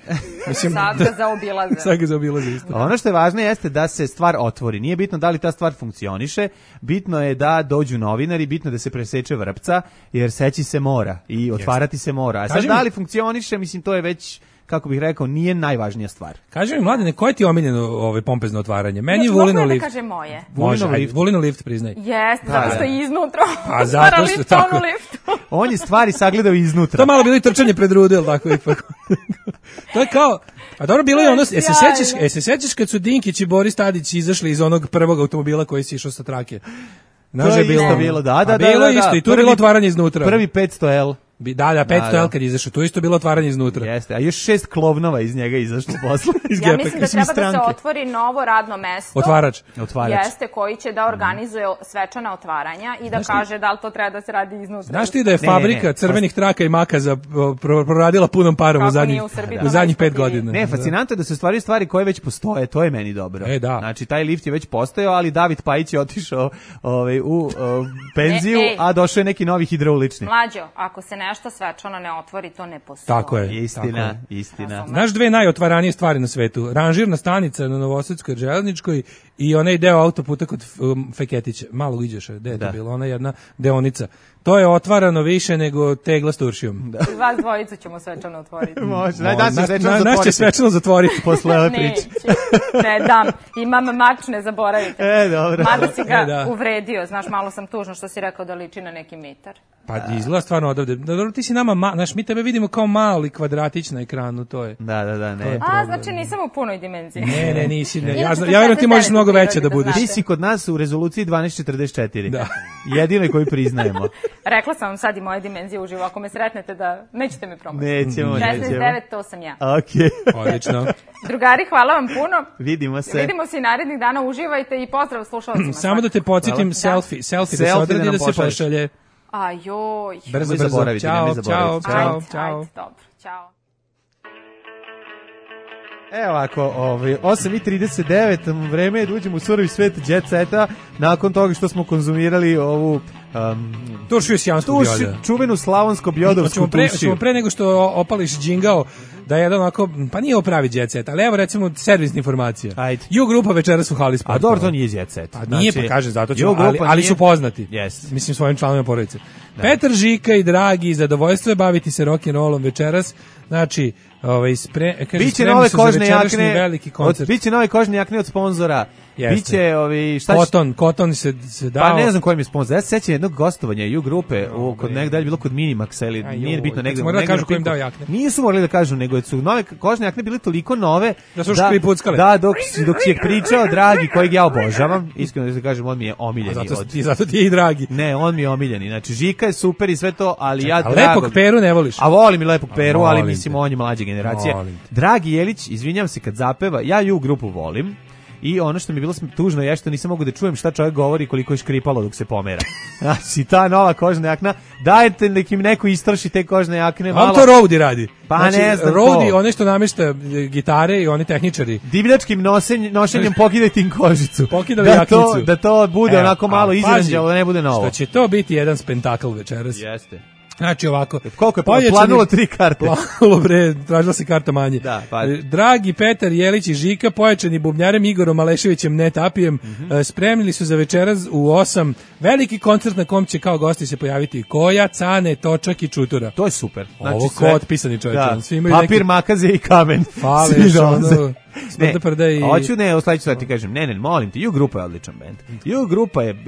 Mislim, Sad ga zaobilaze. sad ga zaobilaze isto. Ono što je važno jeste da se stvar otvori. Nije bitno da li ta stvar funkcioniše, bitno je da dođu novinari, bitno je da se preseče vrpca, jer seći se mora i otvarati se mora. A sad Kaži mi- da li funkcioniše, mislim, to je već, kako bih rekao, nije najvažnija stvar. Kaži mi, mladene, koje ti je omiljeno ovaj pompezno otvaranje? Meni je Mogu Vulino ja da lift. kažem moje? Može, Vulinov ajde, lift. Vulinov lift, priznaj. Jeste, zato što da. je iznutra. A zato što tako. Liftu. On je stvari sagledao iznutra. To malo bilo i trčanje pred rude, jel tako ipak? To je kao, a dobro bilo je ono, jesi se sjajno. sećaš, jesi se sećaš kad su Dinkić i Boris Tadić izašli iz onog prvog automobila koji si išao sa trake? Znaš To da je isto bilo, da, da, A da. bilo da, je da. isto, i tu je bilo Prvi- otvaranje iznutra. Prvi petsto L. Bi- Da, da, petsto Da, da. L kad je izašao, tu je isto bilo otvaranje iznutra. Jeste, a još šest klovnova iz njega izašlo posle. Iz Ja gepeka. mislim da mislim, treba da se stranke. otvori novo radno mesto. Otvarač. Otvarač. Jeste, koji će da organizuje svečana otvaranja i da kaže da li to treba da se radi iznutra. Znaš ti da je Ne, ne, fabrika ne. crvenih traka i makaza o, pro- proradila punom parom u Kako zadnjih, nije u Srbiji u to zadnjih pet najisplativije? godina? Ne, fascinantno je da se stvari stvari koje već postoje, to je meni dobro. E, da. Znači, taj lift je već postojao, ali David Pajić je otišao ovaj, u o, penziju, E, ej. a došao je neki novi hidraulični. Mlađo, ako se nešto svečano ne otvori, to ne postoji. Tako je. Istina, tako istina. Znaš dve najotvaranije stvari na svetu? Ranžirna stanica na Novosadskoj železničkoj i onaj deo autoputa kod um, Feketića. Malo iđeš, gde je to Da. bilo? Ona jedna deonica. To je otvarano više nego tegla s turšijom. I vas dvojicu ćemo svečano otvoriti. Može, daj, da se Naš- svečano na- Naš će zatvoriti svečano zatvoriti. posle ove priče. Neće. Ne dam. Imam mač, ne zaboravite. E, dobro. Mada si ga E, da. uvredio, znaš, malo sam tužno što si rekao da liči na neki mitar. Pa izgleda stvarno odavde. Dobro, ti si nama, ma, znaš, mi tebe vidimo kao mali kvadratić na ekranu, to je. Da, da, da, ne. A, znači nisam u punoj dimenziji. Ne, ne, nisi. Ne. Ja, ja vjerujem ti možeš mnogo veća da budeš. Ti si kod nas u rezoluciji dvanaest četrdeset četiri. Da. Jedino koji priznajemo. Rekla sam vam sad i moje dimenzije uživo, ako me sretnete da nećete me promašiti. Nećemo, nećemo. šesnaest devet, to sam ja. Okej. Odlično. Drugari, hvala vam puno. Vidimo se. Vidimo se i narednih dana, uživajte i pozdrav slušalcima. Samo da te podsjetim, selfie, selfie da se odradi da se pošalje. A joj. Brzo, brzo. Ćao, čao, čao, čao. Ajde, dobro, čao. Evo ovako, ovaj, osam i trideset devet, vreme je da uđemo u surovi svet Jet Seta, nakon toga što smo konzumirali ovu um, tušiju sjansku bioda. Čuvenu slavonsko-bjodovsku pre, tušiju. Ćemo pre nego što opališ džingao, da je jedan onako, pa nije opravi Jet Set, ali evo recimo servisna informacija. Ajde. Ju grupa večeras u hali sporta. A dobro, to nije Jet Set. Pa nije, znači, pa kaže, zato ćemo, ali, ali nije... su poznati. Yes. Mislim, svojim članovima porodice. Da. Petar Žika i Dragi, zadovoljstvo je baviti se rock'n'rollom večeras. Znači, ovaj, spre, kaže, biće nove kožne jakne, veliki koncert. Od, biće nove kožne jakne od sponzora. Jeste. Biće ovi šta Koton, Koton se se dao. Pa ne znam koji mi je sponzor. Ja se sećam jednog gostovanja U grupe u kod negde je bilo kod Minimaxa ili Aj, nije bitno negde. Mora da kažu ko im dao jakne. Nisu morali da kažu, nego su nove kožne jakne bile toliko nove da su škripuckale. Da, dok dok si je pričao Dragi, kojeg ja obožavam, iskreno da se kažem, on mi je omiljeni. Zato od... ti zato ti je i Dragi. Ne, on mi je omiljeni. Znači Žika je super i sve to, ali ja Dragog. Lepog Peru ne voliš. A volim i Lepog Peru, ali mislim on je mlađe generacije. Volim. Dragi Jelić, izvinjavam se kad zapeva, ja U grupu volim. I ono što mi je bilo tužno je što nisam mogu da čujem šta čovjek govori, koliko je škripalo dok se pomera. Znači, ta nova kožna jakna, dajte nek im neko istrši te kožne jakne. Malo... On to Rowdy radi. Pa znači, ne znam Rowdy, one što namješta gitare i oni tehničari. Divljačkim nosenj, nošenjem pokidajte im kožicu. Pokidali da jaknicu. To, da to bude Evo, onako malo izranđalo, da ne bude novo. Što će to biti jedan spektakl večeras. Jeste. Znači ovako. Koliko je pojačani, planulo tri karte? Planulo bre, tražila se karta manje. Da, pa. Dragi Petar Jelić i Žika, pojačani bubnjarem Igorom Maleševićem Netapijem, mm-hmm. spremili su za večeras u osam veliki koncert na kom će kao gosti se pojaviti Koja, Cane, Točak i Čutura. To je super. Znači, ovo ko otpisani čovječ. Da. Svi imaju papir, neki... makaze i kamen. Fale, ono... Ne, i... hoću ne, o sledeću stvar ti kažem, ne, ne, molim ti, U grupa je odličan bend. U grupa je,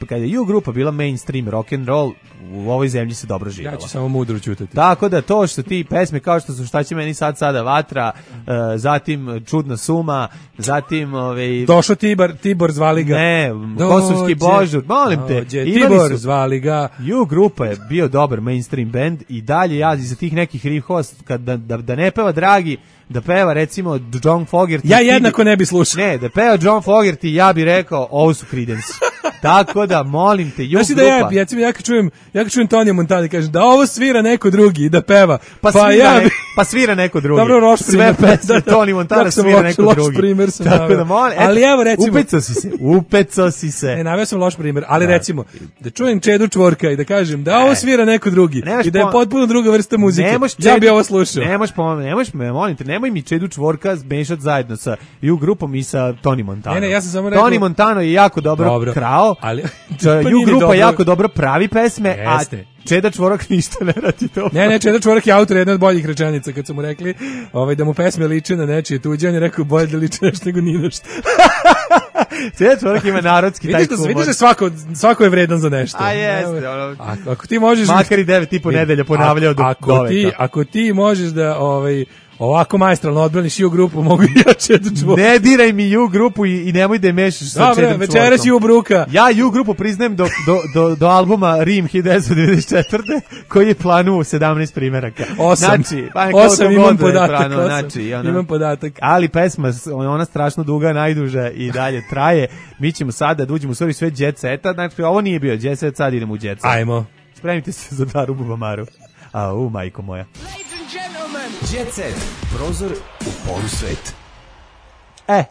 kada je U grupa bila mainstream rock and roll, u ovoj zemlji se dobro živjela. Ja ću samo mudro ćutati. Tako da to što ti pesme kao što su Šta će meni sad sada vatra, uh, zatim Čudna suma, zatim ovaj Došao Tibor, Tibor zvali ga. Ne, Kosovski božur, molim te. Dođe, Tibor su, zvali ga. U grupa je bio dobar mainstream band i dalje ja iza tih nekih rifova kad da, da, da ne peva Dragi, da peva recimo John Fogerty. Ja jednako ne bi slušao. Ne, da peva John Fogerty, ja bih rekao, ovo su Creedence. Tako da, molim te, U znači grupa. Da ja, ja, ja kad čujem, ja kad čujem Tonija Montana, kažem da ovo svira neko drugi, da peva. Pa, pa, svira, ja ne, pa svira neko drugi. Dobro, loš sve pesme Tony Montana svira loš, neko loš drugi. Primer sam tako da, molim, ali evo recimo. Upecao si se, upecao si se. Ne, naveo sam loš primjer, ali da. recimo, da čujem Čedu Čvorka i da kažem da ovo svira neko drugi i da je potpuno druga vrsta muzike. Čedu, ja bi ovo slušao. Nemoš, nemoš, molim te, nemoj mi Čedu Čvorka zmešati zajedno sa U grupom i sa Tony Montana. Ne, ne, ja sam samo rekao. Tony Montano je jako dobro, dobro. krao, ali U grupa dobro. jako dobro pravi pesme, Jeste. a Čeda Čvorak ništa ne radi dobro. Ne, ne, Čeda Čvorak je autor jedne od boljih rečenica, kad su mu rekli ovaj, da mu pesme liče na nečije tuđe, on je rekao bolje da liče nešto nego ni nešto. Čeda Čvorak ima narodski taj humor. Vidiš da svako, svako je vredan za nešto. A jeste. Ono, ako, ako ti možeš... Makar i devet i po nedelja ponavljao do ako ti, ako ti možeš da... Ovaj, ovako majstralno odbraniš U grupu, mogu i ja Čedu Čvorka. Ne diraj mi U grupu i, i nemoj da je mešaš sa Čedom Čvorkom. Dobre, večeras U bruka. Ja U grupu priznajem do, do, do, do albuma Rim hiljadu devetsto devedeset četvrte koji je planuo sedamnaest primjeraka. Osam. Znači, pa osam imam podatak. Planu, znači, ona, imam podatak. Ali pesma, ona strašno duga, najduža i dalje traje. Mi ćemo sada da uđemo u svoj svet Jet Seta. Znači, ovo nije bio Jet Set, sad idemo u Jet Set. Ajmo. Spremite se za Daru Bubamaru. A, u, majko moja. Jet Set, prozor u polusvet. E,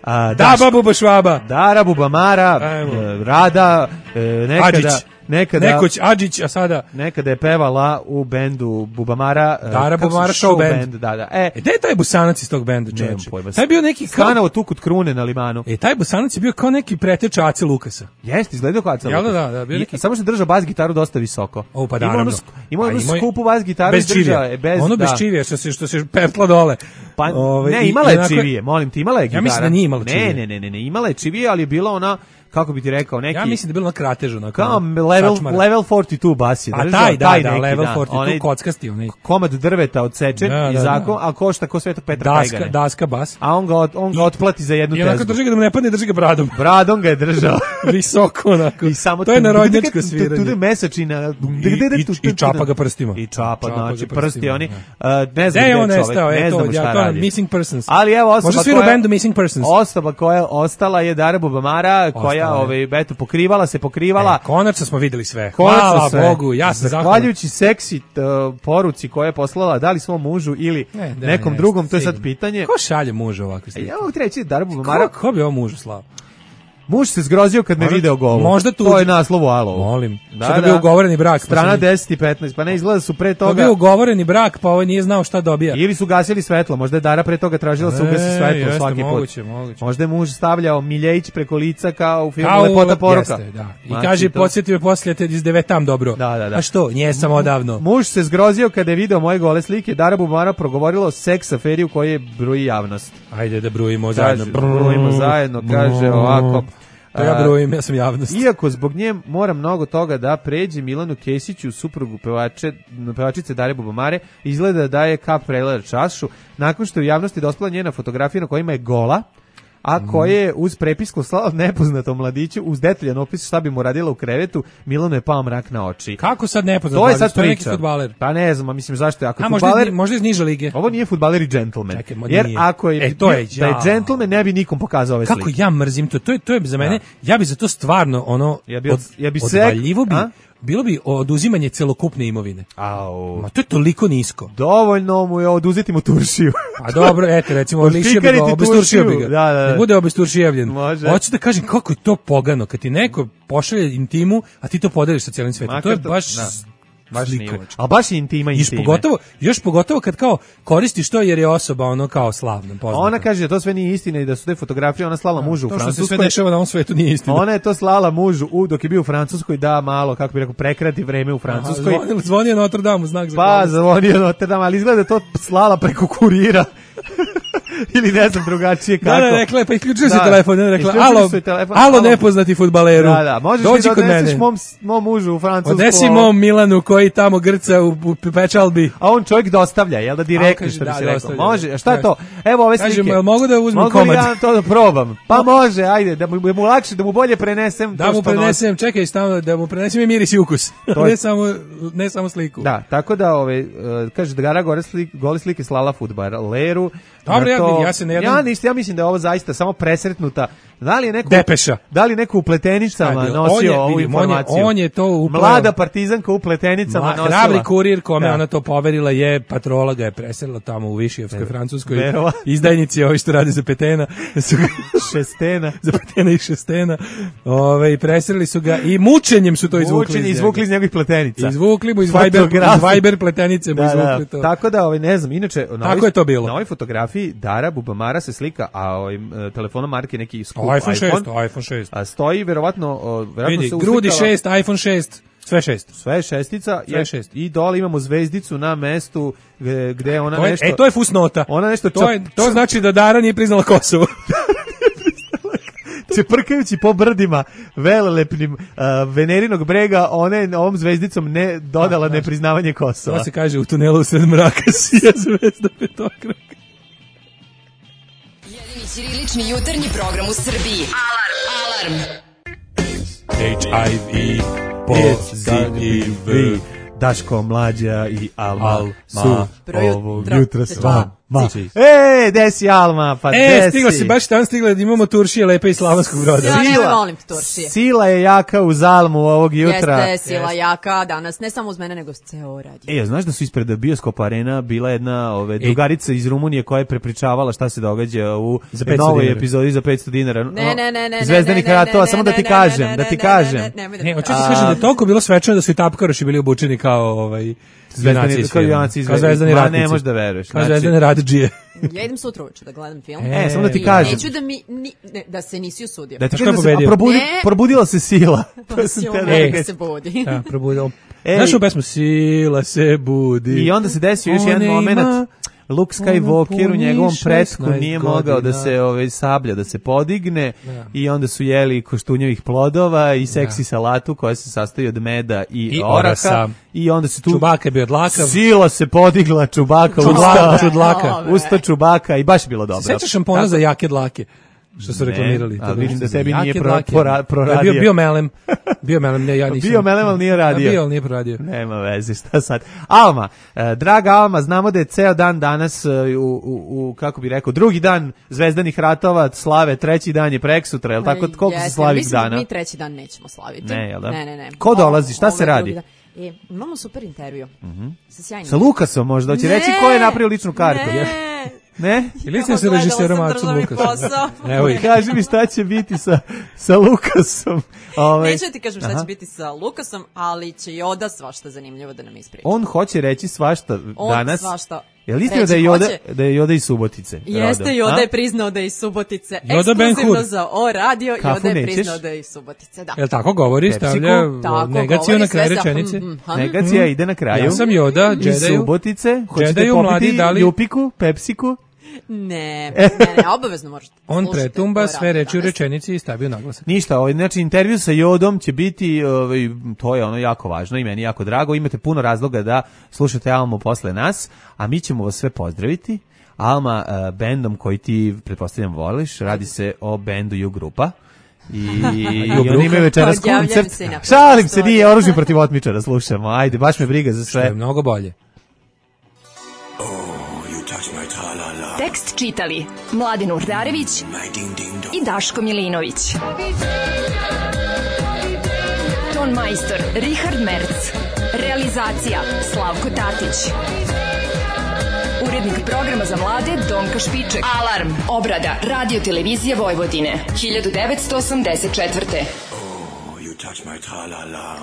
a, da, Buba Buba Švaba. Dara Bubamara, e, Rada, e, nekada... Adžić. Nekada, Nekoć Adžić, a sada... Nekada je pevala u bendu Bubamara. Dara Bubamara show band. band. Da, da. E, e gde je taj Busanac iz tog benda, čovječe? Taj bio neki... Stanovo tu kod Krune na Limanu. E, taj Busanac je bio kao neki preteč Ace Lukasa. Jeste, izgledao kao Ace Lukas. Ja, da, da, bio neki... I, samo što držao bas gitaru dosta visoko. O, pa naravno. Imao jednu skupu bas gitaru. Bez čivija. Bez, ono bez čivija, što se, što se pertla dole. Pa, Ove, ne, imala je čivije, molim ti, imala je gitara. Ja mislim da nije imala čivije. Ne, ne, ne, ne, imala je čivije, ali je bila ona kako bi ti rekao, neki... Ja mislim da je bilo na kratežu. Na kao level, level četrdeset dva bas je držao. A taj, da, taj da, neki, level da, četrdeset dva onaj kockasti. Onaj. Komad drveta odsečen da, da, i zakon, a košta ko Svetog Petra daska, Kajgane. daska bas. A on ga, on ga otplati za jednu tezgu. tezgu. I onako drži ga da mu ne padne, drži ga bradom. Bradom ga je držao. Visoko onako. I samo to je narodnjačko sviranje. Tu mesačina. I čapa ga prstima. I čapa, znači prsti oni. Ne znam gde je on nestao, ne znamo šta radi. Missing persons. Ali evo osoba možda svira u bendu Missing persons. Osoba koja je ostala je Dara Bubamara, koja ovaj eto pokrivala se, pokrivala. E, konačno smo videli sve. Hvala sve. Bogu, ja sam zahvalan. Zahvaljujući seksi uh, poruci koja je poslala da li svom mužu ili ne, da, nekom ne, drugom, to je sad pitanje. Ko šalje mužu ovako slike? Ja mogu ti reći Dara Bubamara. Ko, ko bi ovo mužu slao? Muž se zgrozio kad me video golu. Možda tu to je naslov u Alovu. Molim. Da, šta da bio ugovoreni brak. Strana pa deset i petnaest. Pa ne izgleda su pre toga. To bio ugovoreni brak, pa ovaj nije znao šta dobija. Ili su gasili svetlo. Možda je Dara pre toga tražila se ugasi svetlo jeste, svaki moguće, put. Moguće. Možda je muž stavljao miljejić preko lica kao u filmu kao Lepota poruka. Jeste, da. I znači, kaže to... podsjeti me poslije te iz devetam dobro. Da, da, da. A što? Nije samo odavno. Muž se zgrozio kada je video moje gole slike. Dara Bubamara progovorila o seks aferi u kojoj je bruji javnost. Ajde da brujimo zajedno. Brujimo zajedno, kaže ovako. To ja brojim, ja sam javnost. Iako zbog nje mora mnogo toga da pređe Milanu Kesiću, suprugu pevače, pevačice Dare Bubamare, izgleda da je kap prelila čašu, nakon što je u javnosti dospela njena fotografija na kojima je gola, a koje je uz prepisku slala nepoznatom mladiću uz detaljan opis šta bi mu radila u krevetu, Milano je pao mrak na oči. Kako sad nepoznat? To je sad to je neki priča. fudbaler. Pa ne znam, mislim zašto je ako a, fudbaler, možda, možda iz niže lige. Ovo nije fudbaler i džentlmen. Čekaj, jer nije. ako je, e, to je da je džentlmen ne bi nikom pokazao ove slike. Kako ja mrzim to. To je to je za mene. Da. Ja bi za to stvarno ono ja bi, od, ja bi odvaljivo bi. A? Bilo bi oduzimanje celokupne imovine. Au. Ma to je toliko nisko. Dovoljno mu je oduzeti mu turšiju. A dobro, eto, recimo, lišio bi ga, obesturšio bi ga. Da, da, da. Ne bude obesturšijevljen. Hoću da kažem kako je to pogano, kad ti neko pošalje intimu, a ti to podeliš sa cijelim svetom. To je baš... Da. Baš a baš je intima intime. Još pogotovo, još pogotovo kad kao koristiš to jer je osoba ono kao slavna, poznata. Ona kaže da to sve nije istina i da su te fotografije ona slala mužu u Francuskoj. To što se sve dešava na ovom svetu nije istina. Ona je to slala mužu u, dok je bio u Francuskoj da malo, kako bi rekao, prekrati vreme u Francuskoj. Aha, zvonio Notre Dame, znak za Pa, zvonio Notre Dame, ali izgleda to slala preko kurira. Ili ne znam drugačije kako. Da, da, rekla je, pa isključio se telefon, ne rekla, alo, telefon, alo nepoznati fudbaleru. Da, da, možeš dođi da kod odneseš mom, mom mužu u Francusku. Odnesi mom Milanu koji tamo grca u, u pečalbi. A on čovjek dostavlja, jel da direktno što bi da, se rekao. Može, a šta je to? Evo ove slike. Kažem, mogu da uzmem mogu komad? Mogu ja to da probam? Pa može, ajde, da mu, da mu lakše, da mu bolje prenesem da to mu prenesem, nosi. Čekaj, stavno, da mu prenesem i miris i ukus. ne, samo, ne samo sliku. Da, tako da, ove, uh, kaže, da Dara gore slike, gole slike slala fudbaleru. Dobro, ja, ja se ne ja ništa, ja mislim da je ovo zaista samo presretnuta. Da li je neko Depeša. Da li neko u pletenicama nosio je, ovu vidim, informaciju? On je, on je to upleo. Mlada partizanka u pletenicama Mla, nosila. Hrabri kurir kome da. Ona to poverila je patrola ga je preselila tamo u Višijevskoj Francuskoj. Verova. Izdajnici ovi što rade za petena. Su šestena. za petena i šestena. Ove, i preselili su ga i mučenjem su to izvukli. Mučenje izvukli iz njegovih pletenica. Izvukli mu iz Viber, iz Viber pletenice mu da, izvukli to. Tako da, ovaj, ne znam, inače, na tako ovoj, je to bilo. Na ovoj fotografiji Dara Bubamara se slika, a ovim telefonom marke neki skup o, iPhone šest, iPhone, iPhone šest. A stoji verovatno, verovatno vidi, se uslikala. Grudi šest, iPhone šest, sve šest. Sve šestica. Sve je, šest. I dole imamo zvezdicu na mestu gde, gde ona to je, nešto... E, to je fusnota. Ona nešto... To, je, to znači da Dara nije priznala Kosovo. Čeprkajući po brdima velelepnim uh, Venerinog brega, ona je ovom zvezdicom ne dodala da, nepriznavanje Kosova. To se kaže u tunelu sred mraka sija zvezda petokraka. Jedini ćirilični jutarnji program u Srbiji. Alarm! Alarm! H I V pozitiv. Daško, Mlađa i Alma, Alma su ovog jutra s vama. E, desi Alma, pa e, desi. E, stigla si, baš tam stigla da imamo Turšije lepe iz Slavonskog Broda. Ja ne volim Turšije. Sila je jaka uz Almu ovog jutra. Jeste, sila Jeste. jaka danas, ne samo uz mene, nego s ceo radio. E, znaš da su ispred Bioskop Arena bila jedna ove, drugarica iz Rumunije koja je prepričavala šta se događa u novoj epizodi za petsto dinara. Ne, ne, ne, ne. Zvezdanih ratova, samo da ti kažem, da ti kažem. Ne, hoću ti kažem da je toliko bilo svečano da su i tapkaroši bili obučeni kao ovaj Zvezdani, kao junaci iz Zvezdani ratnici. Ne možeš da veruješ. Kao Zvezdani radidžije. Ja idem sutra uveče da gledam film. E, samo da ti kažem. Neću da mi ni, ne, da se nisi usudio. Da ti kažem da se probudi, probudila se sila. Pa sila se budi. Da, probudila. Znaš u pesmu Sila se budi. I onda se desio još jedan moment. Luke Skywalker u njegovom pretku nije mogao da se ovaj, sablja, da se podigne da. I onda su jeli koštunjevih plodova i seksi da. Salatu koja se sastoji od meda i, I oraha. orasa. I onda se tu... Čubaka je bio dlakav. Sila se podigla, Čubaka Čudlaka, usta. Čudlaka. Usta Čubaka i baš je bilo dobro. Sećaš šampona za jake dlake? Što su reklamirali. A vidim da tebi nije pro, pro, proradio. Bio, bio melem. Bio melem, ne, ja nisam. Bio melem, ali nije radio. Bio, ali nije proradio. Nema veze, šta sad. Alma, eh, draga Alma, znamo da je ceo dan danas, uh, u, u, u, kako bi rekao, drugi dan Zvezdanih ratova, slave, treći dan je preksutra, je li tako? Koliko Jeste, se slavi mislim, dana? Mi treći dan nećemo slaviti. Ne, jel da? Ne, ne, ne. Ko dolazi, šta o, se radi? E, imamo super intervju. Mm-hmm. Sa sjajnim. Sa Lukasom možda, hoće reći ko je napravio ličnu kartu. Ne. Ne? Ili sam se režiserom Acom Lukasom? Evo i kaži mi šta će biti sa, sa Lukasom. Ove... Neću ti kažem šta Aha. će biti sa Lukasom, ali će Joda svašta zanimljivo da nam ispriča. On hoće reći svašta On danas. Svašta. Je li istina da je Joda, da je Joda iz Subotice? Jeste, rodom, Joda a? je priznao da je iz Subotice. Joda Ekskluzivno za O radio, Kafu Joda je nećeš? priznao da je iz Subotice, da. Jel tako govori, Pepsiku? stavlja tako, negaciju na kraju rečenice? Mm, mm, Negacija mm. ide na kraju. Ja sam Joda, iz Džedaju. Subotice. Hoćete Džedaju, popiti mladi, dali... Jupiku, Pepsiku? Ne, ne, ne, obavezno možete. On pretumba sve reči u danas. rečenici i stavio naglasak. Ništa, ovaj, znači intervju sa Jodom će biti, ovaj, to je ono jako važno i meni jako drago. Imate puno razloga da slušate Almu posle nas, a mi ćemo vas sve pozdraviti. Alma, uh, bendom koji ti, pretpostavljam, voliš, radi se o bendu U Grupa. I, i oni imaju večeras koncert. Šalim se, nije oružje protiv otmičara, slušamo. Ajde, baš me briga za sve. Što je mnogo bolje. Tekst čitali Mladen Urdarević i Daško Milinović. Ton majstor Richard Merc. Realizacija Slavko Tatić. Urednik programa za mlade Donka Špiček. Alarm. Obrada Radio Televizije Vojvodine. hiljadu devetsto osamdeset četvrte. Oh, you touch my tra-la-la.